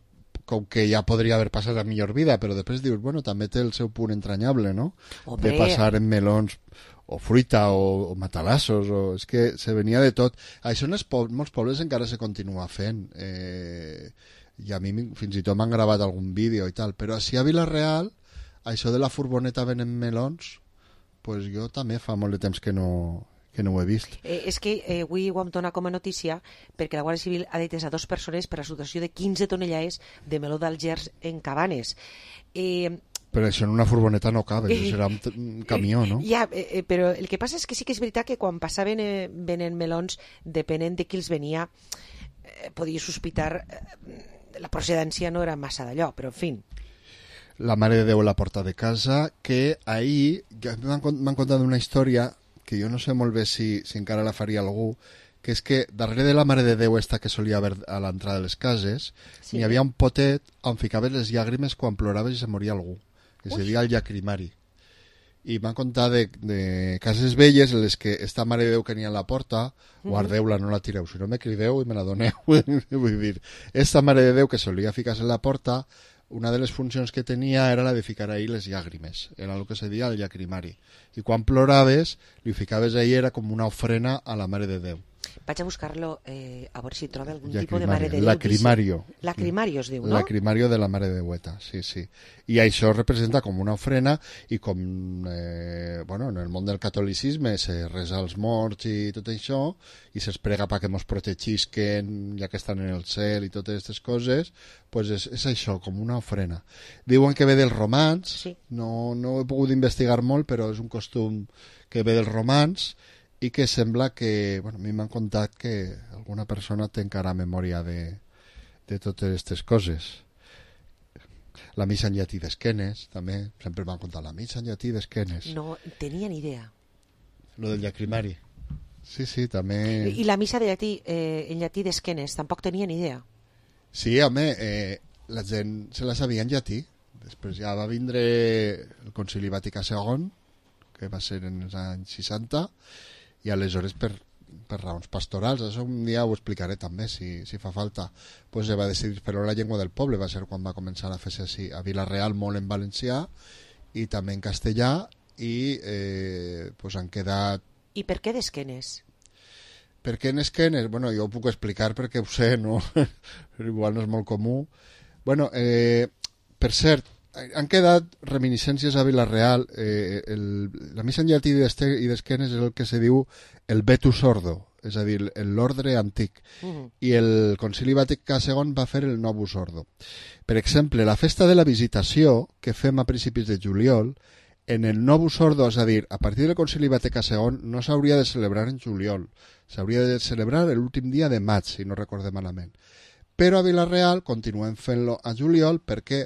com que ja podria haver passat a millor vida, però després dius, també té el seu punt entranyable, no? De passar en melons o fruita o matalassos, és que se venia de tot. Això en molts pobles encara se continua fent, i a mi fins i tot m'han gravat algun vídeo i tal, però si a Vila-real això de la furgoneta venent melons, pues jo també fa molt de temps que no ho he vist. És que avui ho hem donat com a notícia perquè la Guàrdia Civil ha detès a 2 persones per a situació de 15 tonellades de meló d'Algers en Cabanes. Però això en una furgoneta no cabe, això serà un camió, no? Ja, però el que passa és que sí que és veritat que quan passaven venent melons, depenent de qui els venia, podia sospitar la procedència no era massa d'allò, però en fi. La Mare de Déu a la porta de casa, que ahir m'han contat una història que jo no sé molt bé si encara la faria algú, que és que darrere de la Mare de Déu esta que solia haver a l'entrada de les cases, n'hi havia un potet on ficaves les llàgrimes quan ploraves i se moria algú. que se deia el Llacrimari. I m'han contat de cases velles en les que esta Mare de Déu que n'hi ha a la porta, guardeu-la, no la tireu, si no me crideu i me la doneu. Vull dir, esta Mare de Déu que solia ficar-se en la porta, una de les funcions que tenia era la de ficar ahí les llàgrimes, era el que se deia el llacrimari. I quan ploraves, li ficaves ahí, era com una ofrena a la Mare de Déu. Vaig a buscar-lo a veure si troba algun tipus de Mare de Déu. Lacrimario. Lacrimario es diu, no? Lacrimario de la Mare de Déueta, sí, sí. I això representa com una ofrena i com, bueno, en el món del catolicisme se resa als morts i tot això i se'ls prega perquè mos protegisquen ja que estan en el cel i totes aquestes coses, pues és això, com una ofrena. Diuen que ve dels romans, sí. No he pogut investigar molt, però és un costum que ve dels romans i que sembla que, bueno, a mi m'han contat que alguna persona té encara memòria de totes aquestes coses. La missa en llatí d'Esquenes, també, sempre m'han contat la missa en llatí d'Esquenes. No tenia ni idea. Lo del llacrimari. Sí, sí, també... I la missa de llatí, en llatí d'Esquenes, tampoc tenia ni idea. Sí, home, la gent se la sabia en llatí. Després ja va vindre el Concili Vaticà II, que va ser en els anys 60, i aleshores per raons pastorals, això un dia ho explicaré també si fa falta, pues va decidir fer la llengua del poble, va ser quan va començar a fer-se així a Vila-real molt en valencià i també en castellà i pues han quedat... I per què d'Esquenes? Per què en Esquenes? Bueno, jo ho puc explicar perquè ho sé, no? Igual no és molt comú. Bueno, per cert, han quedat reminiscències a Vila-real. La missa en llatí i d'Esquenes és el que se diu el Vetus Ordo, és a dir, l'ordre antic. I el Concili Vaticà II va fer el Novus Ordo. Per exemple, la festa de la Visitació, que fem a principis de juliol, en el Novus Ordo, és a dir, a partir del Concili Vaticà II, no s'hauria de celebrar en juliol, s'hauria de celebrar l'últim dia de maig, si no recordem malament. Però a Vila-real continuem fent-lo a juliol perquè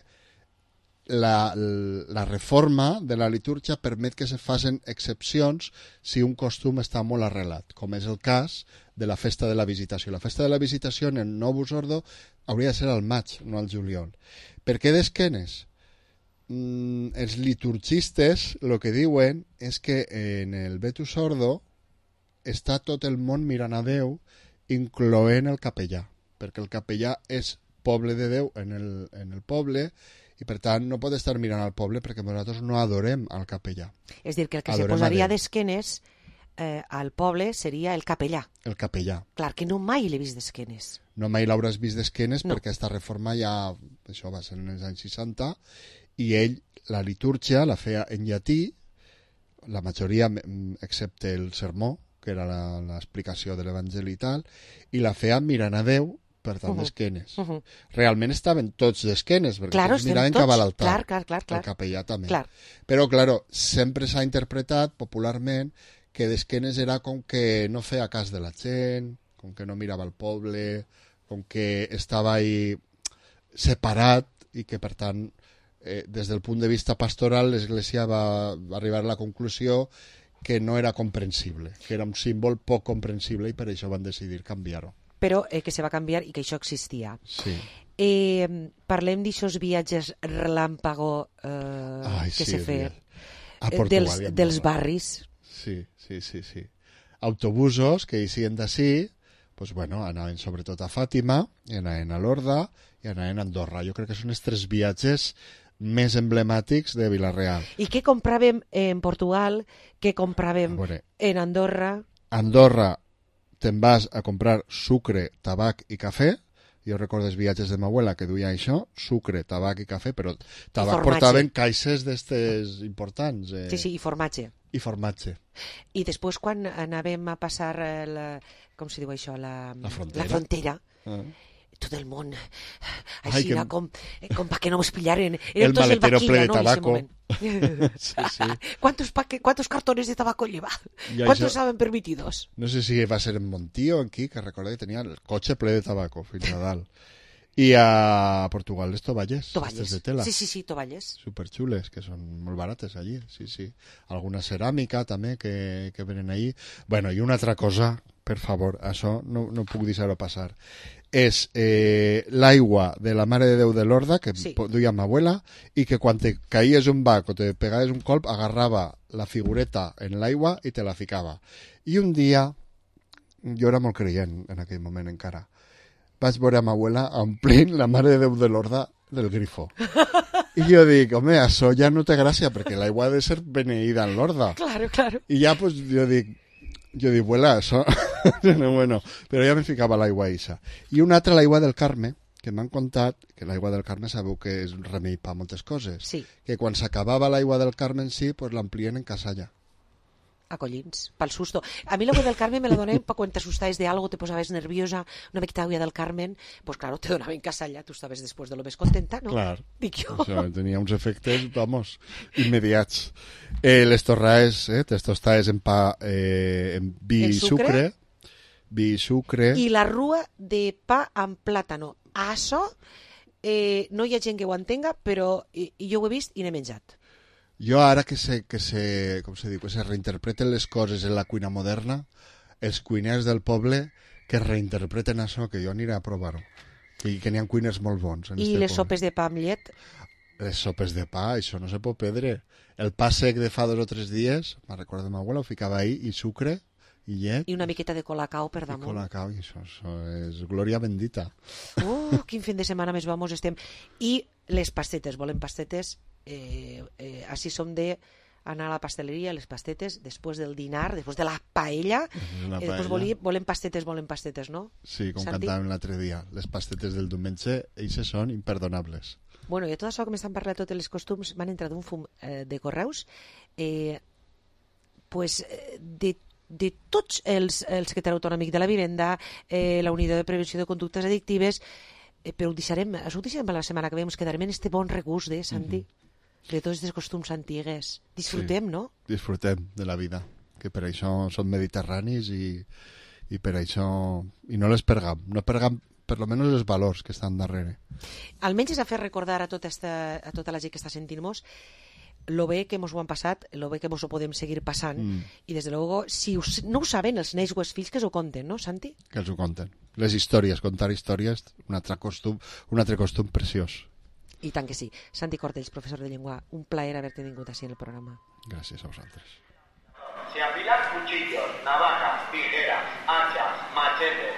la reforma de la litúrgia permet que se facin excepcions si un costum està molt arrelat, com és el cas de la festa de la Visitació. La festa de la Visitació en el Novus Ordo hauria de ser al maig, no al juliol. Per què d'Esquenes? Els liturgistes el que diuen és que en el Vetus Ordo està tot el món mirant a Déu, incloent el capellà, perquè el capellà és poble de Déu en el poble i per tant no pot estar mirant al poble perquè nosaltres no adorem al capellà. És dir, que el que se posaria d'esquenes al poble seria el capellà. El capellà. Clar, que no mai l'he vist d'esquenes. No mai l'hauràs vist d'esquenes perquè aquesta reforma ja, això va ser en els anys 60, i ell la litúrgia la feia en llatí, la majoria, excepte el sermó, que era l'explicació de l'Evangeli i tal, i la feia mirant a Déu, per tant, d'esquenes. Realment estaven tots d'esquenes, perquè tots miraven cap a l'altar. Clar. El capellà també. Clar. Però, claro, sempre s'ha interpretat popularment que d'esquenes era com que no feia cas de la gent, com que no mirava al poble, com que estava ahí separat i que, per tant, des del punt de vista pastoral, l'Església va arribar a la conclusió que no era comprensible, que era un símbol poc comprensible i per això van decidir canviar-ho. Però que se va canviar i que això existia. Sí. Parlem d'aixòs viatges relàmpago que se feien dels barris. Sí. Autobusos que eixien d'ací, pues bueno, anaven sobretot a Fàtima, i anaven a Lorda i anaven a Andorra. Jo crec que són els 3 viatges més emblemàtics de Vila-real. I què compràvem en Portugal, què compràvem en Andorra? Andorra te'n vas a comprar sucre, tabac i cafè. Jo recordo els viatges de ma abuela que duia això, sucre, tabac i cafè, però tabac portaven caixes d'estes importants. Sí, i formatge. I formatge. I després quan anàvem a passar, com se diu això, la frontera, tot el món així era com perquè no ens pillaren. El maletero ple de tabaco. Sí. ¿Cuántos cartones de tabaco lleva? ¿Cuántos estaven permitidos? No sé si va ser en Montío, aquí, que recordo que tenia el cotxe ple de tabaco fins a dalt. I a Portugal les tovalles de tela. Sí, tovalles. Superxules, que són molt barates allí. Sí. Alguna ceràmica també que venen allí. Bueno, i una altra cosa per favor, això no puc deixar-ho passar. És l'aigua de la Mare de Déu de Lorda, que duia ma abuela, i que quan te caïes un bac o te pegaves un colp, agarrava la figureta en l'aigua i te la ficava. I un dia, jo era molt creient en aquell moment encara, vaig veure a ma abuela omplint la Mare de Déu de Lorda del grifo. I jo dic, home, això ja no té gràcia, perquè l'aigua ha de ser beneïda en Lorda. Claro, claro. I ja, pues, jo dic, abuela, això... bueno, però ja me ficava l'aigua eixa. I una altra, l'aigua del Carme, que m'han contat que l'aigua del Carme sabeu que és un remei per moltes coses. Sí. Que quan s'acabava l'aigua del Carme en si, pues l'amplien en casalla. A collins, pel susto. A mi l'agua del Carmen me la donen para quan t'assustaves de algo, te posaves nerviosa, una miqueta d'agua del Carmen, pues claro, te donaven casalla, tu estaves després de lo més contenta, no? Clar, dic jo. Això tenia uns efectes, vamos, immediats. Les torraes, les tostades en pa, en vi i sucre. Vi i sucre. I la rua de pa amb plàtano. Això no hi ha gent que ho entenga, però jo ho he vist i n'he menjat. Jo ara que se reinterpreten les coses en la cuina moderna, els cuiners del poble que reinterpreten això, que jo aniré a provar-ho. Que n'hi ha cuiners molt bons. I les sopes de pa amb llet? Les sopes de pa, això no se pot perdre. El pa sec de fa 2 o 3 dies, me'n recordo de ma abuela, ho ficava ahí, i sucre, i llet. I una miqueta de colacao per damunt. Colacao, i això és glòria bendita. Quin fin de setmana més vamos estem. I les pastetes, volem pastetes... així som de anar a la pasteleria, les pastetes després del dinar, després de la paella, després volem pastetes, no? Sí, com cantàvem l'altre dia, les pastetes del diumenge, eixes són imperdonables. Bueno, i tot això que m'estan parlant totes les costums m'han entrat un fum de correus de tots els secretari autonòmic de la vivenda, la unitat de prevenció de conductes addictives, però ho deixarem per la setmana que ve, ens quedarem en este bon regust, Santi? De tots els costums antigues. Disfrutem, no? Disfrutem de la vida, que per això som mediterranis i per això... I no les pergam, no pergam per lo menos els valors que estan darrere. Almenys és a fer recordar a tota la gent que està sentint-nos lo bé que ens ho han passat, lo bé que ens ho podem seguir passant, i des de luego, si no ho saben els nens o els fills, que s'ho conten, no, Santi? Que els ho conten. Les històries, contar històries, un altre costum preciós. I tant que sí. Santi Cortells, professor de llengua, un plaer haver-te vingut així en el programa. Gràcies a vosaltres. Se afilan cuchillos, navajas, tijeras, hachas, machetes,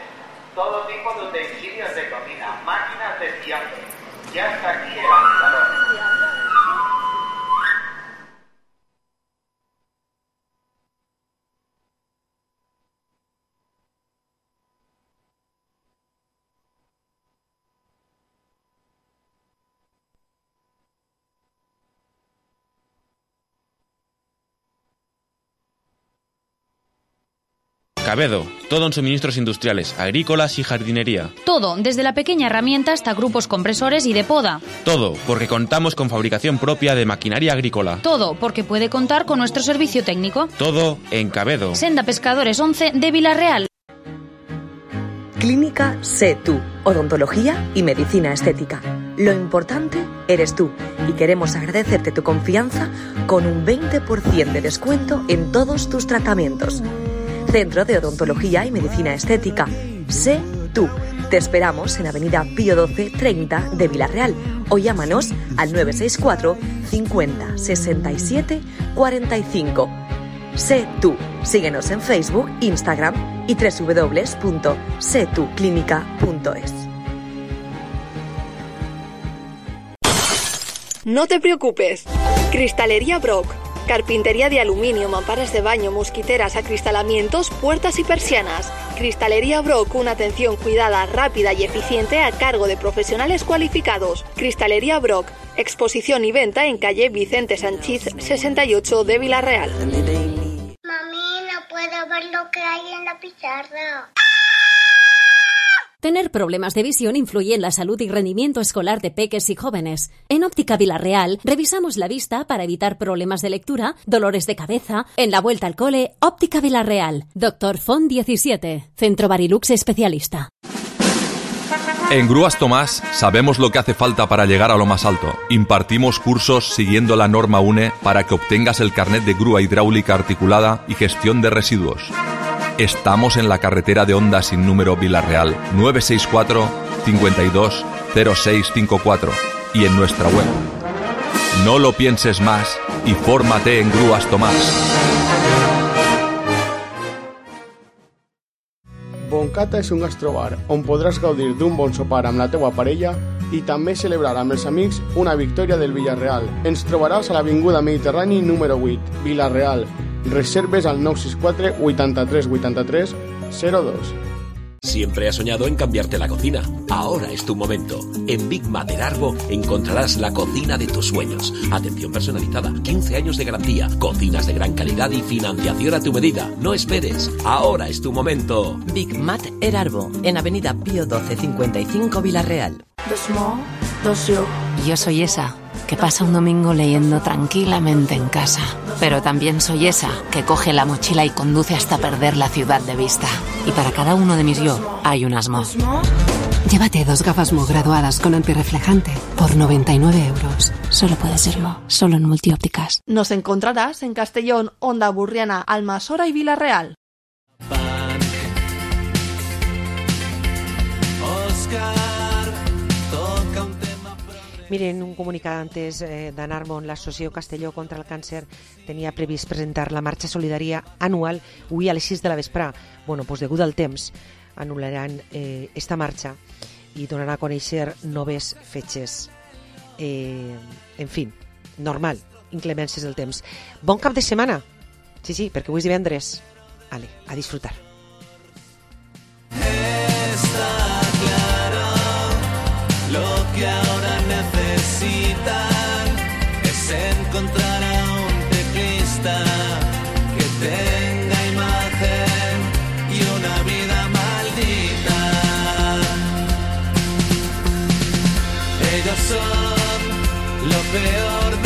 todo tipo de utensilios de cocina, máquinas de fiambre. Ya está aquí el afilador. Cabedo, todo en suministros industriales, agrícolas y jardinería. Todo, desde la pequeña herramienta hasta grupos compresores y de poda. Todo, porque contamos con fabricación propia de maquinaria agrícola. Todo, porque puede contar con nuestro servicio técnico. Todo en Cabedo. Senda Pescadores 11 de Vilarreal. Clínica Sé Tú, odontología y medicina estética. Lo importante eres tú y queremos agradecerte tu confianza con un 20% de descuento en todos tus tratamientos. Centro de Odontología y Medicina Estética. Sé Tú. Te esperamos en Avenida Pío 12 30 de Vilarreal o llámanos al 964 50 67 45. Sé Tú. Síguenos en Facebook, Instagram y www.setuclinica.es. No te preocupes. Cristalería Brock. Carpintería de aluminio, mamparas de baño, mosquiteras, acristalamientos, puertas y persianas. Cristalería Brock, una atención cuidada, rápida y eficiente a cargo de profesionales cualificados. Cristalería Brock, exposición y venta en calle Vicente Sanchiz 68 de Vilarreal. Mami, no puedo ver lo que hay en la pizarra. Tener problemas de visión influye en la salud y rendimiento escolar de peques y jóvenes. En Óptica Vilarreal revisamos la vista para evitar problemas de lectura, dolores de cabeza. En la vuelta al cole, Óptica Vilarreal. Dr. Font 17, Centro Barilux Especialista. En Grúas Tomás sabemos lo que hace falta para llegar a lo más alto. Impartimos cursos siguiendo la norma UNE para que obtengas el carnet de grúa hidráulica articulada y gestión de residuos. Estamos en la carretera de Onda sin número Vila-real, 964 52 0654 y en nuestra web. No lo pienses más y fórmate en Grúas Tomàs. Boncata és un gastrobar on podràs gaudir d'un bon sopar amb la teua parella i també celebrar amb els amics una victòria del Villarreal. Ens trobaràs a l'Avinguda Mediterrani número 8, Vila-real. Reserves al 964 83 83 02. Siempre has soñado en cambiarte la cocina. Ahora es tu momento. En Big Mat Erarbo encontrarás la cocina de tus sueños. Atención personalizada, 15 años de garantía, cocinas de gran calidad y financiación a tu medida. No esperes. Ahora es tu momento. Big Mat Erarbo, en Avenida Pío 12 55 Vila-real. Yo soy esa que pasa un domingo leyendo tranquilamente en casa. Pero también soy esa que coge la mochila y conduce hasta perder la ciudad de vista. Y para cada uno de mis yo hay un Asmo. Llévate 2 gafas Mo graduadas con antirreflejante por 99 euros. Solo puede ser Mo, solo en Multiópticas. Nos encontrarás en Castellón, Onda Burriana, Almasora y Vila-real. Miren, un comunicat antes d'Anarmon, l'Associació Castelló contra el Càncer tenia previst presentar la marxa solidària anual avui a les 6 de la vesprà. Bueno, doncs degut al temps anul·laran esta marxa i donaran a conèixer noves fetges. En fi, normal, inclemències del temps. Bon cap de setmana! Sí, perquè avui és divendres. Ale, a disfrutar. Está claro lo que ahora necesitan es encontrar a un teclista que tenga imagen y una vida maldita. Ellos son lo peor